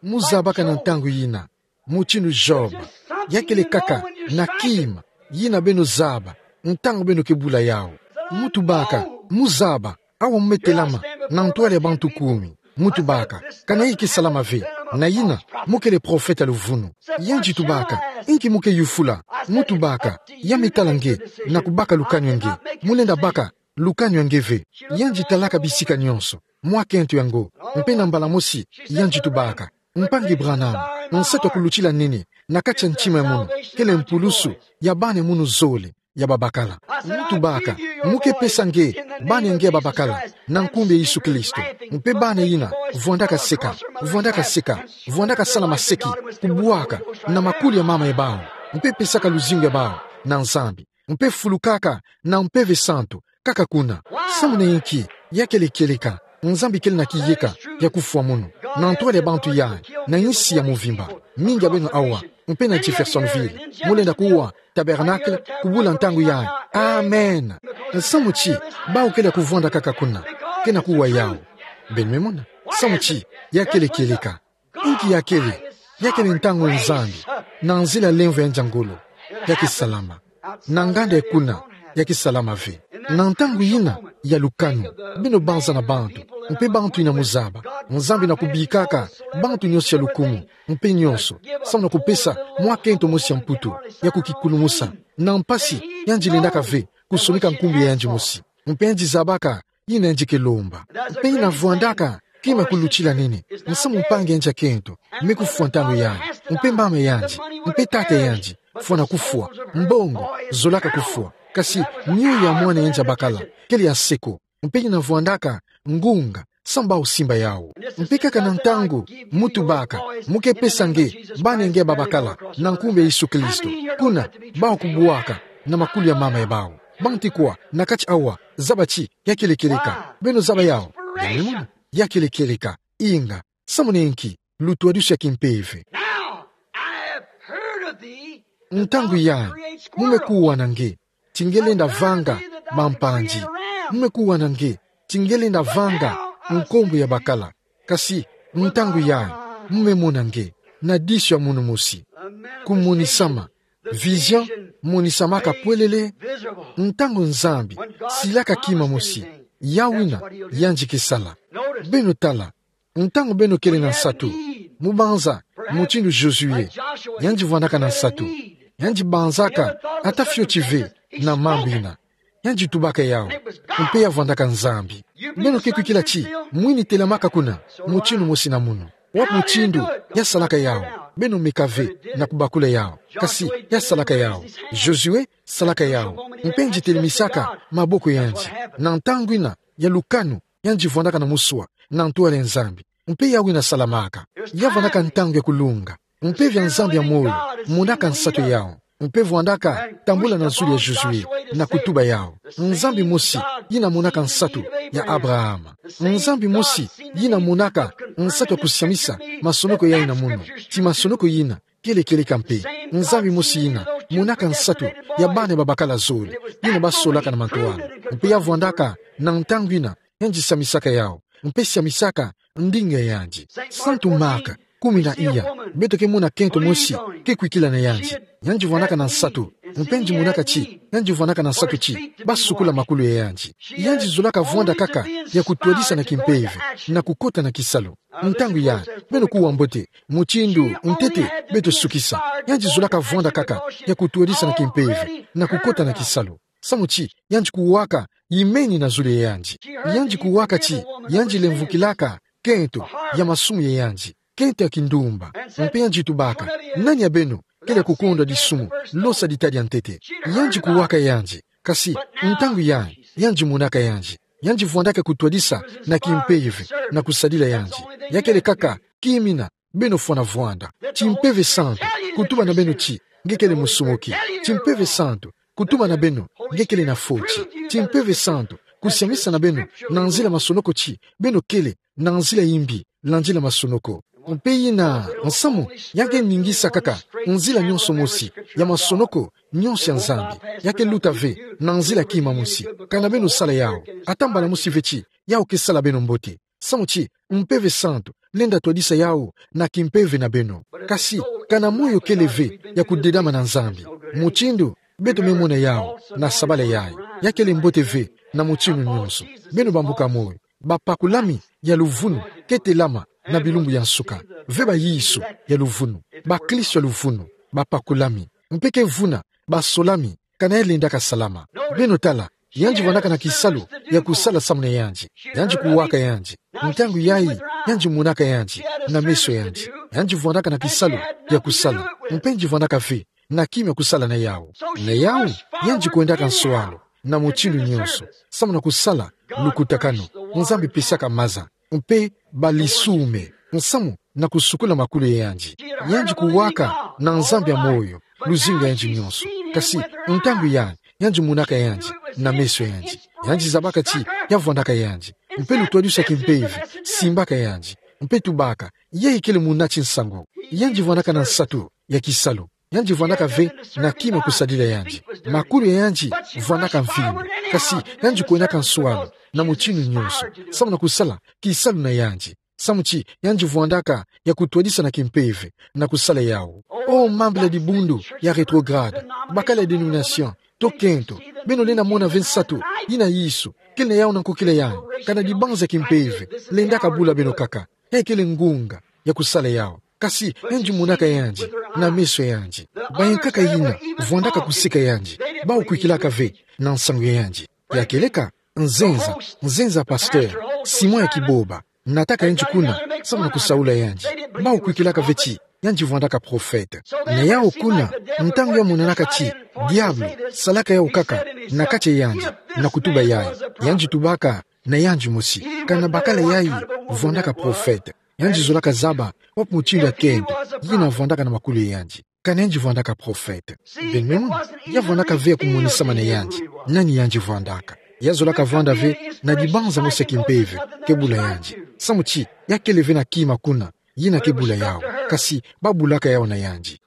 Mu zabaka na ntangu yina, mutindu Job, ya kele kaka na kima yina beno zaba ntangu beno ke bula yawu. Mu tubaka: Mu zaba, awa mu me telama na ntwala ya bantu kumi. Mu tubaka: Kana ya ke salama ve, na yina mu kele profeta luvunu. Yandi tubaka: Inki mu ke yufula? Mu tubaka: Ya me tala nge na kubaka lukanu ya nge. Mu lenda baka lukanu ya nge ve. Yandi talaka bisika nyonso mwa kento yango. Mpe na mbala mosi yandi tubaka: Mpangi Branham, nsatu ya kulutila nene na kati ya ntima ya munu kele mpulusu ya bana ya munu zole ya babakala. Mu tubaka: Mu ke pesa nge bana ya nge ya babakala na nkumbu ya Yesu Kristo. Mpe bana yina vwandaka seka, vwandaka seka, vwandaka sala maseki, kubwaka na makuli ya mama ya bawu, mpe pesaka luzingu ya bawu na Nzambi, mpe fulukaka na Mpeve Santu kaka kuna. Samu na inki? Ya kele kieleka. Nzambi kele na kiyeka ya kufwa munu na ntwala ya bantu yai, na insi ya muvimba. Mingi ya beno awa, mpe na Jeffersonville, mu lenda kuwa Tabernacle kubula ntangu yai. Amen. Samu ti bawu kele ya kuvwanda kaka kuna, ke na kuwa yawu. Beno me mona? Samu ti ya kele kieleka. Inki ya kele? Ya kele ntangu Nzambi, na nzila lemvo ya nza ngolo, ya ke salama. Na nganda ya kuna, ya ke salama ve. Na ntangu yina ya lukanu, beno banza na bantu, mpe bantu yina mu zaba. Nzambi na kubikaka bantu nyonso ya lukumu, mpe nyonso, samu na kupesa mwa kento mosi ya mputu ya kukikulumusa na mpasi yandi lendaka ve kusonika nkumbu ya yandi mosi. Mpe yandi zabaka yina yandi ke lomba. Mpe yina vwandaka kima ya kulutila nene. Nsamu mpangi yandi ya kento me kufwa ntangu yandi, mpe mama yandi, mpe tata yandi, fwana kufwa. Mbongo zolaka kufwa. Kasi nioyo ya mwana yandi ya bakala kele ya nse ko. Mpe yina vwandaka ngunga samu bawu simba yawu. Mpe kaka na ntangu mu tubaka: Mu ke pesa nge bana ya nge ya babakala na nkumbu ya Yesu Kristo, kuna bawu kubwaka na makulu ya mama ya bawu. Banti kwa na kati awa zaba ti ya kele kieleka? Beno zaba yawu? Beno me mona, ya kele kieleka. Inga, samu na inki? Lutwadisu ya kimpeve. Now, I have heard of thee, that thou art a great squirrel. Ntangu yandi, mu me kuwa na nge ti nge lenda vanga bampanzi. Mu me kuwa na nge ti nge lenda vanga nkombo ya bakala. Kasi ntangu yandi, mu me mona nge na disu ya munu mosi. Kumonisama, vision, monisamaka pwelele. Ntangu Nzambi silaka kima mosi, ya wina yandi ke sala. Beno tala, ntangu beno kele na nsatu, mu banza mutindu Josué, yandi vwandaka na nsatu, yandi banzaka, ata fioti ve, na mambu ina. Yandi tubaka yawu, mpe ya vwandaka Nzambi. Beno ke kwikila ti, mwini telamaka kuna, mutindu mosi na munu. Wapi mutindu ya salaka yawu? Beno meka ve na kubakula yawu. Kasi ya salaka yawu. Josué salaka yawu. Mpe yandi telimisaka maboko yandi. Na ntangu ina ya lukanu, yandi vwandaka na muswa na ntwala ya Nzambi. Mpe yawu ina salamaka. Ya vwandaka ntangu ya kulunga. Mpe via Nzambi ya moyo monaka nsatu yawu. Mpe vwandaka tambula na zulu ya Josué na kutuba yawu. Nzambi mosi yina monaka nsatu ya Abrahama. Nzambi mosi yina monaka nsatu ya kusiamisa masonoko yayi na munu. Ti masonoko yina kele kieleka mpe. Nzambi mosi yina monaka nsatu ya bana babakala zole, yina basolaka na mantwala. Mpe ya vwandaka na ntangu ina, yandi siamisaka yawu. Mpe siamisaka ndinga ya yandi. Santu Marc, kumi na iya, beto ke mona kento mosi ke kwikila na yandi. Yandi vwandaka na nsatu. Mpe yandi monaka ti, yandi vwandaka na nsatu ti basukula makulu ya yandi. Yandi zolaka vwanda kaka ya kutwadisa na kimpeve, na kukota na kisalu. Ntangu yayi, beno kuwa mbote, mutindu ntete beto sukisa. Yandi zolaka vwanda kaka ya kutwadisa na kimpeve, na kukota na kisalu. Samu ti yandi kuwaka yimeni na zulu ya yandi. Yandi kuwaka ti yandi lemvukilaka kento ya masumu ya yandi, kento ya kindumba. Mpe yandi tubaka: Nani ya beno kele kukondwa disumu, losa dita dia ntete? Yandi kuwaka yandi. Kasi ntangu yayi, yandi monaka yandi. Yandi vwandaka kutwadisa na kimpeve, na kusadila yandi. Ya kele kaka kima ina beno fwana vwanda. Ti Mpeve Santu kutuba na beno ti nge kele musumuki. Ti Mpeve Santu kutuba na beno nge kele na foti. Ti Mpeve Santu kusiamisa na beno na nzila masonoko ti beno kele na nzila yimbi, na nzila masonoko. Mpe yina nsamu ya ke ningisa kaka nzila nyonso mosi ya masonoko nyonso ya Nzambi. Ya ke luta ve na nzila kima mosi. Kana beno sala yawu, ata mbala mosi ve ti yawu ke sala beno mbote. Samu ti Mpeve Santu lenda twadisa yawu na kimpeve na beno. Kasi kana moyo kele ve ya kudedama na Nzambi, mutindu beto me mona yawu na sabala yayi, ya kele mbote ve na mutindu nyonso. Beno bambuka moyo, bapakulami ya luvunu ke telama na bilumbu ya nsuka. Ve bayisu ya luvunu, baklisto ya luvunu, bapakulami, mpe ke vuna basolami kana ya lendaka salama. Beno tala, yandi vwandaka na kisalu ya kusala samu na yandi. Yandi kuwaka yandi. Ntangu yayi, yandi monaka yandi na meso yandi. Yandi vwandaka na kisalu ya kusala. Mpe yandi vwandaka ve na kima ya kusala na yawu. Na yawu, yandi kwendaka nswalu na mutindu nyonso, samu na kusala lukutakanu Nzambi pesaka maza, mpe balisumba, nsamu na kusukula makulu ya yandi. Yandi kuwaka na Nzambi ya moyo luzingu ya yandi nyonso. Kasi ntangu yayi, yandi monaka yandi na meso ya yandi. Yandi zabaka ti ya vwandaka yandi. Mpe lutwadisi ya kimpeve simbaka yandi. Mpe tubaka: Yayi kele muna ti nsangu. Yandi vwandaka na nsatu ya kisalu. Yandi vwandaka ve na kima kusadila yandi. Makulu ya yandi vwandaka mvindu. Kasi yandi kwendaka nswalu na mutindu nyonso, samu na kusala kisalu na yandi. Samu ti yandi vwandaka ya kutwadisa na kimpeve, na kusala yawu. O mambila dibundu ya rétrograde, bakala ya dénomination, to kento, beno lenda mona ve nsatu yina Yesu kele na yawu na nkokila yayi, kana dibanza ya kimpeve lendaka bula beno kaka. Yayi kele ngunga ya kusala yawu. Kasi yandi monaka yandi na meso ya yandi. Bayankaka yina vwandaka kuseka yandi, bawu kwikilaka ve na nsangu ya yandi. Ya kieleka nzenza, nzenza pasteur, Simon ya Kiboba, nataka yandi kuna samu na kusaula yandi. Bawu kwikilaka ve ti yandi vwandaka prophète. Na yawu kuna, ntangu ya monanaka ti diabulu salaka yawu kaka na kati ya yandi, na kutuba yayi, yandi tubaka na yandi mosi: Kana bakala yayi vwandaka prophète? Yandi zolaka zaba wapi mutindu ya kento yina vwandaka na makulu ya yandi. Kana yandi vwandaka prophète? Beno mona, ya vwandaka ve ya kumonisama na yandi nani yandi vwandaka. Ya zolaka vwanda ve na dibanza mosi ya kimpeve ke bula yandi. Samu ti ya kele ve na kima kuna yina ke bula yawu. Kasi babulaka yawu na yandi.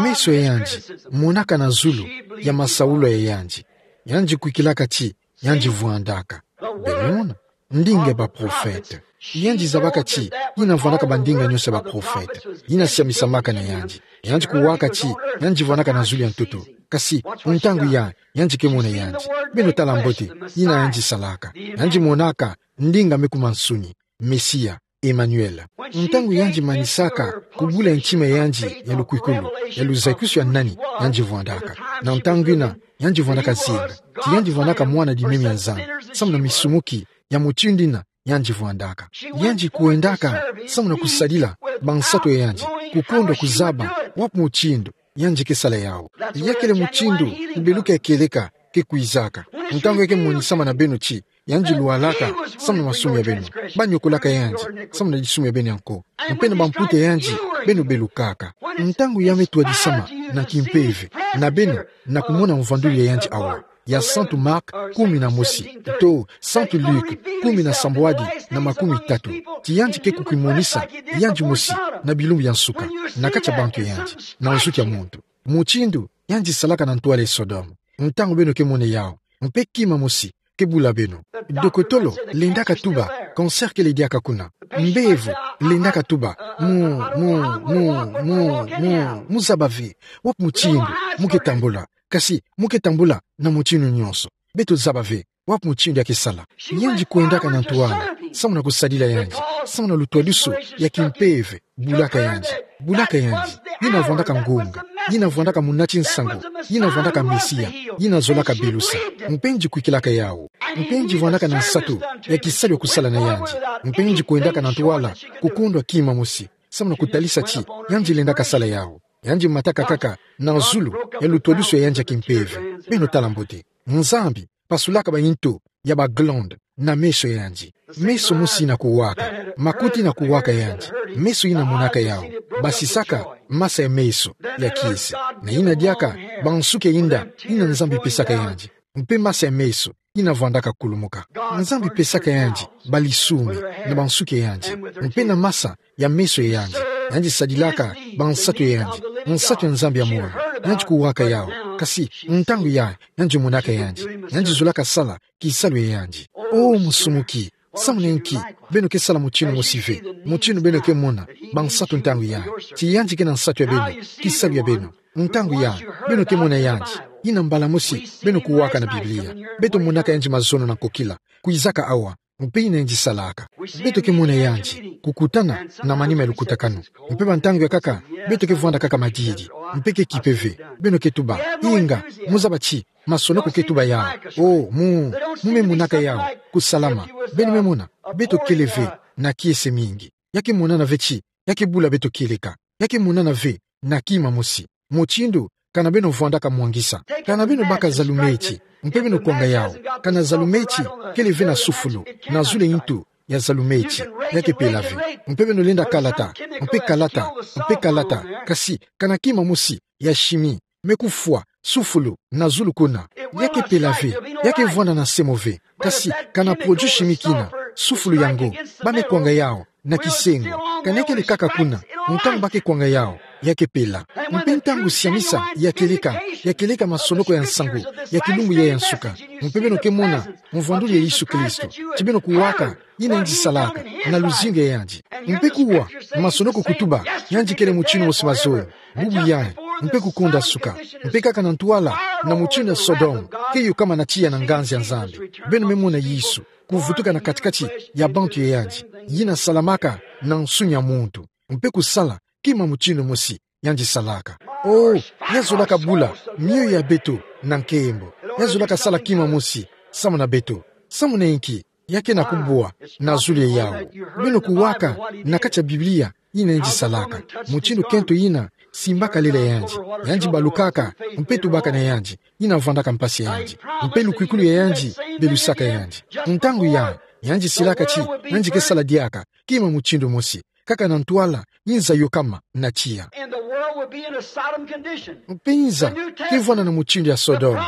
Meso ya yandi monaka na zulu ya masaula ya yandi. Yandi kwikilaka ti yandi vwandaka. Beno mona, ndinga ya baprophète. Yandi zabaka ti yina vwandaka bandinga nyonso ya baprophète, yina siamisamaka na yandi. Yandi kuwaka ti yandi vwandaka na zulu ya ntoto. Kasi ntangu yayi, yandi ke mona yandi. Beno tala mbote yina yandi salaka. Yandi monaka ndinga me kuma nsuni, Mesia. Emmanuel. Ntangu yandi manisaka kubula ntima yandi ya lukwikulu, ya luzaikusu ya nani yandi vwandaka. Na ntangu ina, yandi vwandaka zinga. Ti yandi vwandaka mwana di meme ya Nzambi, samu na misumuki ya mutindu ina yandi vwandaka. Yandi kwendaka samu na kusadila bansatu ya yandi, kukondwa kuzaba wapi mutindu yandi ke sala yawu. Ya kele mutindu kubeluka ya kieleka ke kwizaka. Ntangu ya ke monisama na beno ti yandi lwalaka samu na masumu ya beno, banyokolaka yandi samu na disumu ya beno ya nko, mpe na bamputa ya yandi beno belukaka. Ntangu ya me twadisama na kimpeve na beno na kumona mvwandulu ya yandi awa, ya Santu Marc kumi na mosi, to Santu Luc kumi na sambwadi na makumi tatu, ti yandi ke kukimonisa yandi mosi na bilumbu ya nsuka, na kati ya bantu ya yandi, na nsuki ya muntu. Mutindu yandi salaka na ntwala ya Sodome. Ntangu beno ke mona yawu, mpe kima mosi ke bula beno. Dokotolo lendaka tuba cancer kele diaka kuna. Mbevo lendaka tuba mu, mu, mu, mu, mu, mu zaba ve wapi mutindu mu ke tambula. Kasi mu ke tambula na mutindu nyonso. Beto zaba ve wapi mutindu ya ke sala. Yandi kwendaka na ntwala samu na kusadila yandi, samu na lutwadusu ya kimpeve, bulaka yandi, bulaka yandi. Yina vwandaka ngunga, yina vwandaka munati nsangu, yina vwandaka Mesia, yina zolaka belusa. Mpe yandi kwikilaka yawu. Mpe yandi vwandaka na nsatu ya kisalu ya kusala na yandi. Mpe yandi kwendaka na ntwala kukondwa kima mosi, samu na kutalisa ti yandi lendaka sala yawu. Yandi mataka kaka na zulu ya lutwadusu ya yandi ya kimpeve. Beno tala mbote. Nzambi pasulaka ba intu ya ba glande na meso ya yandi. Meso mosi yina kuwaka, makuti yina kuwaka yandi, meso yina monaka yawu, basisaka masa ya meso ya kiese. Na yina diaka bansuki ya inda yina Nzambi pesaka yandi, mpe masa ya meso yina vwandaka kulumuka. Nzambi pesaka yandi balisumi na bansuki ya yandi, mpe na masa ya meso ya yandi. Yandi sadilaka bansatu ya yandi, nsatu ya Nzambi ya moyo. Yandi kuwaka yawu, kasi ntangu ya yandi monaka yandi, yandi zolaka sala kisalu ya yandi. O musumuki, samu na inki beno ke sala mutindu mosi ve? Mutindu beno ke mona bansatu ntangu ya, ti yandi ke na nsatu ya beno, kisalu ya beno. Ntangu ya beno ke mona yandi, yina mbala mosi beno kuwaka na Biblia. Beto monaka yandi mazono na nkokila, kwizaka awa, mpe yina yandi salaka. Beto ke mona yandi kukutana na manima ya lukutakanu. Mpe ba ntangu ya nkaka beto ke vwanda kaka madidi, mpe ke kipe ve. Beno ke tuba, inga, mu zaba ti masonoko ke tuba yawu. O, mu, mu me monaka yawu kusalama. Beno me mona, beto kele ve na kiese mingi. Ya ke monana ve ti ya ke bula beto kieleka. Ya ke monana ve na kima mosi. Mutindu kana beno vwandaka mwangisa. Kana beno baka zalumeti, mpe beno kwanga yawu. Kana zalumeti kele ve na sufulu na zulu ya intu ya zalumeti, ya ke pela ve. Mpe beno lenda kalata, mpe kalata, mpe kalata. Kasi kana kima mosi ya shimi me kufwa sufulu na zulu kuna, ya ke pela ve. Ya ke vwanda na semo ve. Kasi kana produit chimique ina, sufulu yango, ba me kwanga yawu na kisengo. Kana kele kaka kuna, ntangu ba ke kwanga yawu, ya ke pela. Mpe ntangu siamisa ya kieleka, ya kieleka masonoko ya nsangu ya kilumbu ya ya nsuka, mpe beno ke mona mvwandulu ya Yesu Kristo, ti beno kuwaka yina yandi salaka na luzingu ya yandi. Mpe kuwa masonoko kutuba yandi kele mutindu mosi mazono, bubu yayi, mpe kukonda suka, mpe kaka na ntwala na mutindu ya Sodome, ke yokama na tiya na nganzi ya Nzambi. Beno me mona Yesu kuvutuka na kati-kati ya bantu ya yandi, yina salamaka na nsuni ya muntu, mpe kusala kima mutindu mosi yandi salaka. O, ya zolaka bula mioyo ya beto na nkembo. Ya zolaka sala kima mosi samu na beto. Samu na inki? Ya ke na kubwa na zulu ya yawu. Beno kuwaka na kati ya Biblia yina yandi salaka, mutindu kento yina simbaka lela ya yandi, yandi balukaka, mpe tubaka na yandi, yina vwandaka mpasi ya yandi, mpe lukwikulu ya yandi belusaka yandi. Ntangu yayi, yandi silaka ti yandi ke sala diaka kima mutindu mosi, kaka na ntwala yinza yokama na tiya. And the world will be in a Sodom condition. Mpe yinza ke vwanda na mutindu ya Sodome.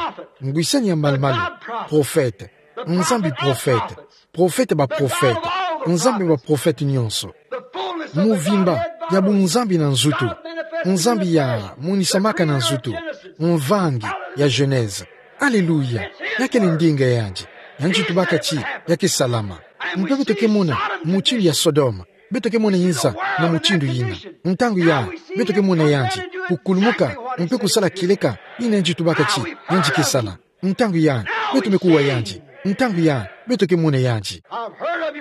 Ngwisani ya malu-malu, profete, Nzambi profete, profete ba profete, Nzambi ba profete nyonso. Muvimba ya bunzambi na nzutu. Nzambi ya monisamaka na nzutu. Mvangi ya Genèse. Alléluia. Ya kele ndinga ya yandi. Yandi tubaka ti ya ke salama. Mpe beto ke mona mutindu ya Sodome. Beto ke mona yinza na mutindu yina. Ntangu yayi, beto ke mona yandi kukulumuka, mpe kusala kieleka yina yandi tubaka ti yandi ke sala. Ntangu yayi, beto me kuwa yandi. Ntangu yayi, beto ke mona yandi.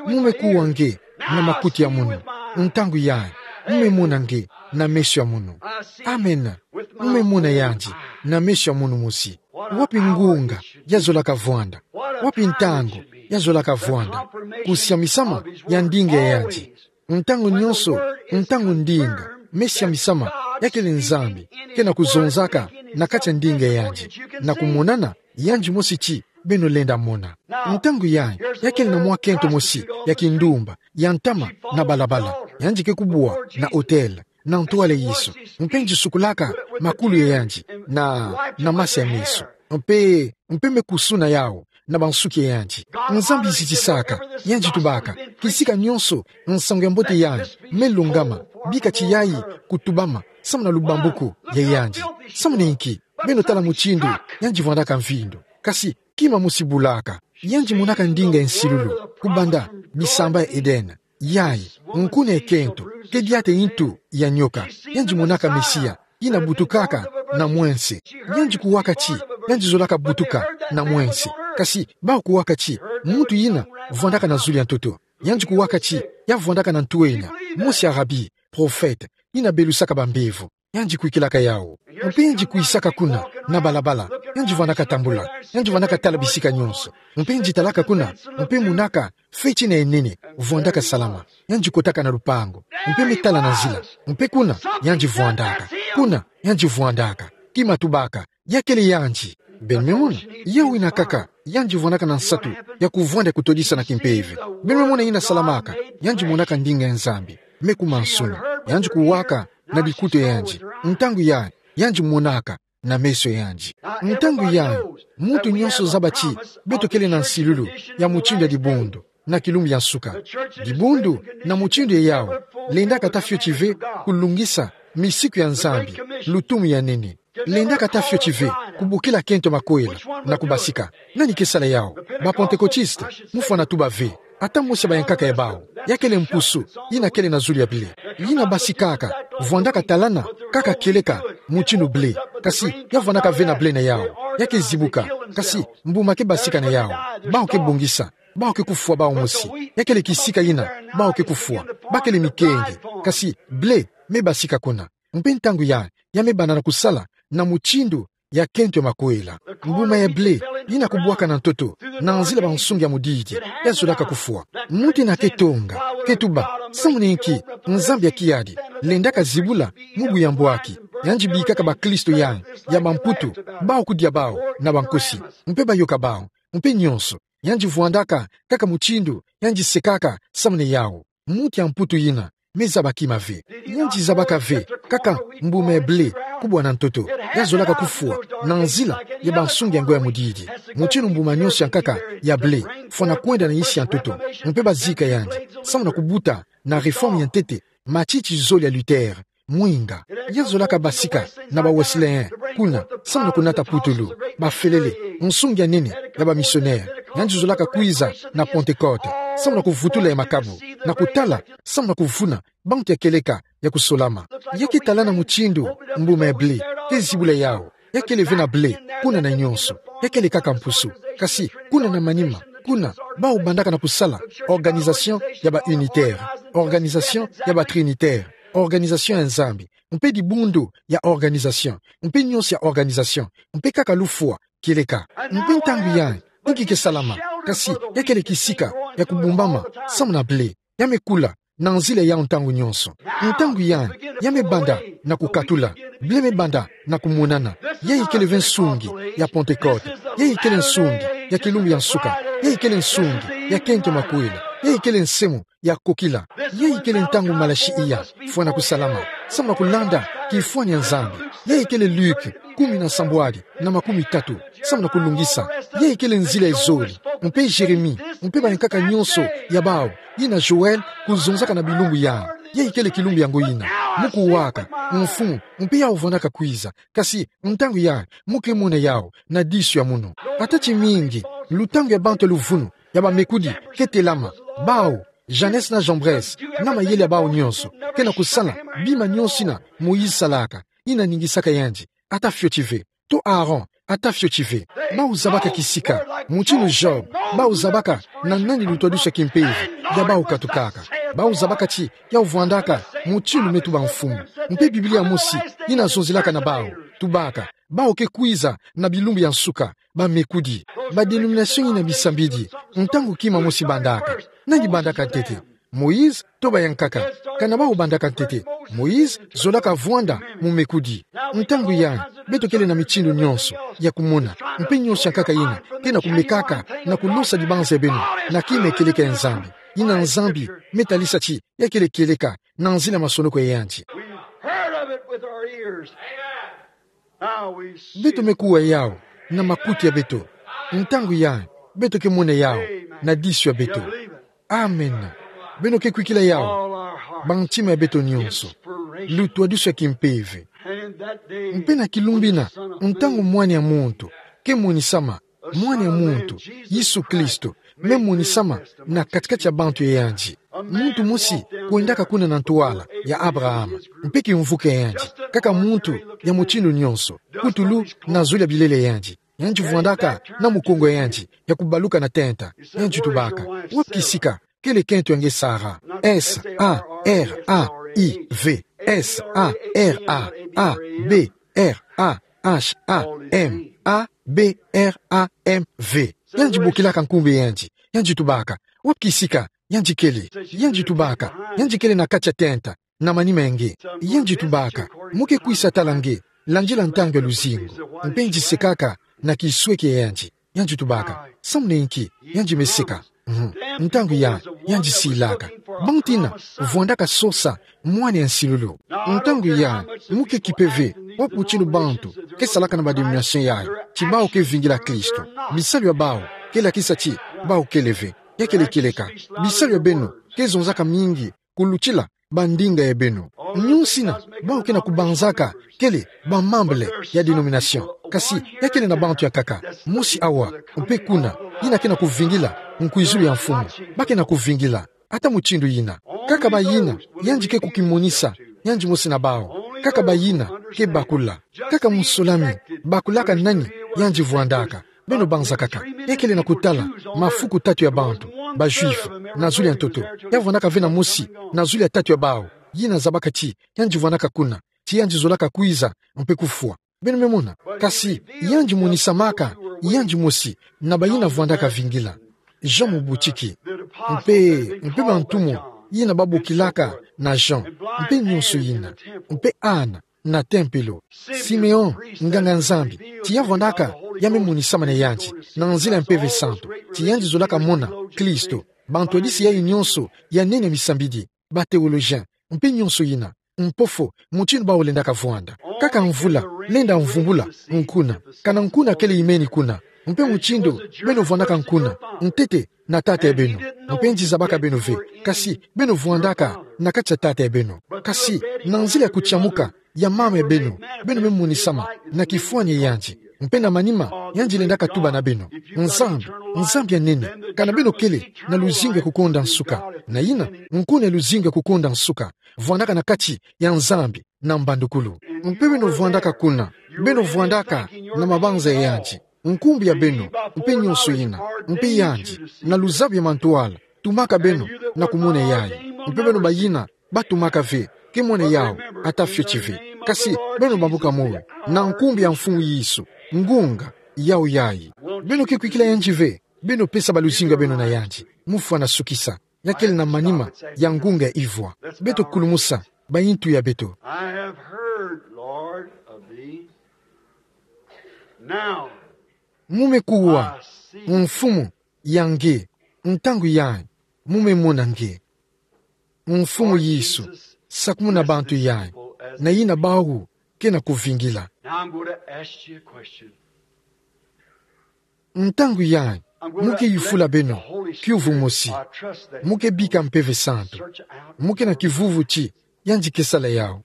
Mu me kuwa nge na makutu ya munu. Ntangu yayi, mme mona nge na meso ya munu. Amen. Mme mona yandi na meso ya munu mosi. Wapi ngunga yazolaka vwanda? Wapi ntangu yazolaka vwanda? Kusiamisama ya ndinga ya yandi. Ntangu nyonso, ntangu ndinga, mme siamisama ya kele Nzambi kena kuzonzaka na kati ya ndinga ya yandi, na kumonana yandi mosi ti beno lenda mona. Ntangu yayi, ya kele na mwa kento mosi ya kindumba ya ntama na balabala. Yandi ke kubwa na hotel, na ntwala Yesu. Mpe yandi sukolaka makulu ya yandi na, na mase ya meso. Mpe, mpe me kusuna yawu na bansuki ya yandi. Nzambi zitisaka, yandi tubaka: Kisika nyonso nsangu ya mbote yayi me longama, bika ti yayi kutubama samu na lubambuku ya yandi. Samu na inki? Beno tala mutindu yandi vwandaka mvindu. Kasi kima mosi bulaka. Yandi monaka ndinga ya nsilulu kubanda bisamba ya Edene. Yayi, nkuna ya kento ke diata ntu ya nyoka. Yandi monaka Mesia yina butukaka na mwense. Yandi kuwaka ti yandi zolaka butuka na mwense. Kasi bawu kuwaka ti muntu yina vwandaka na zulu ya ntoto. Yandi kuwaka ti ya vwandaka na ntwenya mosi ya rabi, prophète, yina belusaka bambevo. Yandi kwikilaka yawu. Mpe yandi kwisaka kuna na balabala. Yandi vwandaka tambula. Yandi vwandaka tala bisika nyonso. Mpe yandi talaka kuna, mpe monaka feti yina ya nene vwandaka salama. Yandi kotaka na lupangu. Mpe me tala na nzila. Mpe kuna yandi vwandaka. Kuna yandi vwandaka. Kima tubaka: Ya kele yandi. Beno me mona? Yawu yina kaka yandi vwandaka na nsatu ya kuvwanda ya kutodisa na kimpeve. Beno me mona yina salamaka? Yandi monaka ndinga ya Nzambi. Me kuma nsuni. Yandi kuwaka na bikutu ya yandi. Ntangu yayi, yandi monaka na meso ya yandi. Ntangu yayi, muntu nyonso zaba ti beto kele na nsilulu ya mutindu ya dibundu na kilumbu ya nsuka. Dibundu na mutindu yawu lendaka ata fioti ve kulungisa misiku ya Nzambi, lutumu ya nene. Lendaka ata fioti ve kubokila kento makwela na kubasika. Nani ke sala yawu? Ba Pentecôtistes? Mufwana tuba ve. Ata mosi ya bayankaka ya bawu. Ya kele mpusu yina kele na zulu ya blé, yina basikaka, vwandaka talana kaka kieleka mutindu blé. Kasi ya vwandaka ve na blé na yawu. Ya ke zibuka. Kasi mbuma ke basika na yawu. Bawu ke bongisa. Bawu ke kufwa bawu mosi. Ya kele kisika yina bawu ke kufwa. Ba kele mikenge. Kasi blé me basika kuna. Mpe ntangu yayi, ya me banda na kusala na mutindu ya kento ya makwela. Mbuma ya blé yina kubwaka na ntoto na nzila bansungi ya mudidi, ya zolaka kufwa. Muntu yina ke tonga, ke tuba: Samu na inki Nzambi ya kiadi lendaka zibula mubu ya mbwaki? Yandi bikaka bakristo yayi ya bamputu, bawu kudia bawu na bankosi, mpe bayoka bawu, mpe nyonso. Yandi vwandaka kaka mutindu yandi sekaka samu na yawu. Muntu ya mputu yina me zaba kima ve. Yandi zabaka ve kaka mbuma ya blé kubwa na ntoto, ya zolaka kufwa na nzila ya bansungi ya ngo ya mudidi. Mutindu mbuma nyonso ya nkaka ya blé, fwana kwenda na yisi ya ntoto. Mpe bazika yandi samu na kubuta na réforme ya ntete matiti zole ya Luther. Mwinga. Ya zolaka basika na ba Wesleyen kuna samu na kunata putulu, bafelele, nsungi ya nene ya ba missionnaire. Yandi zolaka kwiza na Pentecôte samu na kuvutula ya makabu, na kutala samu na kuvuna bantu ya kieleka ya kusolama. Ya ke talana mutindu mbuma ya blé ke zibula yawu. Ya kele ve na blé kuna na nyonso. Ya kele kaka mpusu. Kasi kuna na manima, kuna bawu bandaka na kusala organisation ya ba unitaire, organisation ya ba trinitaire, organisation ya Nzambi, mpe dibundu ya organisation, mpe nyonso ya organisation, mpe kaka lufwa kieleka. Mpe ntangu yayi, inki ke salama? Kasi ya kele kisika ya kubumbama samu na blé. Ya me kula na nzila yawu ntangu nyonso. Ntangu yayi, ya me banda na kukatula. Blé me banda na kumonana. Yayi kele ve nsungi ya Pentecôte. Yayi kele nsungi ya kilumbu ya nsuka. Yayi kele nsungi ya kento makwela. Yayi kele nsemo ya kokila. Yayi kele ntangu Malaki iya fwana kusalama samu na kulanda kifwani ya Nzambi. Yayi kele Luc kumi na nsambwadi na makumi tatu samu na kulungisa. Yayi kele nzila ya zole, mpe Jérémie, mpe bayankaka nyonso ya bawu, yina Joël kuzonzaka na bilumbu yayi. Yayi kele kilumbu ya ngo yina. Mu kuwaka, mfumu, mpe yawu vwandaka kwiza. Kasi ntangu yayi, mu ke mona yawu na disu ya munu. Ata timingi, lutangu ya bantu ya luvunu, ya bamekudi, ke telama. Bawu, Jannes na Jambres, na mayele ya bawu nyonso, ke na kusala bima nyonso yina Moïse salaka, yina ningisaka yandi, ata fioti ve. To Aaron, ata fioti ve. Bawu zabaka kisika, mutindu Job, bawu zabaka na nani lutwadusu ya kimpeve ya bawu katukaka. Bawu zabaka ti, yau vwandaka, mutindu me tuba mfumu. Mpe Biblia mosi, yina zonzilaka na bawu, tubaka, bawu ke kwiza, na bilumbu ya nsuka, bamekudi. Ba dénomination yina bisambidi, ntangu kima mosi bandaka. Nani bandaka ntete? Moïse, to bayankaka? Kana bawu bandaka ntete? Moïse, zolaka vwanda, mu mekudi. Ntangu yayi, beto kele na mitindu nyonso, ya kumona, mpe nyonso ya nkaka yina, ke na kumekaka, na kulosa dibanza ya beno, na kima ya kieleka ya Nzambi. Yina Nzambi, me talisa ti, ya kele kieleka, na nzila ya masonoko ya yandi. We've heard of it with our ears. Now we see it. Beto me kuwa yau, na makuti ya beto. Ntangu yayi, beto ke mona yau, na disu ya beto. Amen. Beno ke kwikila yau, ba ntima ya beto nyonso. Lutwadusu ya kimpeve. Mpe na kilumbu ina, ntangu Mwana ya Muntu ke monisama, Mwana ya Muntu, Yesu Kristo, me monisama na kati-kati ya bantu ya yandi. Muntu mosi kwendaka kuna na ntwala ya Abraham, mpe kimvuka ya yandi, kaka muntu ya mutindu nyonso, kutulu na zulu ya bilele ya yandi. Yandi vwandaka na mukongo ya yandi, ya kubaluka na tenta. Yandi tubaka: Wapi kisika kele kento ya nge Sara? S A R A I V. S A R A A B R A H A M A B R A M V. Yandi bokilaka nkumbu ya yandi. Yandi tubaka: Wapi kisika yandi kele? Yandi tubaka: Yandi kele na kati ya tenta, na manima ya nge. Yandi tubaka: Mu ke kwisa tala nge, landila ntangu ya luzingu. Mpe yandi sekaka na kisweki ya yandi. Yandi tubaka: Samuna inki? Yandi me seka. Mhm. Ntangu yayi, yandi silaka. Bantu ina vwandaka sosa mwana ya nsilulu. Ntangu yayi, mu ke kipe ve wapi mutindu bantu ke salaka na ba dénomination yayi, ti bawu ke vingila Kristo. Bisalu ya bawu ke lakisa ti bawu kele ve. Ya kele kieleka. Bisalu ya beno ke zonzaka mingi kulutila bandinga ya beno. Nyonso ina bawu ke na kubanzaka kele ba membres ya dénomination. Kasi ya kele na bantu ya nkaka mosi awa, mpe kuna, yina ke na kuvingila nkwizulu ya Mfumu. Ba ke na kuvingila ata mutindu yina. Kaka bayina yandi ke kukimonisa yandi mosi na bawu. Kaka bayina ke bakula. Kaka musulami bakulaka nani yandi vwandaka. Beno banzakaka. Ya kele na kutala mafuku tatu ya bantu, ba Juifs, na zulu ya ntoto. Ya vwandaka ve na mosi na zulu ya tatu ya bawu, yina zabaka ti yandi vwandaka kuna, ti yandi zolaka kwiza mpe kufwa. Beno me mona. Kasi yandi monisamaka yandi mosi na bayina vwandaka vingila. Jean mubutiki. Mpe, mpe bantumwa yina babokilaka na Jean, mpe nyonso yina, mpe Anne na tempelo. Simeon, nganga-Nzambi, ti ya vwandaka, ya me monisama na yandi na nzila ya Mpeve Santu, ti yandi zolaka mona Kristo. Bantu ya disi yayi nyonso ya nene misambidi, ba théologiens, mpe nyonso yina, mpo fo mutindu bawu lendaka vwanda. Kaka mvula lenda mvumbula nkuna, kana nkuna kele imeni kuna, mpe mutindu beno vwandaka nkuna, ntete na tata ya beno, mpe yandi zabaka beno ve, kasi beno vwandaka na kati ya tata ya beno. Kasi na nzila ya kutiamuka ya mama ya beno, beno me monisama na kifwani ya yandi, mpe na manima yandi lendaka tuba na beno. Nzambi, Nzambi ya nene, kana beno kele na luzingu ya kukonda nsuka, na yina nkuna ya luzingu ya kukonda nsuka vwandaka na kati ya Nzambi na mbandukulu. Mpe beno vwandaka kuna, beno vwandaka na mabanza ya yandi, nkumbu ya beno, mpe nyonso yina, mpe yandi, na luzabu ya mantwala, tumaka beno na kumona yayi. Mpe beno bayina batumaka ve, ke mona yawu ata fioti ve. Kasi beno bambuka moyo na nkumbu ya Mfumu Yesu, ngunga yawu yayi. Beno ke kwikila yandi ve, beno pesa ba luzingu ya beno na yandi. Mufwana sukisa. Ya kele na manima ya ngunga ivwa. Beto kulumusa bayintu ya beto. I have heard, Lord, of thee. Now, mu me kuwa, Mfumu, ya nge, ntangu yayi, mu me mona nge. Mfumu Yesu, sakumuna bantu yayi, na yina bawu ke na kuvingila. Now I'm going to ask you a question. Ntangu yayi, mu ke yufula beno kiuvu mosi. Mu ke bika Mpeve Santu. Mu ke na kivuvu ti yandi ke sala yawu.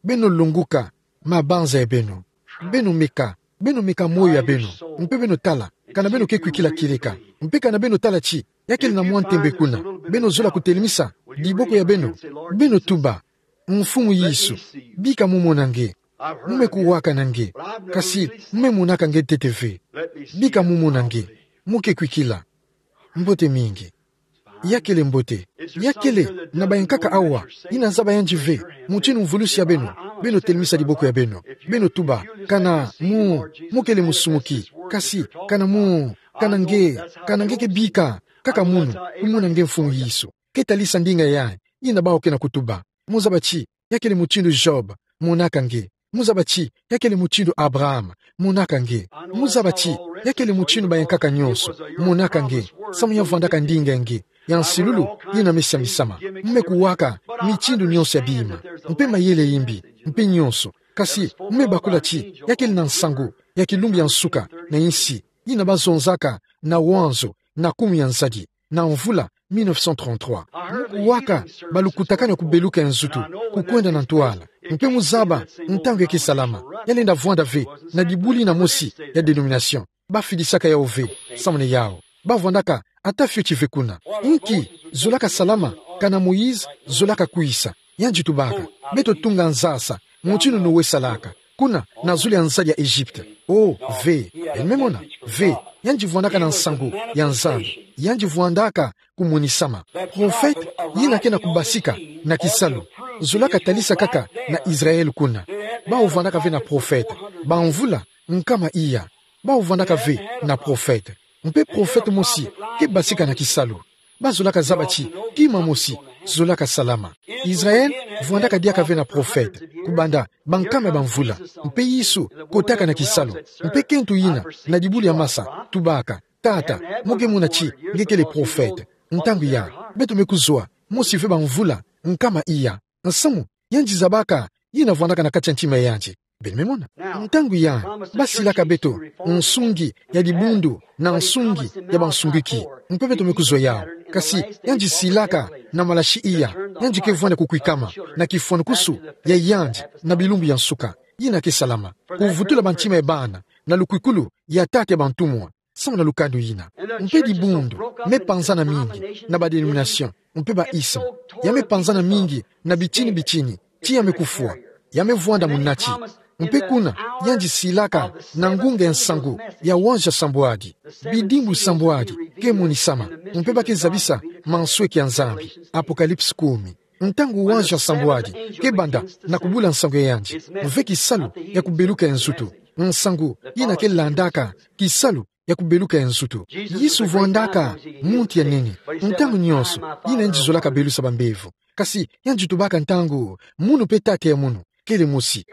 Beno longoka mabanza ya beno. Beno meka, beno meka moyo ya beno, mpe beno tala kana beno ke kwikila kieleka, mpe kana beno tala ti ya kele na mwa ntembe kuna, beno zola kutelemisa diboko ya beno. Beno tuba: Mfumu Yesu, bika mu mona nge. Mu me kuwaka na nge, kasi mu me monaka nge ntete ve. Bika mu mona nge. Mu ke kwikila. Mbote mingi. Ya kele mbote. Ya kele na bayankaka awa. I nazaba yandi ve mutindu mvulusi ya beno. Beno telemisa diboko ya beno. Beno tuba: Kana mu, mu kele musumuki. Kasi kana mu, kana nge, kana nge ke bika kaka munu, kumona nge Mfumu Yesu. Ke talisa ndinga ya, i nabao ke na kutuba. Muzaba ti ya kele mutindu Job, monaka nge. Muzaba ti ya kele mutindu Abraham, monaka nge. Muzaba ti ya kele mutindu bayankaka nyonso, monaka nge. Samu ya vwandaka ndinga nge ya nsilulu, i na me siambisama. Mu me kuwaka mitindu nyonso ya bima, mpe mayele ya mbi, mpe nyonso. Kasi mu me bakula ti ya kele na nsangu ya kilumbu ya nsuka na insi, i nabazonzaka na wanzo na kumu ya nzadi, na mvula mille neuf cent trente-trois. Mu kuwaka balukutakanu ya kubeluka ya nzutu, kukwenda na ntwala. Mpe muzaba ntangu ya ke salama, ya lenda vwanda ve na dibuli na mosi ya dénomination. Bafidisaka yao ve, samu na yao. Bavwandaka ata fioti ve kuna. Inki zolaka salama, kana Moïse zolaka kwisa. Yandi tubaka: Beto tunga nzasa, mutindu Noé salaka, kuna na zulu ya nzadi ya Egypte. Oh, ve. Beno me mona? Ve. Yandi vwandaka na nsangu ya Nzambi. Yandi vwandaka kumonisama. Profete yina ke na kubasika na kisalu zolaka talisa kaka na Israël kuna. Bawu vwandaka ve na profete bamvula nkama iya. Bawu vwandaka ve na profete. Mpe profete mosi ke basika na kisalu. Bazolaka zaba ti kima mosi zolaka salama. Israël vwandaka diaka ve na profete kubanda bankama ya bamvula. Mpe Yesu kotaka na kisalu. Mpe kento yina na dibuli ya masa tubaka: Tata, mu ke mona ti nge kele profete. Ntangu ya, beto me kuzwa mosi ve bamvula nkama iya. Nsamu yandi zabaka yina vwandaka na kati ya ntima ya yandi. Beno me mona? Ntangu ya, basilaka beto nsungi ya dibundu na nsungi ya bansungiki. Mpe beto me kuzwa yao. Kasi yandi silaka na malasi iya, yandi ke vwanda kukwikama na kifwanukusu ya yandi na bilumbu ya nsuka. Yina ke salama. Kuvutula bantima ya bana na lukwikulu ya tata ya bantumwa. Samu na lukanu yina. Mpe dibundu me panzana mingi na ba dénomination, mpe ba isme. Ya me panzana mingi na bitini bitini, ti ya me kufwa. Ya me vwanda munati. Mpe kuna, yandi silaka na ngunga ya nsangu ya wanza sambwadi. Bidimbu sambwadi ke monisama. Mpe ba ke zabisa mansweki ya Nzambi. Apocalypse kumi. Ntangu wanza sambwadi ke banda na kubula nsangu ya yandi, ve kisalu ya kubeluka ya nzutu. Nsangu yina ke landaka kisalu ya kubeluka ya nzutu. Yesu vwandaka muntu ya nene. Ntangu nyonso, yina yandi zolaka belusa bambevo. Kasi yandi tubaka ntangu: Munu mpe Tata ya munu kele mosi.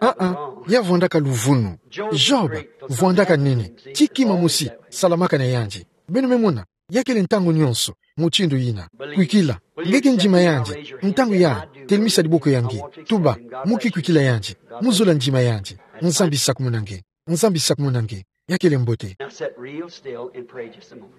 Ah, ah. Ya vwandaka luvunu. Job vwandaka nene. Ti kima mosi salamaka na yandi. Beno me mona? Ya kele ntangu nyonso mutindu yina. Kwikila. Nge ke ndima yandi? Ntangu ya, telemisa diboko ya nge. Tuba: Mu ke kwikila yandi. Mu zola ndima yandi. Nzambi sakumuna nge. Nzambi sakumuna nge. Ya kele mbote. Now sit real still and pray just a moment.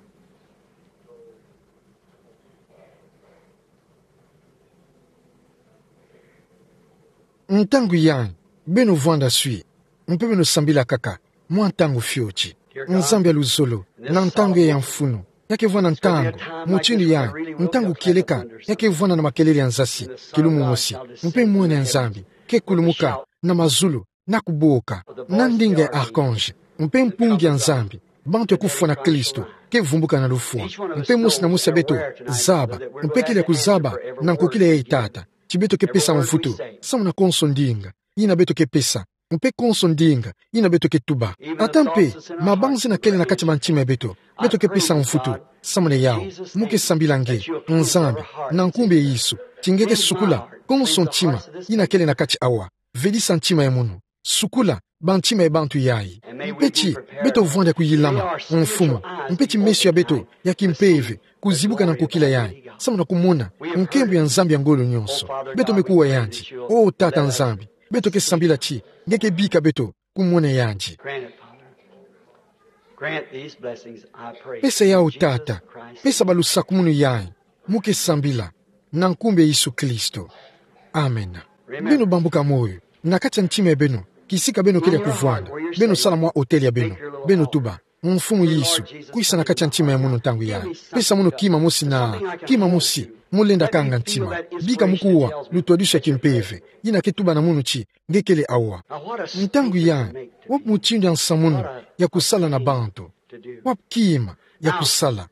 Ntangu ya, beno vwanda swi, mpe beno sambila kaka mwa ntangu fioti. Nzambi ya luzolo, na ntangu ya mfunu, ya ke vwanda ntangu mutindu ya, ntangu kieleka ya ke vwanda na makelele ya nzasi, kilumu mosi, mpe Mwana ya Nzambi ke kulumuka na mazulu, na kuboka na ndinga ya archange, mpe mpungi ya Nzambi, bantu ya kufwa na Kristo ke vumbuka na lufwa. Mpe mosi na mosi ya beto zaba, mpe kele ya kuzaba na nkokila yayi, Tata, ti beto ke pesa mvutu samu na konso ndinga yina beto ke pesa, mpe konso ndinga yina beto ke tuba. Ata mpe mabanzina kele na kati ya bantima ya beto, beto ke pesa mvutu samu na yawu. Mu ke sambila nge, Nzambi, na nkumbu ya Yesu, ti nge ke sukula konso ntima yina kele na kati awa. Vedisa ntima ya munu. Sukula bantima ya bantu yayi. Mpe ti beto vwanda kuyilama, Mfumu. Mpe ti meso ya beto ya kimpeve kuzibuka na nkokila yayi, samu na kumona nkembo ya Nzambi ya ngolo nyonso. Beto me kuwa yandi. O Tata Nzambi, beto ke sambila ti nge ke bika beto kumona yandi. Grant it, Father. Grant these blessings, I pray. Pesa yawu, Tata. Pesa balusakumunu yayi. Mu ke sambila na nkumbu ya Yesu Kristo. Amen. Beno bambuka moyo na kati ya ntima ya beno, kisika beno kele ya kuvwanda. Beno sala mwa hôtel ya beno. Beno tuba: Mfumu Yesu, kwisa na kati ya ntima ya munu ntangu yayi. Pesa munu kima mosi na, kima mosi mu lenda kanga ntima. Bika mu kuwa lutwadusu ya kimpeve yina ke tuba na munu ti nge kele awa. Ntangu yayi, wapi mutindu ya nsamununu ya kusala na bantu? Wapi kima ya kusala?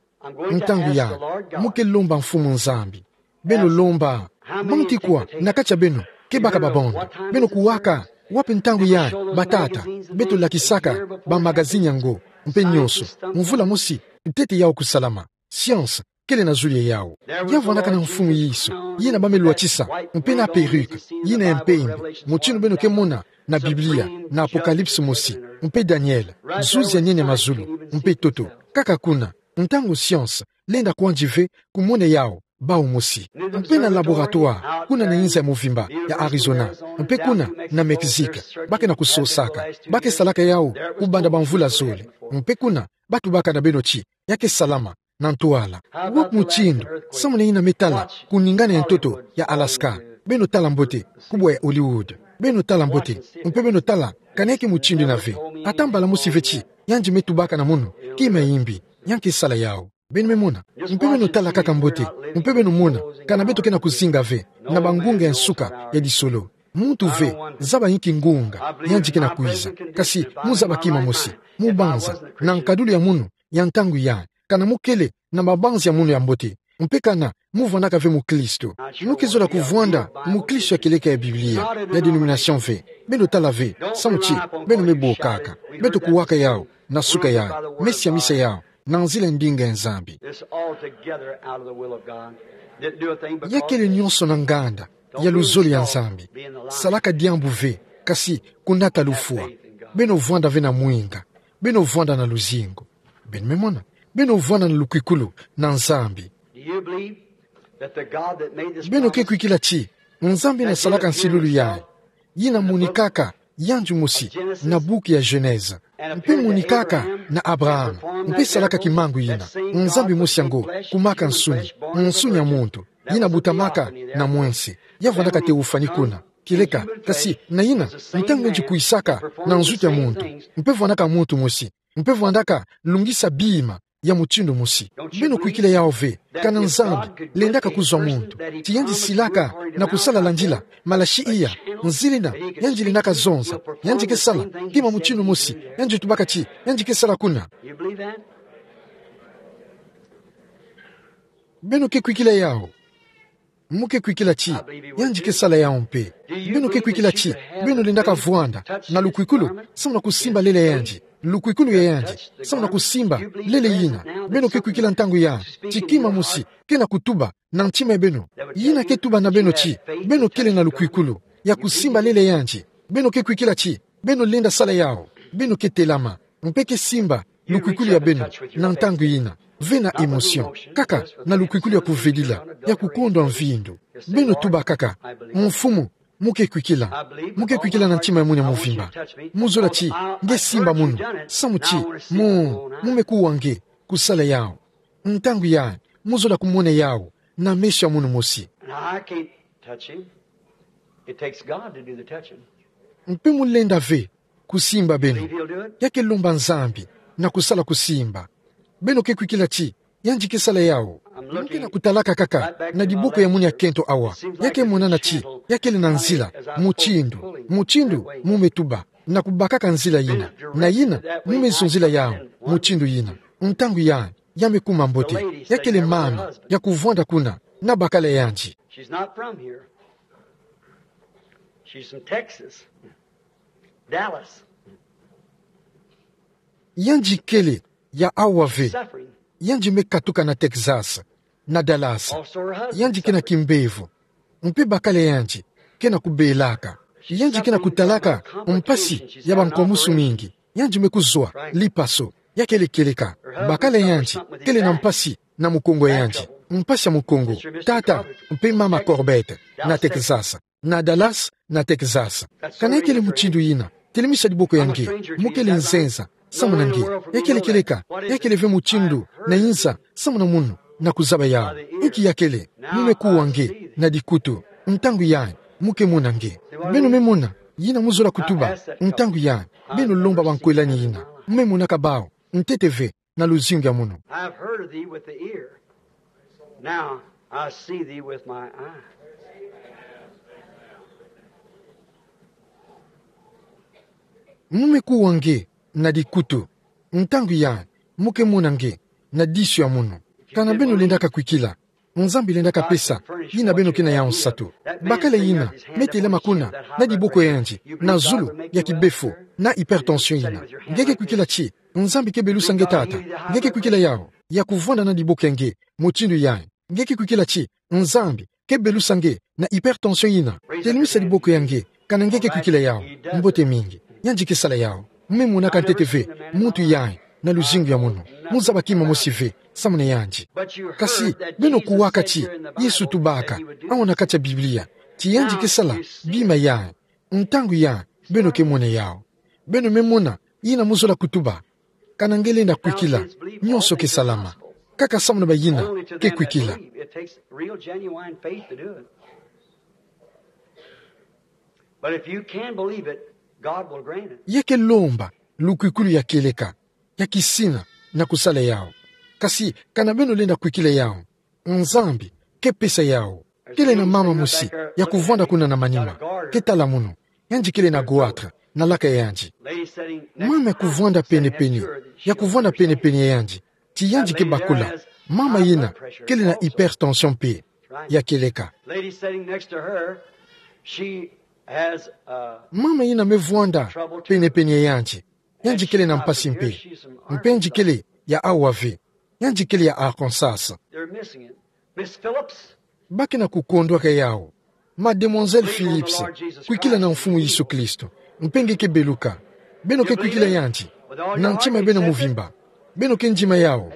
Ntangu ya, mu ke lomba Mfumu Nzambi. Beno lomba. Bantu kwa na kati ya beno ke baka babonda? Beno kuwaka wapi ntangu ya batata beto lakisaka bamagazini yango, mpe nyonso? Mvula mosi ntete yau kusalama. Science kele na zulu ya yau. Ya vandaka na Mfumu Yesu, yina ba me lwatisa, mpe na perruque yina ya mpembe, mutindu beno ke mona na Biblia, na Apocalypse mosi, mpe Daniel, zuzi ya nene ya mazulu, mpe ntoto. Kaka kuna, ntangu science lenda kwandi ve kumona yau, bau mosi. Mpe na laboratoire kuna na inza ya movimba ya Arizona, mpe kuna na Mexique, ba ke na kusosaka, ba ke salaka yau kubanda bamvula zole. Mpe kuna, ba tubaka na beno ti ya ke salama na ntwala. Wapi mutindu, samu na yina me tala kuningana ya ntoto ya Alaska, beno tala mbote, kubwa ya Hollywood, beno tala mbote, mpe beno tala kana ya ke mutindu yina ve. Ata mbala mosi ve ti yandi me tubaka na munu: Kima ya imbi, ya nke sala yau. Beno me mona? Mpe beno tala kaka mbote, mpe beno mona kana beto ke na kuzinga ve na bangunga ya nsuka ya lisolo. Muntu ve zaba inki ngunga yandi ke na kwiza, kasi mu zaba kima mosi, mu banza na nkadulu ya munu ya ntangu ya, kana mu kele na mabanzi ya munu ya mbote, mpe kana mu vandaka ve mukristo. Mu ke zola kuvwanda mukristo ya kieleka ya Biblia, ya dénomination ve. Beno tala ve samu ti beno me bokaka. Beto kuwaka yau na suka ya mesa ya misa yau, na nzila ya ndinga ya Nzambi. This altogether out of the will of God. Didn't do a thing because... Ya kele nyonso na nganda ya luzolo ya Nzambi. Salaka diambu ve, kasi kunata lufwa. Beno vwanda ve na mwinga. Beno vwanda na luzingu. Beno me mona? Beno vwanda na lukwikulu na Nzambi. Do you believe that the God that made this... Beno ke promise kwikila ti Nzambi yina salaka nsilulu ya, yina monikaka yandi mosi na buku ya Genèse, mpe monikaka na Abraham, mpe salaka kimangu yina? Nzambi mosi yango kumaka nsuni, nsuni ya muntu, yina butamaka na mwense, ya vandaka théophanie kuna, kieleka, kasi na yina, ntangu yandi kwisaka na nzutu ya muntu, mpe vandaka muntu mosi, mpe vandaka lungisa bima ya mutindu mosi. Beno kwikila yau ve, kana Nzambi lendaka kuzwa muntu, ti yandi silaka na kusala landila malasi iya, nzila yina yandi lendaka zonza, yandi ke sala kima mutindu mosi yandi tubaka ti yandi ke sala kuna? You believe that? Beno ke kwikila yau? Mu ke kwikila ti yandi ke sala yau mpe? Beno ke kwikila ti beno lendaka vwanda na lukwikulu samu na kusimba lele ya yandi, lukwikulu ya yandi samu na kusimba lele yina? Beno ke kwikila ntangu ya ti kima mosi ke na kutuba na ntima ya beno, yina ke tuba na beno ti beno kele na lukwikulu ya kusimba lele ya yandi? Beno ke kwikila ti beno lenda sala yau? Beno ke telama mpe ke simba lukwikulu ya beno na ntangu yina, ve na émotion, kaka na lukwikulu ya kuvedila, ya kukondwa mvindu. Beno tuba kaka: Mfumu, mu ke kwikila. Mu ke kwikila na ntima ya munu ya mvimba. Mu zola ti nge simba munu, samu ti mu, mu me kuwa nge kusala yau. Ntangu ya, mu zola kumona yau na meso ya munu mosi. Now, I can't touch him. It takes God to do the touching. Mpe mu lenda ve kusimba beno. Ya ke lomba Nzambi na kusala kusimba. Beno ke kwikila ti yandi ke sala yau? Mu ke na kutalaka kaka na diboko ya munu ya kento awa. Ya ke monana ti ya kele na nzila, mutindu, mutindu mu me tuba na kubakaka nzila yina, na yina mu me zonzila yau mutindu yina. Ntangu ya, ya me kuma mbote. Ya kele mama ya kuvwanda kuna na bakala ya yandi. She's not from here. She's from Texas. Dallas. Yandi kele ya awa ve. Suffering. Yandi me katuka na Texas, na Dallas. Also her husband. Yandi ke na kimbevo. Mpe bakala ya yandi ke na kubelaka. Yandi ke na kutalaka mpasi ya bankwamusu mingi. Yandi me kuzwa lipaso. Ya kele kieleka. Bakala ya yandi kele na mpasi na mukongo ya yandi. Mpasi ya mukongo. Tata mpe mama Corbett, na Texas, na Dallas, na Texas. Kana ya kele mutindu yina, telemisa diboko ya nge. Mu kele nzenza samu na nge. Ya kele kieleka. Ya kele ve mutindu na inza samu na munu na kuzaba yau. Inki ya kele? Mu me kuwa nge na dikutu. Ntangu ya, mu ke mona nge. Beno me mona yina mu zola kutuba? Ntangu ya, beno lomba bankwelani yina. Mu me monaka bau ntete ve na luzingu ya munu. I have heard of thee with the ear. Now I see thee with my eye. Mu me kuwa nge na dikutu. Ntangu ya, mu ke mona nge na disu ya munu. Kana beno lendaka kwikila, Nzambi lendaka pesa yina beno ke na yau nsatu. Bakala yina me telama kuna na diboko ya yandi, na zulu ya kibefo, na hypertension yina. Nge ke kwikila ti Nzambi ke belusa nge tata? Nge ke kwikila yau, ya kuvwanda na diboko ya nge mutindu yayi? Nge ke kwikila ti Nzambi ke belusa nge na hypertension yina? Telemisa diboko ya nge kana nge ke kwikila yau. Mbote mingi. Yandi ke sala yau. Mu me monaka ntete ve muntu yayi na luzingu ya munu. Mu zaba kima mosi ve samu na yandi. Kasi beno kuwaka ti Yesu tubaka, awu na kati ya Biblia, ti yandi ke sala bima yayi. Ntangu yayi beno ke mona yau. Beno me mona yina mu zola kutuba. Kana nge lenda kwikila, nyonso ke salama. Kaka samu na bayina ke kwikila. But if you can believe it, God will grant it. Ya ke lomba lukwikulu ya kieleka, ya kisina na kusala yau. Kasi kana beno lenda kwikila yau, Nzambi ke pesa yau. Kele na mama mosi ya kuvwanda kuna na manima, ke tala munu. Yandi kele na goitre na laka ya yandi. Mama ya kuvwanda penepene, ya kuvwanda penepene ya yandi, ti yandi ke bakula. Mama yina kele na hypertension mpe ya kieleka. Lady sitting next to her, she has, uh, mama yina me vwanda penepene ya yandi, yandi kele na mpasi mpe. Mpe yandi kele ya awa ve. Yandi kele ya Arkansas. They're missing it. Miss Phillips. Ba ke na kukondwaka yau. Mademoiselle Phillips, kwikila na Mfumu Yesu Kristo, mpe nge ke beluka. Beno ke kwikila yandi na ntima ya beno muvimba. Beno ke ndima yau.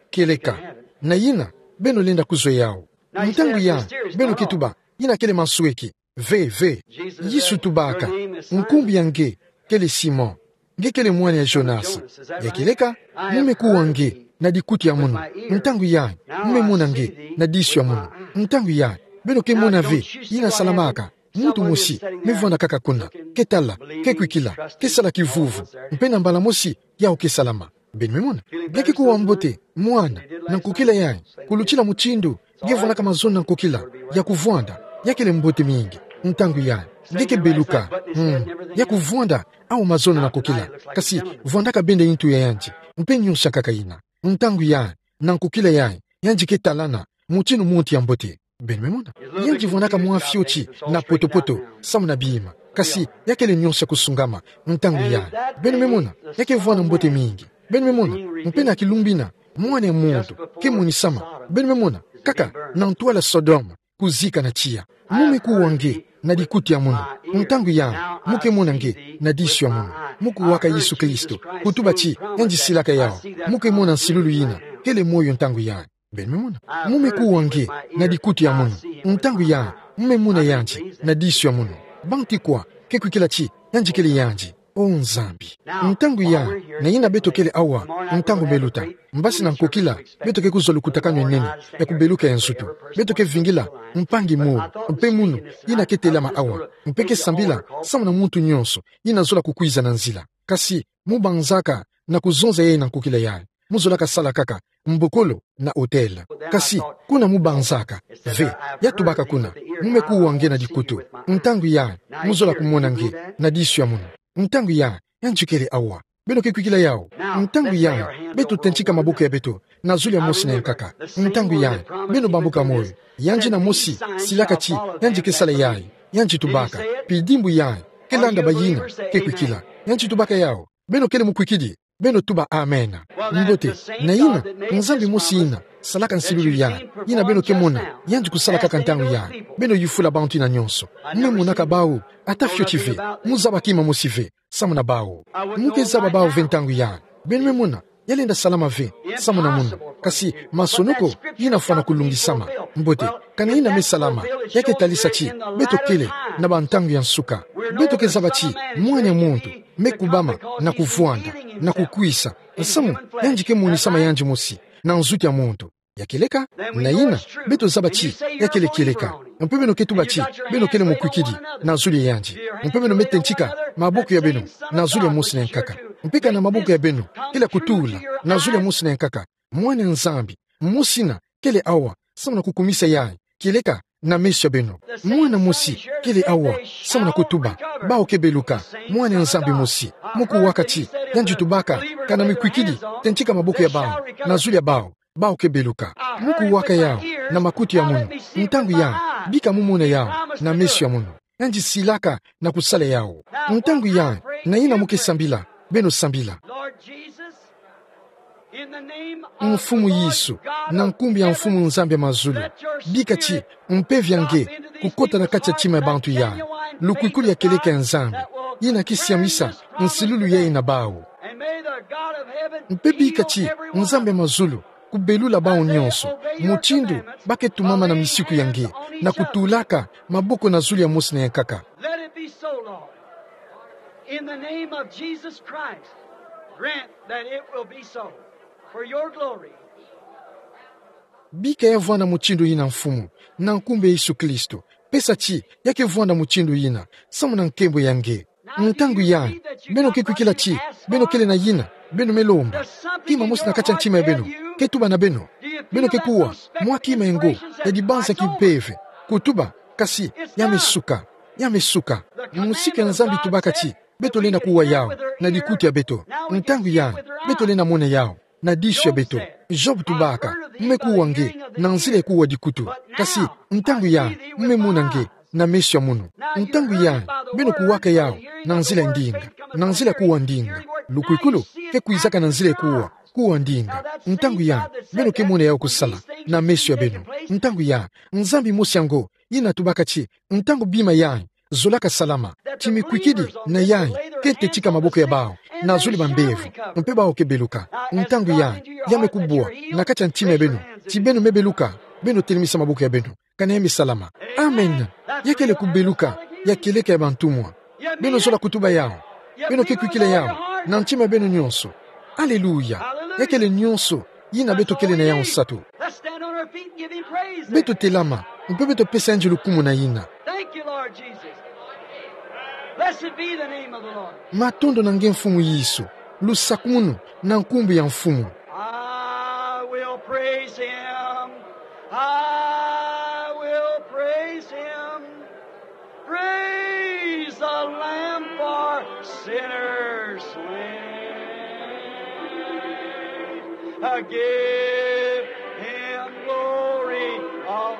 Kieleka. Na yina beno lenda kuzwe yau. Ntangu yayi beno ke tuba, yina kele mansweki. Ve, ve. Yesu tubaka, nkumbu ya nge kele Simon. Nge kele mwana ya Jonas. Ya kieleka, mu me kuwa nge na dikuti ya munu. Ntangu yayi mu me mona nge na disu ya munu. Ntangu yayi beno ke mona ve yina salamaka. Muntu mosi me vwanda kaka kuna, ke tala, ke kwikila, ke sala kivuvu, mpe na mbala mosi yau ke salama. Beno me mona? Nge ke kuwa mbote mwana na nkokila yayi, kulutila mutindu nge vwandaka mazono na nkokila ya kuvwanda. Ya kele mbote mingi. Ntangu yayi nge ke beluka. Hmm. Ya kuvwanda awu mazono na nkokila, kasi vwandaka bende ntu ya yandi, mpe nyonso ya nkaka yina. Ntangu yayi na nkokila yayi, yandi ke talana mutindu monte ya mbote. Beno me mona? Yandi vwandaka mwa fioti na poto-poto samu na bima, kasi ya kele nyonso ya kusungama. Ntangu yayi, beno me mona, ya ke vwanda mbote mingi. Beno me mona? Mpe na kilumbu ina, mwana ya muntu ke monisama. Beno me mona? Kaka na ntwala Sodome, kuzika na tiya. Mu me kuwa nge na dikuti ya munu. Ntangu yayi mu ke mona nge na disu ya munu. Mu kuwaka Yesu Kristo, kutuba ti yandi silaka yau. Mu ke mona nsilulu yina kele moyo ntangu yayi. Beno me mona? Mu me kuwa nge na dikuti ya munu. Ntangu yayi mu me mona yandi na disu ya munu. Bantu kwa ke kwikila ti yandi kele yandi? O Nzambi. Ntangu yayi, na yina beto kele awa, ntangu me luta, mbasi na nkokila beto ke kuzwa lukutakanu ya nene ya kubeluka ya nzutu. Beto ke vingila mpangi mo, mpe munu yina ke telama awa, mpe ke sambila samu na muntu nyonso yina zola kukwiza na nzila. Kasi mu banzaka na kuzonza yayi na nkokila yayi. Mu zolaka sala kaka mbokolo na hôtel. Kasi kuna mu banzaka ve, ya tubaka kuna, mu me kuwa nge na dikuti. Ntangu yayi mu zola kumona nge na disu ya munu. Ntangu yayi yandi kele awa. Beno ke kwikila yau? Ntangu yayi beto tentika maboko ya beto na zulu ya mosi na ya nkaka. Ntangu yayi beno bambuka moyo. Yandi na mosi silaka ti yandi ke sala yayi. Yandi tubaka, pidimbu yayi ke landa bayina ke kwikila. Yandi tubaka yau: Beno kele mukwikidi, beno tuba amen. Mbote, na yina Nzambi mosi yina salaka nsilulu yayi, yina beno ke mona yandi kusala kaka ntangu yayi. Beno yufula bantu yina nyonso. Mu me monaka bawu ata fioti ve. Mu zaba kima mosi ve samu na bawu. Mu ke zaba bawu ve ntangu yayi. Beno me mona, ya lenda salama ve samu na munu. Kasi masonoko yina fwana kulungisama. Mbote, kana yina me salama, ya ke talisa ti beto kele na bantangu ya nsuka. Beto ke zaba ti Mwana ya muntu me kubama na kuvwanda, na kukwisa, samu yandi ke monisama yandi mosi na nzutu ya muntu. Ya kieleka, na yina beto zaba ti ya kele kieleka. Mpe beno ke tuba ti beno kele mukwikidi na zulu ya yandi. Mpe beno me tentika maboko ya beno na zulu ya mosi na ya nkaka. Mpe kana maboko ya beno kele ya kutula na zulu ya mosi na ya nkaka, Mwana ya Nzambi mosi yina kele awa samu na kukumisa yayi, kieleka na meso ya beno. Mwana mosi kele awa samu na kutuba: Bawu ke beluka. Mwana ya Nzambi mosi. Mu kuwaka ti yandi tubaka, kana mikwikidi, tentika maboko ya bawu na zulu ya bawu. Baho ke beluka. Mu kuwaka yau na makutu ya munu. Ntangu yai, bika mu mona yau na meso ya munu. Yandi silaka na kusala yau. Ntangu yai, na yina mu ke sambila, beno sambila. Lord Jesus, in the name of Mfumu the Lord Yesu, God na nkumbu ya of Mfumu heaven, Nzambi ya mazulu, let your bika ti spirit mpeve ya nge come into this kukota na kati ya tima ya bantu yai. Lukwikilu ya kieleka ya Nzambi, yina ke siamisa nsilulu yai na baho. And may the God of heaven Mpe bika ti heal every one Nzambi ya of us. Mazulu kubelula baho nyonso, mutindu ba ke tumama na misiku ya nge, na kutulaka maboko na zulu ya mosi na yankaka. Let it be so, Lord. In the name of Jesus Christ, grant that it will be so. For your glory. Bika ya vwanda mutindu yina, Mfumu, na nkumbu ya Yesu Kristo. Pesa ti ya ke vwanda mutindu yina, samu na nkembo ya nge. Ntangu yai, beno ke kwikila ti beno kele na yina beno me lomba. Kima mosi na kati ya ntima ya beno ke tuba na beno. Beno ke kuwa mwa kima engo ya dibanza kimpeve, kutuba, kasi ya me suka, ya me suka. Musiku ya Nzambi tubaka ti beto lenda kuwa yau na dikutu ya beto. Ntangu yai, beto lenda mona yau na disu ya beto. Job tubaka: Mu me kuwa nge na nzila ya kuwa dikutu. Kasi ntangu yai, mu me mona nge na meso ya munu. Ntangu yai, beno kuwaka yau na nzila ya ndinga, na nzila ya kuwa ndinga. Lukwikilu ke kwizaka na nzila ya kuwa, kuwa ndinga. Ntangu yai, beno ke mona yau kusala na meso ya beno. Ntangu yai, Nzambi mosi yango yina tubaka ti ntangu bima yai zolaka salama, ti mikwikidi na yai ke tetika maboko ya baho na zulu ya bambevo, mpe baho ke beluka. Ntangu yai, ya me kubwa na kati ya ntima ya beno ti beno me beluka, beno telemisa maboko ya beno, kana ya me salama. Amen. Ya kele kubeluka ya kieleka ya bantumwa. Beno zola kutuba yau. Beno ke kwikila yau na ntima ya beno nyonso. Aleluya. Ya kele nyonso yina beto kele na yau nsatu. Let's stand on our feet and give him praise. Beto telama, mpe beto pesa yandi lukumu na yina. Thank you, Lord Jesus. Blessed be the name of the Lord. Matondo na nge Mfumu Yesu. Lusakumunu na nkumbu ya Mfumu. I will praise him. I will praise him. Praise the Lamb for sinners slain. Uh, give him glory, all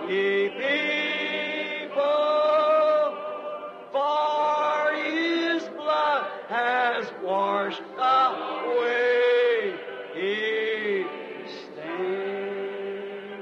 ye people, for his blood has washed away his stain.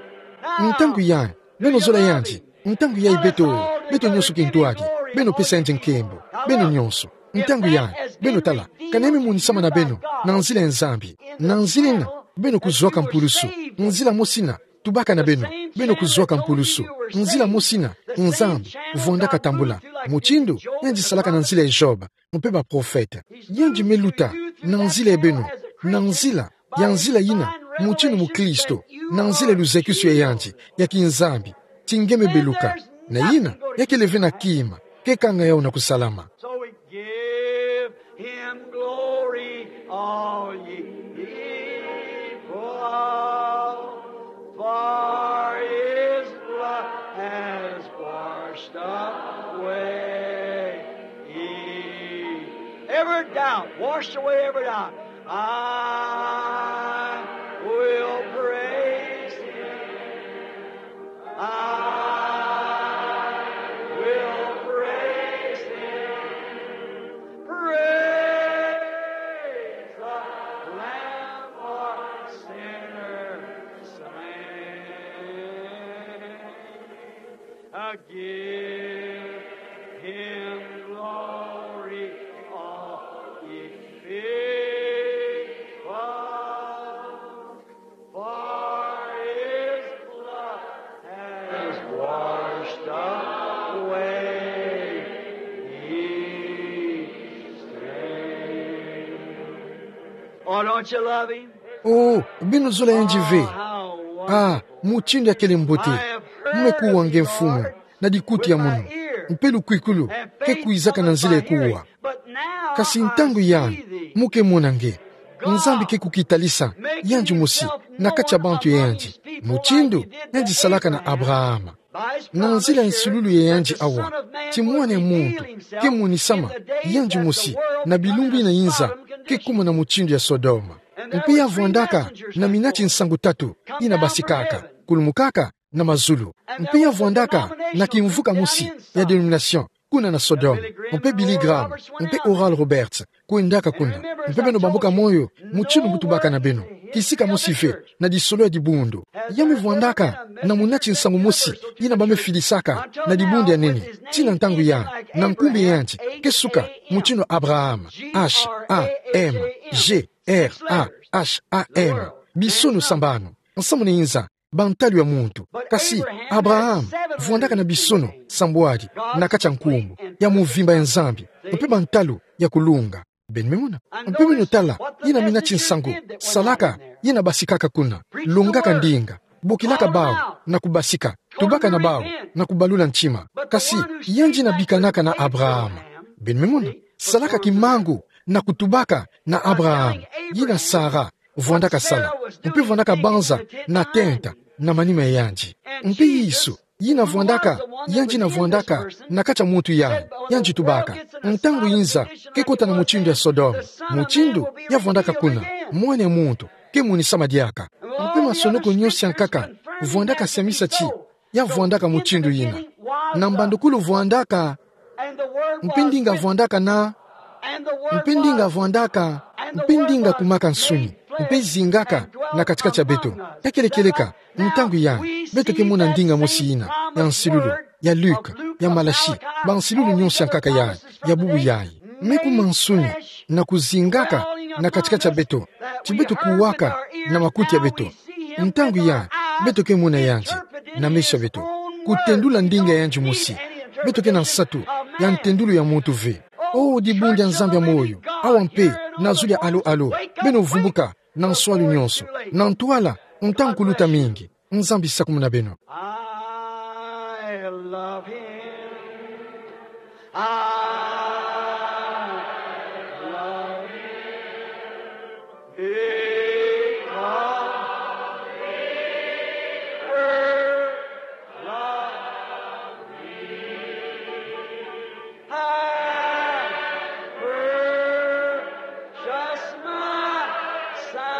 Ntangu yai, beno zola yandi. Ntangu yai beto, beto nyonso kintwadi, beno pesa yandi nkembo, beno nyonso. Ntangu yai, beno tala, kana ya me monisama na beno na nzila ya Nzambi. Na nzila yina, beno kuzwaka mpulusu. Nzila mosi yina tubaka na beno, beno kuzwaka mpulusu. Nzila mosi yina Nzambi vwandaka tambula, mutindu yandi salaka na nzila ya Job, mpe baprofete. Yandi me luta na nzila ya beno, na nzila ya nzila yina, mutindu mukristo, na nzila ya luzakisu ya yandi ya kiNzambi, ti nge me beluka. Na yina, ya kele ve na kima ke kanga yau na kusalama. So we give him glory, all ye people, for his blood has washed away every doubt, washed away every doubt. I will praise him. I will praise him. Praise the Lamb for sinners slain. I give him glory, all ye people, for his blood has washed away ye stain. Oh, don't you love him? Oh, beno zola yandi ve? Ah, mutindu ya kele mbote. Mu me kuwa nge Mfumu na dikutu ya munu, mpe lukwikulu ke kwizaka na nzila ya kuwa. Kasi ntangu yai, mu ke mona nge. Nzambi ke kukitalisa yandi mosi na kati ya bantu ya yandi, mutindu yandi salaka na Abrahama. Na nzila ya nsilulu ya yandi awa, ti Mwana ya muntu ke monisama yandi mosi na bilumbu yina inza ke kuma na mutindu ya Sodoma. Mpe ya vwandaka na minati nsangu tatu yina basikaka, kulumukaka na mazulu. Mpe ya vwandaka na kimvuka mosi ya denomination kuna na Sodome, mpe Billy Graham, mpe Oral Roberts, kwendaka kuna. Mpe beno bambuka moyo mutindu mutubaka na beno. Kisika mosi ve, na disolo ya dibundu. Ya me vwandaka na munati nsangu mosi yina ba me filisaka na dibundu ya nene, tii na ntangu ya, na nkumbu ya yandi ke suka, mutindu Abraham, H A M, G R A H A M, bisono sambanu, nsamu na inza, bantalu ya muntu. Kasi Abraham vwandaka na bisono sambwadi na kati ya nkumbu ya muvimba ya Nzambi, mpe bantalu ya kulunga. Beno me mona? Mpe beno tala yina minati nsangu salaka, yina basikaka kuna, longaka ndinga, bokilaka bawu na kubasika, tubaka na bawu na kubalula ntima. Kasi yandi yina bikanaka na Abraham, beno me mona, salaka kimangu na kutubaka na Abraham, yina Sara vwandaka sala, mpe vwandaka banza na tenta na manima ya yandi. Mpe Yesu, yina vwandaka, yandi yina vwandaka na kati ya muntu yayi, yandi tubaka, ntangu inza ke kota na mutindu ya Sodome, mutindu ya vwandaka kuna, Mwana ya muntu ke monisama diaka. Mpe masonoko nyonso ya nkaka vwandaka siamisa ti ya vwandaka mutindu yina. Na mbandukulu vwandaka, mpe ndinga vwandaka na, mpe ndinga vwandaka, mpe ndinga kumaka nsuni, mpe zingaka na kati-kati ya beto. Ya kele kieleka, ntangu yayi, beto ke mona ndinga mosi yina ya nsilulu ya Luke, ya Malaki, bansilulu nyonso ya nkaka yayi, ya bubu yayi. Me kuma nsuni na kuzingaka na kati-kati ya beto, ti beto kuwaka na makuti ya beto. Ntangu yayi, beto ke mona yandi na meso ya beto, kutendula ndinga ya yandi mosi. Beto ke na nsatu ya ntendulu ya muntu ve. O dibundu ya Nzambi ya moyo, awa mpe na zulu ya alo-alo, beno vumbuka na nswalu nyonso, na ntwala, ntangu kuluta mingi. Nzambi sakumuna beno. I love him. I love him. Because he first loved me. And purchased my salvation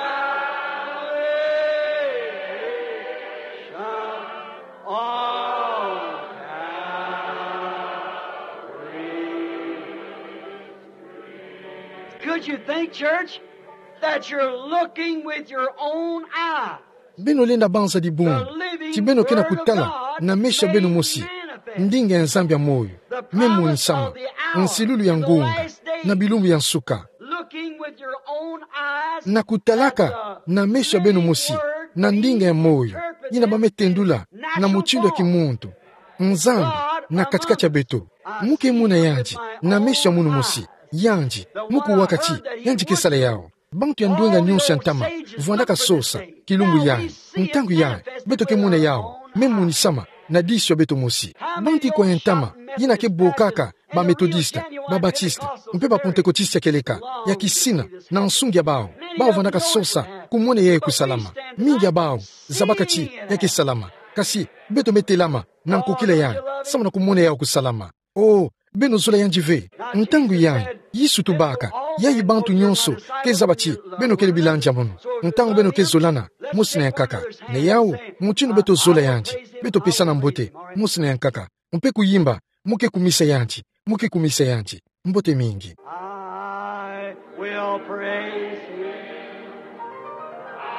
on Calvary. Could you think, church, that you're looking with your own eye? Beno lenda banza dibundu ti beno ke na kutala na meso ya beno mosi ndinga ya Nzambi ya moyo me monisama, nsilulu ya ngonga, na bilumbu ya nsuka. Looking with your own eyes na kutalaka na meso ya beno mosi na ndinga ya moyo yina ba me tendula na mutindu ya kimuntu. Nzambi na kati-kati ya beto. Mu ke mona yandi na meso ya munu mosi. Yandi, mu kuwaka ti yandi ke sala yawu. Bantu ya ndwenga nyonso ya ntama vwandaka sosa kilumbu yayi. Ntangu yayi, beto ke mona yawu me monisama na disu ya beto mosi. Banti kwa ya ntama yina ke bokaka ba Methodiste, ba Baptiste, mpe ba Pentecôtiste ya kieleka, ya kisina, na nsungi ya bawu, bawu vwandaka sosa kumona yayi kusalama. Mingi ya bawu zabaka ti ya ke salama. Kasi beto me telama na nkokila yayi samu na kumona yawu kusalama. O, beno zola yandi ve. Ntangu yayi, Yesu tubaka, yayi bantu nyonso ke zaba ti beno kele bilandi ya mono. Ntangu beno ke zolana mosi na yankaka, na yawu, mutindu beto zola yandi, beto pesana mbote mosi na yankaka, mpe kuyimba, mu ke kumisa yandi, mu ke kumisa yandi. Mbote mingi. I will praise him. I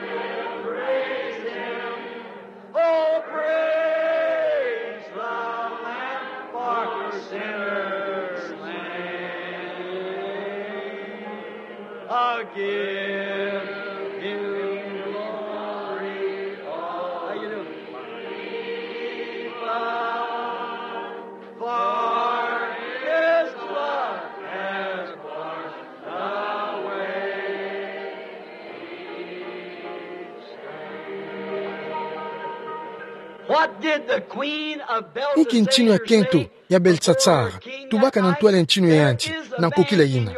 will praise him. Oh, praise the Lamb, for sinners slain. I'll give him glory. How you doing? For his blood has washed away. What did the queen of Belshazzar say? Inki ntinu ya kento ya Belshazzar tubaka na ntwala ya ntinu ya yandi na nkokila yina?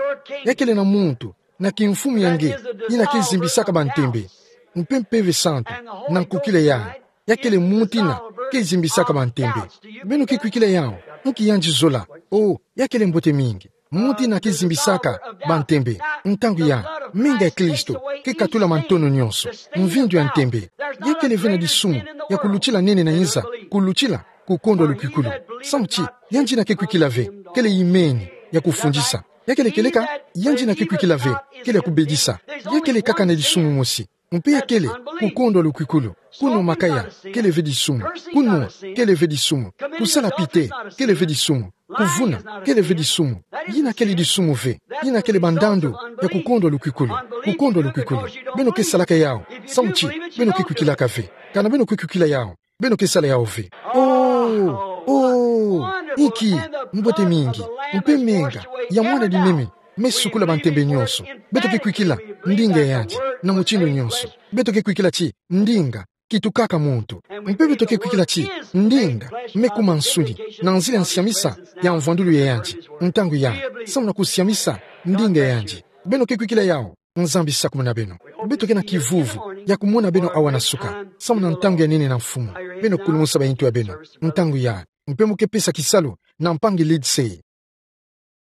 Ya kele na muntu na kimfumu ya nge yina ke zimbisaka bantembe, mpe Mpeve Santu na nkokila yayi. Ya kele muntu yina ke zimbisaka bantembe. Beno ke kwikila yawu? Nki yandi zola? O, ya kele mbote mingi. muti na ke zimbisaka bantembe. Ntangu ya, menga ya Kristo ke katula mantono nyonso, mvindu ya ntembe. Ya kele ve na disumu ya kulutila nene na nza, kulutila kukondwa lukwikulu. Samu ti, yandi na ke kwikila ve, kele imeni ya kufundisa. Ya kele kieleka, yandi na ke kwikila ve, kele ya kubedisa. Ya kele kaka na disumu mosi. Mpe ya kele kukondwa lukwikulu. Kunwa makaya, kele ve disumu. Kunwa, kele ve disumu. Kusala pite, kele ve disumu. Kuvuna, kele ve disumu. Yina kele disumu ve. Yina kele bandandu ya kukondwa lukwikulu. Kukondwa lukwikulu. Beno ke salaka yawu. Samu ti, beno ke kwikilaka ve. Kana beno ke kwikila yawu, beno ke sala yawu ve. Oh, oh, inki mbote mingi, mpe menga ya mwana-di-meme me sukula bantembe nyonso. Beto ke kwikila ndinga ya yandi na mutindu nyonso. Beto ke kwikila ti ndinga kitukaka muntu. Mpe beto ke kwikila ti ndinga me kuma nsuni na nzila nsiamisa ya mvwandulu ya yandi. Ntangu ya, samu na kusiamisa ndinga ya yandi. Beno ke kwikila yawu. Nzambi sakumuna beno. Beto ke na kivuvu ya kumona beno awa na suka, samu na ntangu ya nene na Mfumu. Beno kulumusa bayintu ya beno ntangu ya, mpe mu ke pesa kisalu na mpangi Lindsay.